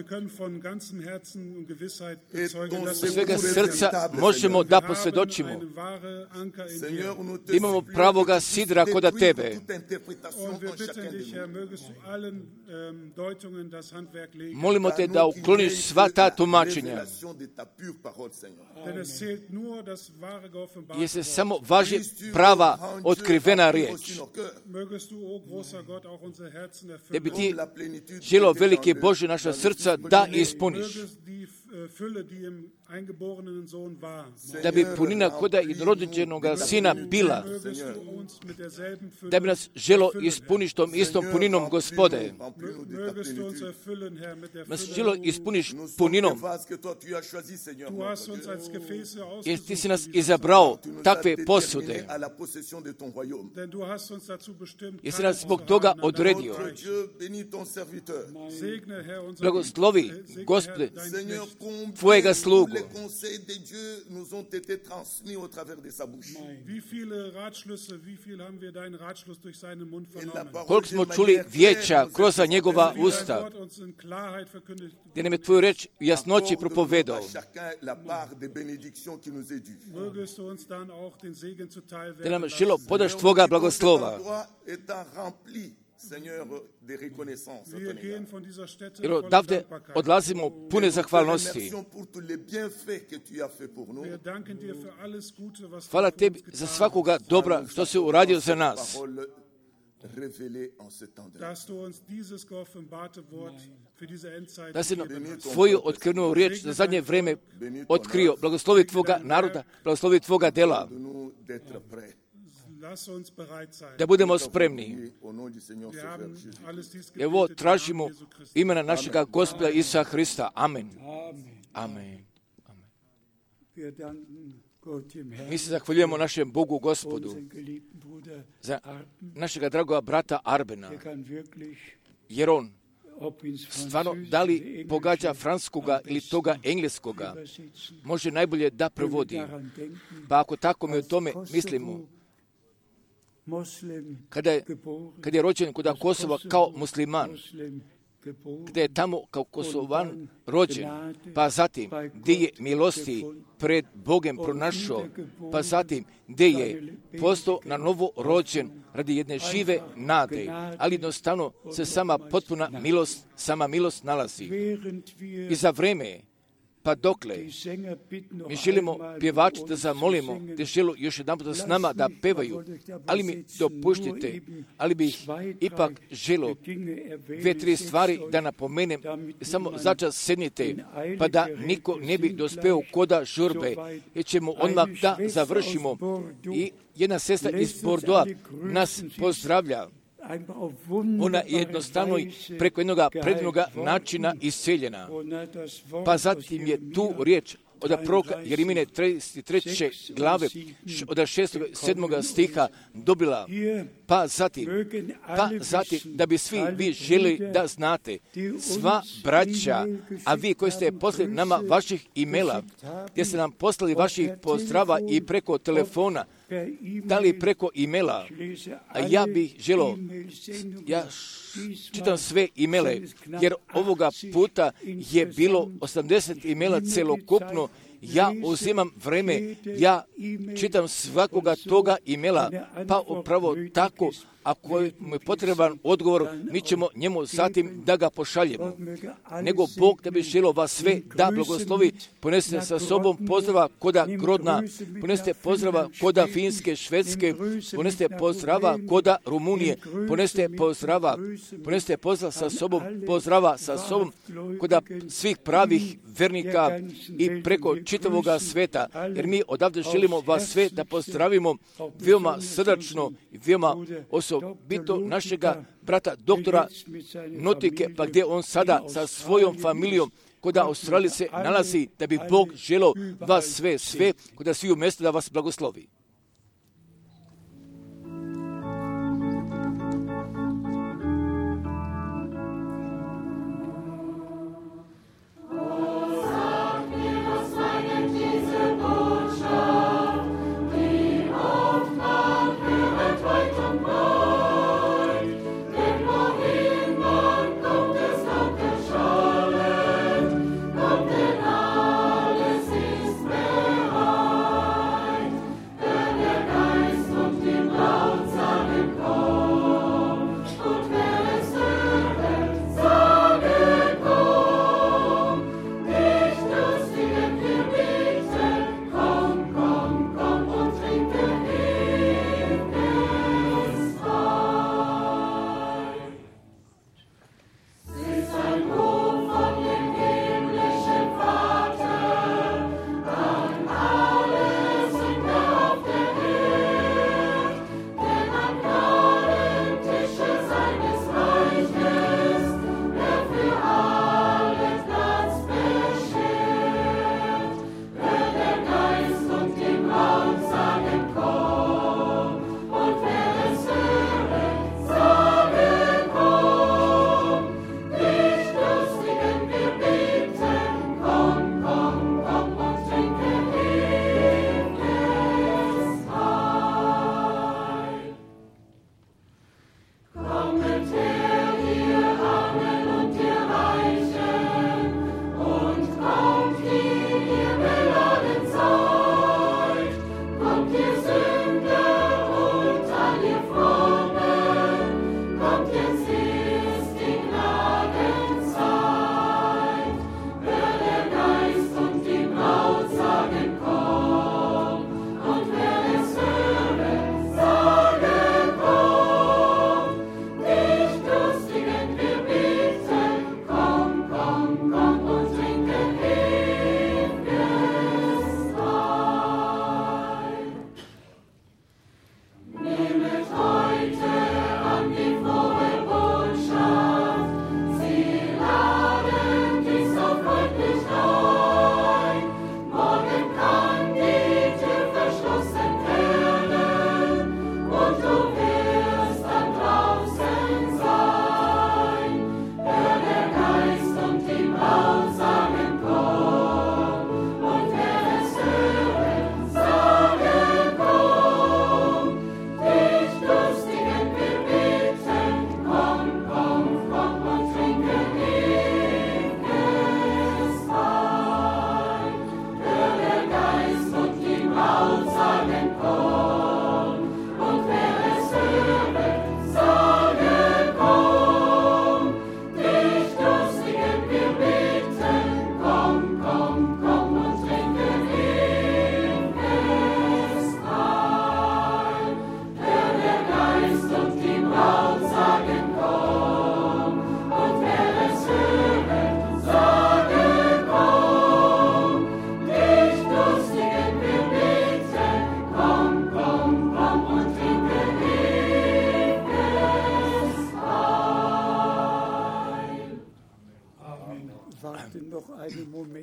können von ganzem Herzen und Gewissheit Et bezeugen, ton dass Od svega secours est srca véritable, možemo Seigneur. da wir posvjedočimo. haben einen wahren Anker in dir. Seigneur, nous te Imamo supplions pravoga que tu sidra koda détruises tebe. toute interprétation Und wir en chacun bitten de dich, Herr, nous. mögest du allen Deutungen das Handwerk legen. Molimo te da ukloniš sva ta tumačenja. Révélation de ta pure parole, Seigneur. Denn es zählt nur das wahre geoffenbarte Jer se Wort. samo važi prava otkrivena riječ. Mögest du, o großer Gott, auch unsere Herzen Da bi erfüllen. ti La plénitude želo qui était velike dans le- Bože naša srca da ispuniš. Mögest die Fülle, die im eingeborenen Sohn war, Da bi punina koda jednorođenoga sina bila. mögest du uns mit derselben Fülle Da bi nas želo erfüllen, ispuniš tom istom puninom Gospode. Remplis-nous de ta Mögest du uns plénitude. erfüllen, Herr, mit der Nas Fülle. želo ispuniš Nous sommes puninom. des vases que toi tu as choisis, Seigneur. Du hast uns als Gefäße Jer ti si ausgesucht, nas wie wir izabrao Tu nous as takve déterminés posude. à la possession de ton royaume. Denn du hast uns dazu bestimmt, Jer si Teil nas zbog zu toga haben an deinem odredio. Notre Reich. Dieu, bénis ton serviteur. Segne, Herr, unser Blagoslovi, Segne, Gospode, Herr, dein Seigneur, Knecht. combien Tvojega tous slugu. les conseils de Dieu nous ont été transmis au travers de sa bouche. Wie viele Ratschlüsse, wie viel haben wir deinen Ratschluss durch seinen Mund Et la vernommen? parole Koliko de smo manière čuli claire vijeća nous kroz est njegova Wie dein usta, Wort uns in Klarheit verkündigt. gdje nam je tvoju reč u jasnoći accorde propovedao. à chacun la part des bénédictions qui nous est due. Mögest du uns dann auch den Segen zuteil Da werden nam lassen. želo podaš tvoga blagoslova. Étant rempli, Seigneur, de reconnaissance. à Wir ton gehen égard. von dieser Stätte Jer voller odavde Dankbarkeit. odlazimo pune Nous te zahvalnosti. remercions pour tous les bienfaits que tu as fait pour nous. Wir danken dir für alles Gute, was Hvala du für tebi uns za getan svakoga dobra što si uradio za nas. Parole révélée en ce temps de dass du uns dieses geoffenbarte Wort für diese Endzeit Da si nam gegeben hast. tvoju otkrivenu riječ za zadnje vreme otkrio. Blagoslovi tvoga naroda, blagoslovi tvoga dela. de nous d'être prêts. Lass uns bereit sein. Da budemo spremni. Et au nom du Seigneur Wir Sauveur haben Jésus. alles dies I ovo gebetet im tražimo Namen Jesu Christi. imena našega Gospoda Isusa Hrista. Amen. Amen. Wir danken Gott im Mi Herrn, se zahvaljujemo našem Bogu Gospodu unseren geliebten Bruder za Arben, našega dragoga brata Arbena, der kann wirklich, jer on ob ins stvarno Französische, da li Englische, pogađa francuskoga ili toga engleskoga, übersetzen, može najbolje da wenn wir prevodi. daran denken, Pa ako tako mi o tome Kosovo mislimo, Moslem kada geboren, je rođen kod Kosova kao musliman, Moslem geboren, gdje je tamo kao Kosovan rođen, pa zatim gdje je milosti pred Bogem pronašao, pa zatim gdje je postao na novo rođen radi jedne žive nade, ali jednostavno se sama milost nalazi. während wir I za vreme, pa dokle, die Sänger bitten, noch mi želimo einmal pjevači uns da zu zamolimo, singen. da želu još jedan puta s nama da pevaju, ali mi dopuštite, ali bih ipak želo dvije, tri stvari da napomenem, samo začas sednite, pa da niko ne bi dospeo koda žurbe, jer ćemo odmah da završimo. I jedna sestra iz Bordeauxa nas pozdravlja. Ona je jednostavno preko jednog predivnoga načina isceljena. Pa zatim je tu riječ od proroka Jeremije 33. glave od 6. 7. stiha dobila. Pa zatim, da bi svi vi želi da znate, sva braća, a vi koji ste poslali nama vaših imela, gdje ste nam poslali vaših pozdrava i preko telefona, da li preko imela, a ja bih želio, ja čitam sve imele, jer ovoga puta je bilo 80 imela celokupno. Ja uzimam vreme, ja čitam svakoga toga imela, pa upravo tako, ako mu je potreban odgovor, mi ćemo njemu zatim da ga pošaljemo. Nego Bog da bi želio vas sve da blagoslovi, ponesite sa sobom pozdrava koda Grodna, ponesite pozdrava koda Finske, Švedske, ponesite pozdrava koda Rumunije, ponesite pozdrava sa sobom koda svih pravih vernika i preko čitavoga sveta, jer mi odavde želimo vas sve da pozdravimo veoma srdačno i veoma osobito našega brata doktora Notike, pa gdje on sada sa svojom familijom kod Australije se nalazi, da bi Bog želio vas sve, kod sviju mjesto da vas blagoslovi.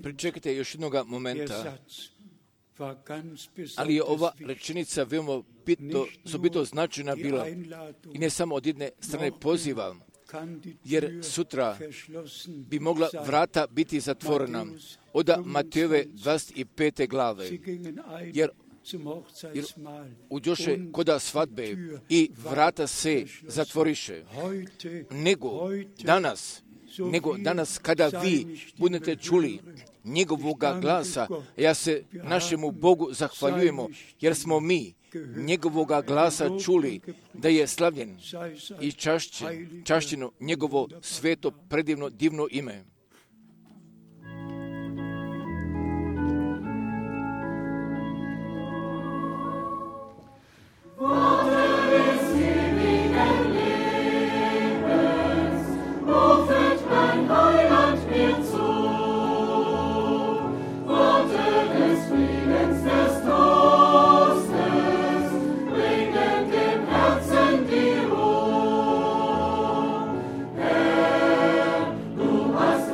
Pričekajte još jednoga momenta, ali je ova rečenica veoma bitno značajna bila i ne samo od jedne strane poziva, jer sutra bi mogla vrata biti zatvorena od Matejove 25. glave, jer uđoše koda svadbe i vrata se zatvoriše. Nego danas kada vi budete čuli njegovoga glasa, ja se našemu Bogu zahvaljujemo, jer smo mi njegovoga glasa čuli da je slavljen i čašćeno njegovo sveto, predivno, divno ime. Hast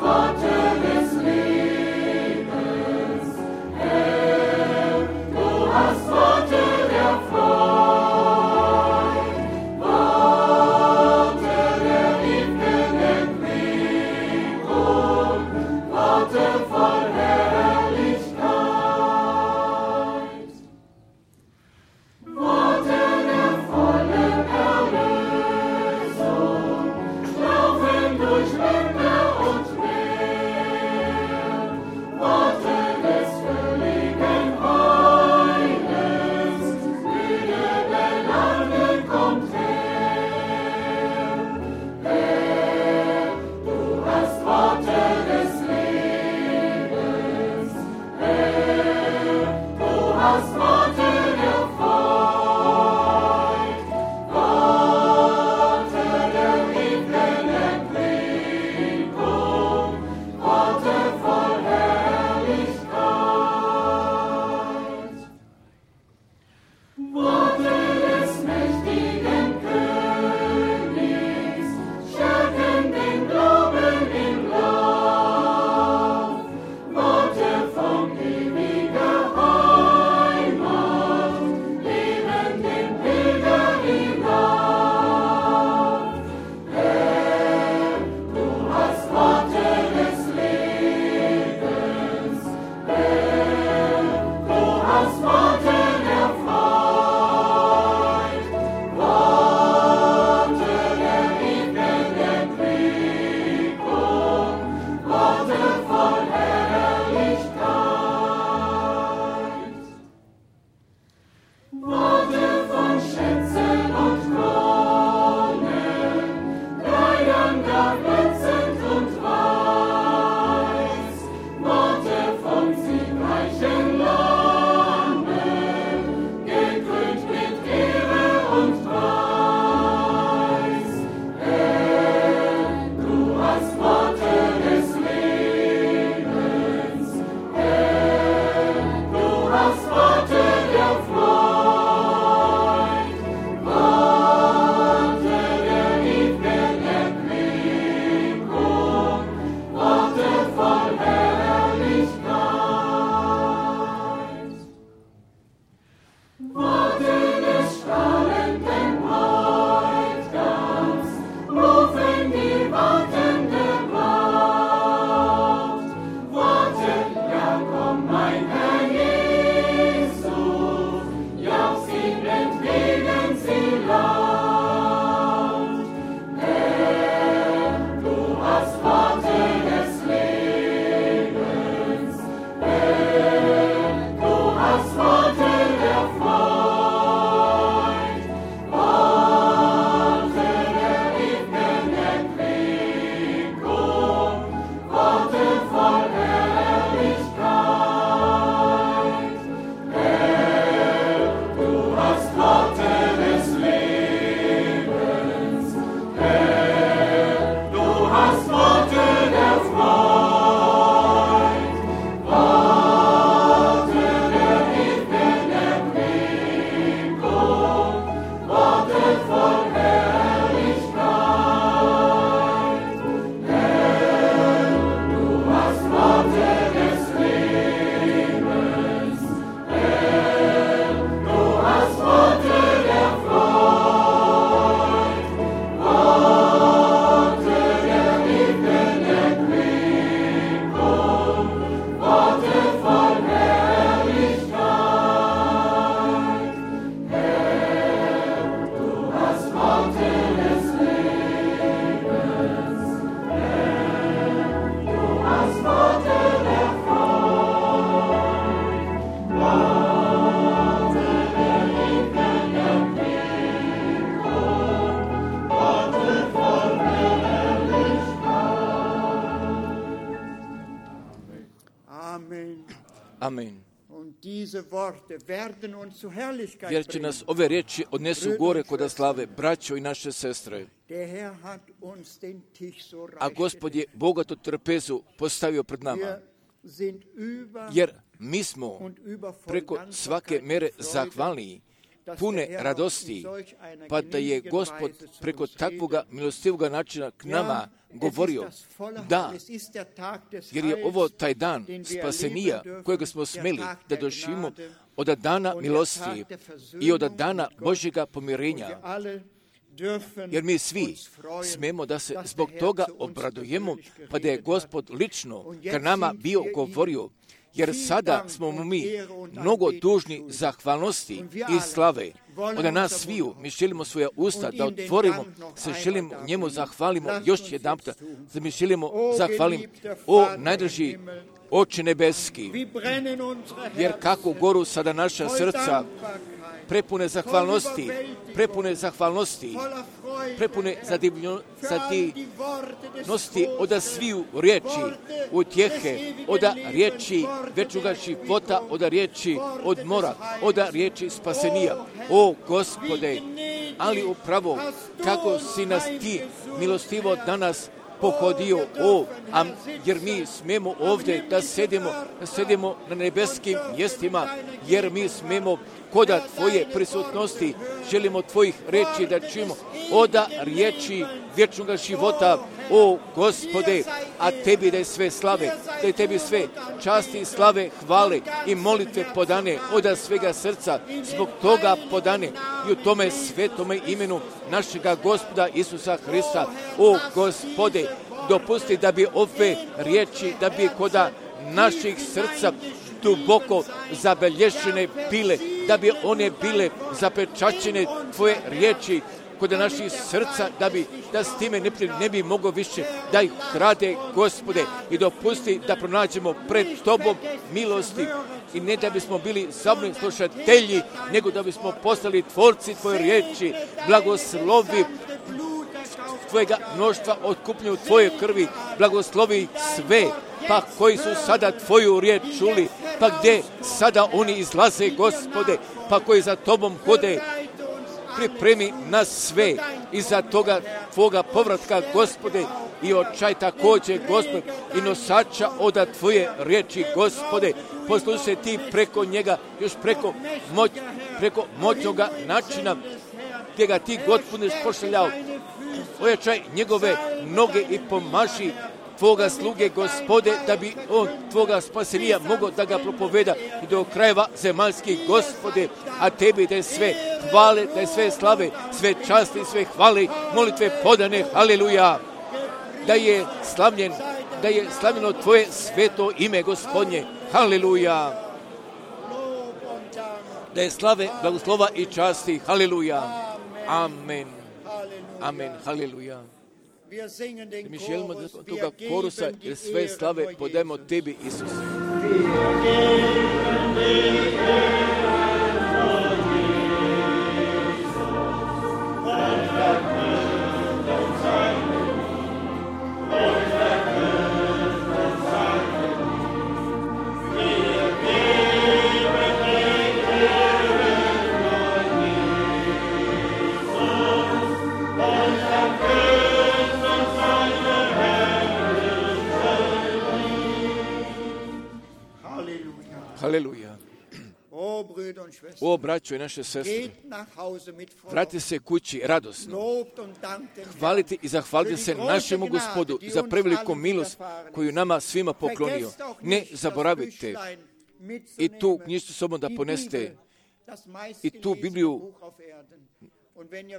Amen. Jer će nas ove riječi odnesu gore kod slave, braćo i naše sestre. A Gospod je bogato trpezu postavio pred nama, jer mi smo preko svake mere zahvalni, pune radosti, pa da je Gospod preko takvoga milostivoga načina k nama govorio, da, jer je ovo taj dan spasenija kojega smo smeli da doživimo od dana milosti i od dana Božjega pomirenja. Jer mi svi smemo da se zbog toga obradujemo, pa da je Gospod lično k nama bio govorio, jer sada smo mu mi mnogo dužni zahvalnosti i slave. Od nas sviju mi želimo svoja usta da otvorimo, se želimo njemu zahvalimo još jedan puta, da mi želimo zahvalimo, o najdraži Oče nebeski, jer kako goru sada naša srca, prepune zahvalnosti, prepune zadivnosti od sviju riječi, utjehe, od riječi večnoga života, od riječi odmora, od riječi spasenija. O Gospode, ali upravo kako si nas ti milostivo danas pohodio, jer mi smemo ovdje da sedimo na nebeskim mjestima, jer mi smemo koda Tvoje prisutnosti, želimo Tvojih riječi da čujemo, od riječi vječnoga života, o Gospode, a Tebi da je sve slave, da je Tebi sve časti, slave, hvale i molitve podane od svega srca, zbog toga podane i u tome svetome imenu našega Gospoda Isusa Hrista. O Gospode, dopusti da bi ove riječi, da bi koda naših srca duboko zabelješene bile, da bi one bile zapečaćene Tvoje riječi kod naših srca, da s time ne bi mogao više da ih krade, Gospode, i dopusti da pronađemo pred Tobom milosti i ne da bismo bili samo slušatelji, nego da bismo postali tvorci Tvoje riječi, blagoslovi Tvojega mnoštva otkupljenju Tvoje krvi, blagoslovi sve, pa koji su sada Tvoju riječ čuli, pa gdje sada oni izlaze, Gospode, pa koji za Tobom hode, pripremi nas sve i za toga Tvoga povratka, Gospode, i očaj također, Gospode, i nosača od Tvoje riječi, Gospode, poslušaj Ti preko njega, još preko moćnoga načina, gdje ga Ti, Gospode, pošaljao, ojačaj njegove noge i pomaži Tvoga sluge, Gospode, da bi on Tvoga spasenija mogao da ga propoveda i do krajeva zemaljskih, Gospode, a Tebi da je sve hvale, da je sve slave, sve časti, sve hvale, molitve podane, haleluja, da je slavljeno Tvoje sveto ime, Gospodnje, haleluja, da je slave, blagoslova i časti, haleluja, amen, amen, haleluja. Mi želimo da toga korusa jer sve slave podajemo Tebi, Isuse. Haleluja. O, braćo i naše sestre, vratite se kući radosno. Hvalite i zahvalite se našemu Gospodu za preveliku milost koju nama svima poklonio. Ne zaboravite i tu knjižicu sobom da poneste i tu Bibliju,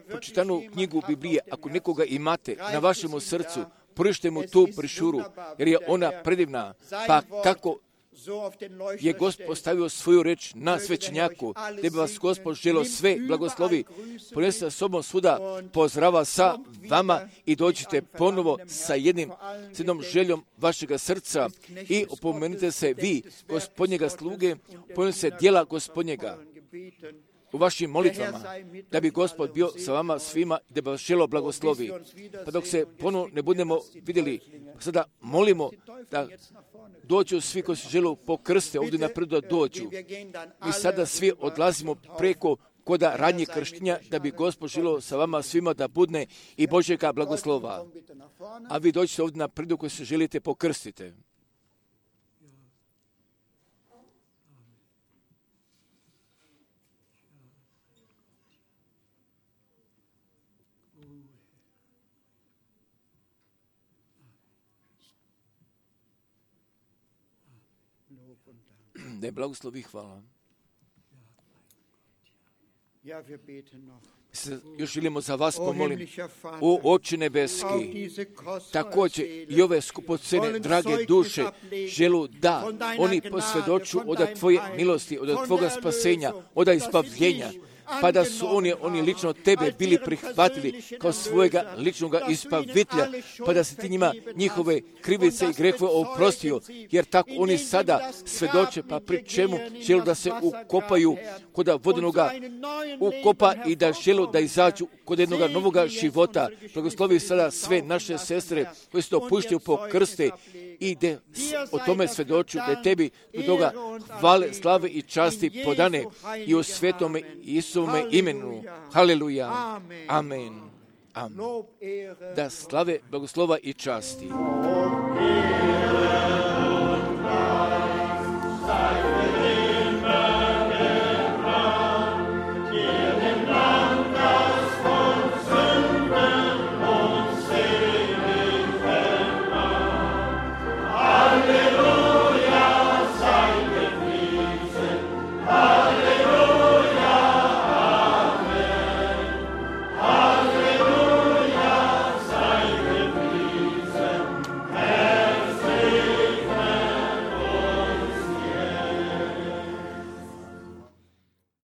pročitanu knjigu Biblije, ako nekoga imate na vašemu srcu, porište mu tu prišuru, jer je ona predivna, pa kako je Gospod postavio svoju reč na svećenjaku, gdje bi vas Gospod želio sve blagoslovi, ponese sa sobom svuda, pozdrava sa vama i dođite ponovo sa jednom željom vašega srca i opomenite se vi, Gospodnjega sluge, opomenite se djela Gospodnjega u vašim molitvama, da bi Gospod bio sa vama svima i da bi vas želo blagoslovi. Pa dok se ponovno ne budemo vidjeli, sada molimo da dođu svi koji se žele pokrste ovdje napred da dođu. Mi sada svi odlazimo preko koda radnje krštenja, da bi Gospod želio sa vama svima da budne i Božjega blagoslova. A vi dođete ovdje napred koji se želite pokrstite. Da je blagoslov i hvala. Se još želimo za vas pomolim. O Oče nebeski, također i ove skupocene, drage duše, želu da oni posvjedoču od Tvoje milosti, od Tvoga spasenja, od ispavljenja, pa da su oni lično Tebe bili prihvatili kao svojega ličnog ispavitelja, pa da si Ti njima njihove krivice i grehove oprostio, jer tako oni sada svjedoče, pa pri čemu želu da se ukopaju kod vodenoga ukopa i da želu da izađu kod jednoga novoga života. Blagoslovi sada sve naše sestre koje se dopuštaju po krste i da o tome svjedoču, da je Tebi do toga hvale, slave i časti podane i u svetome Isusovome imenu. Haleluja. Amen. Amen. Da slave, blagoslova i časti.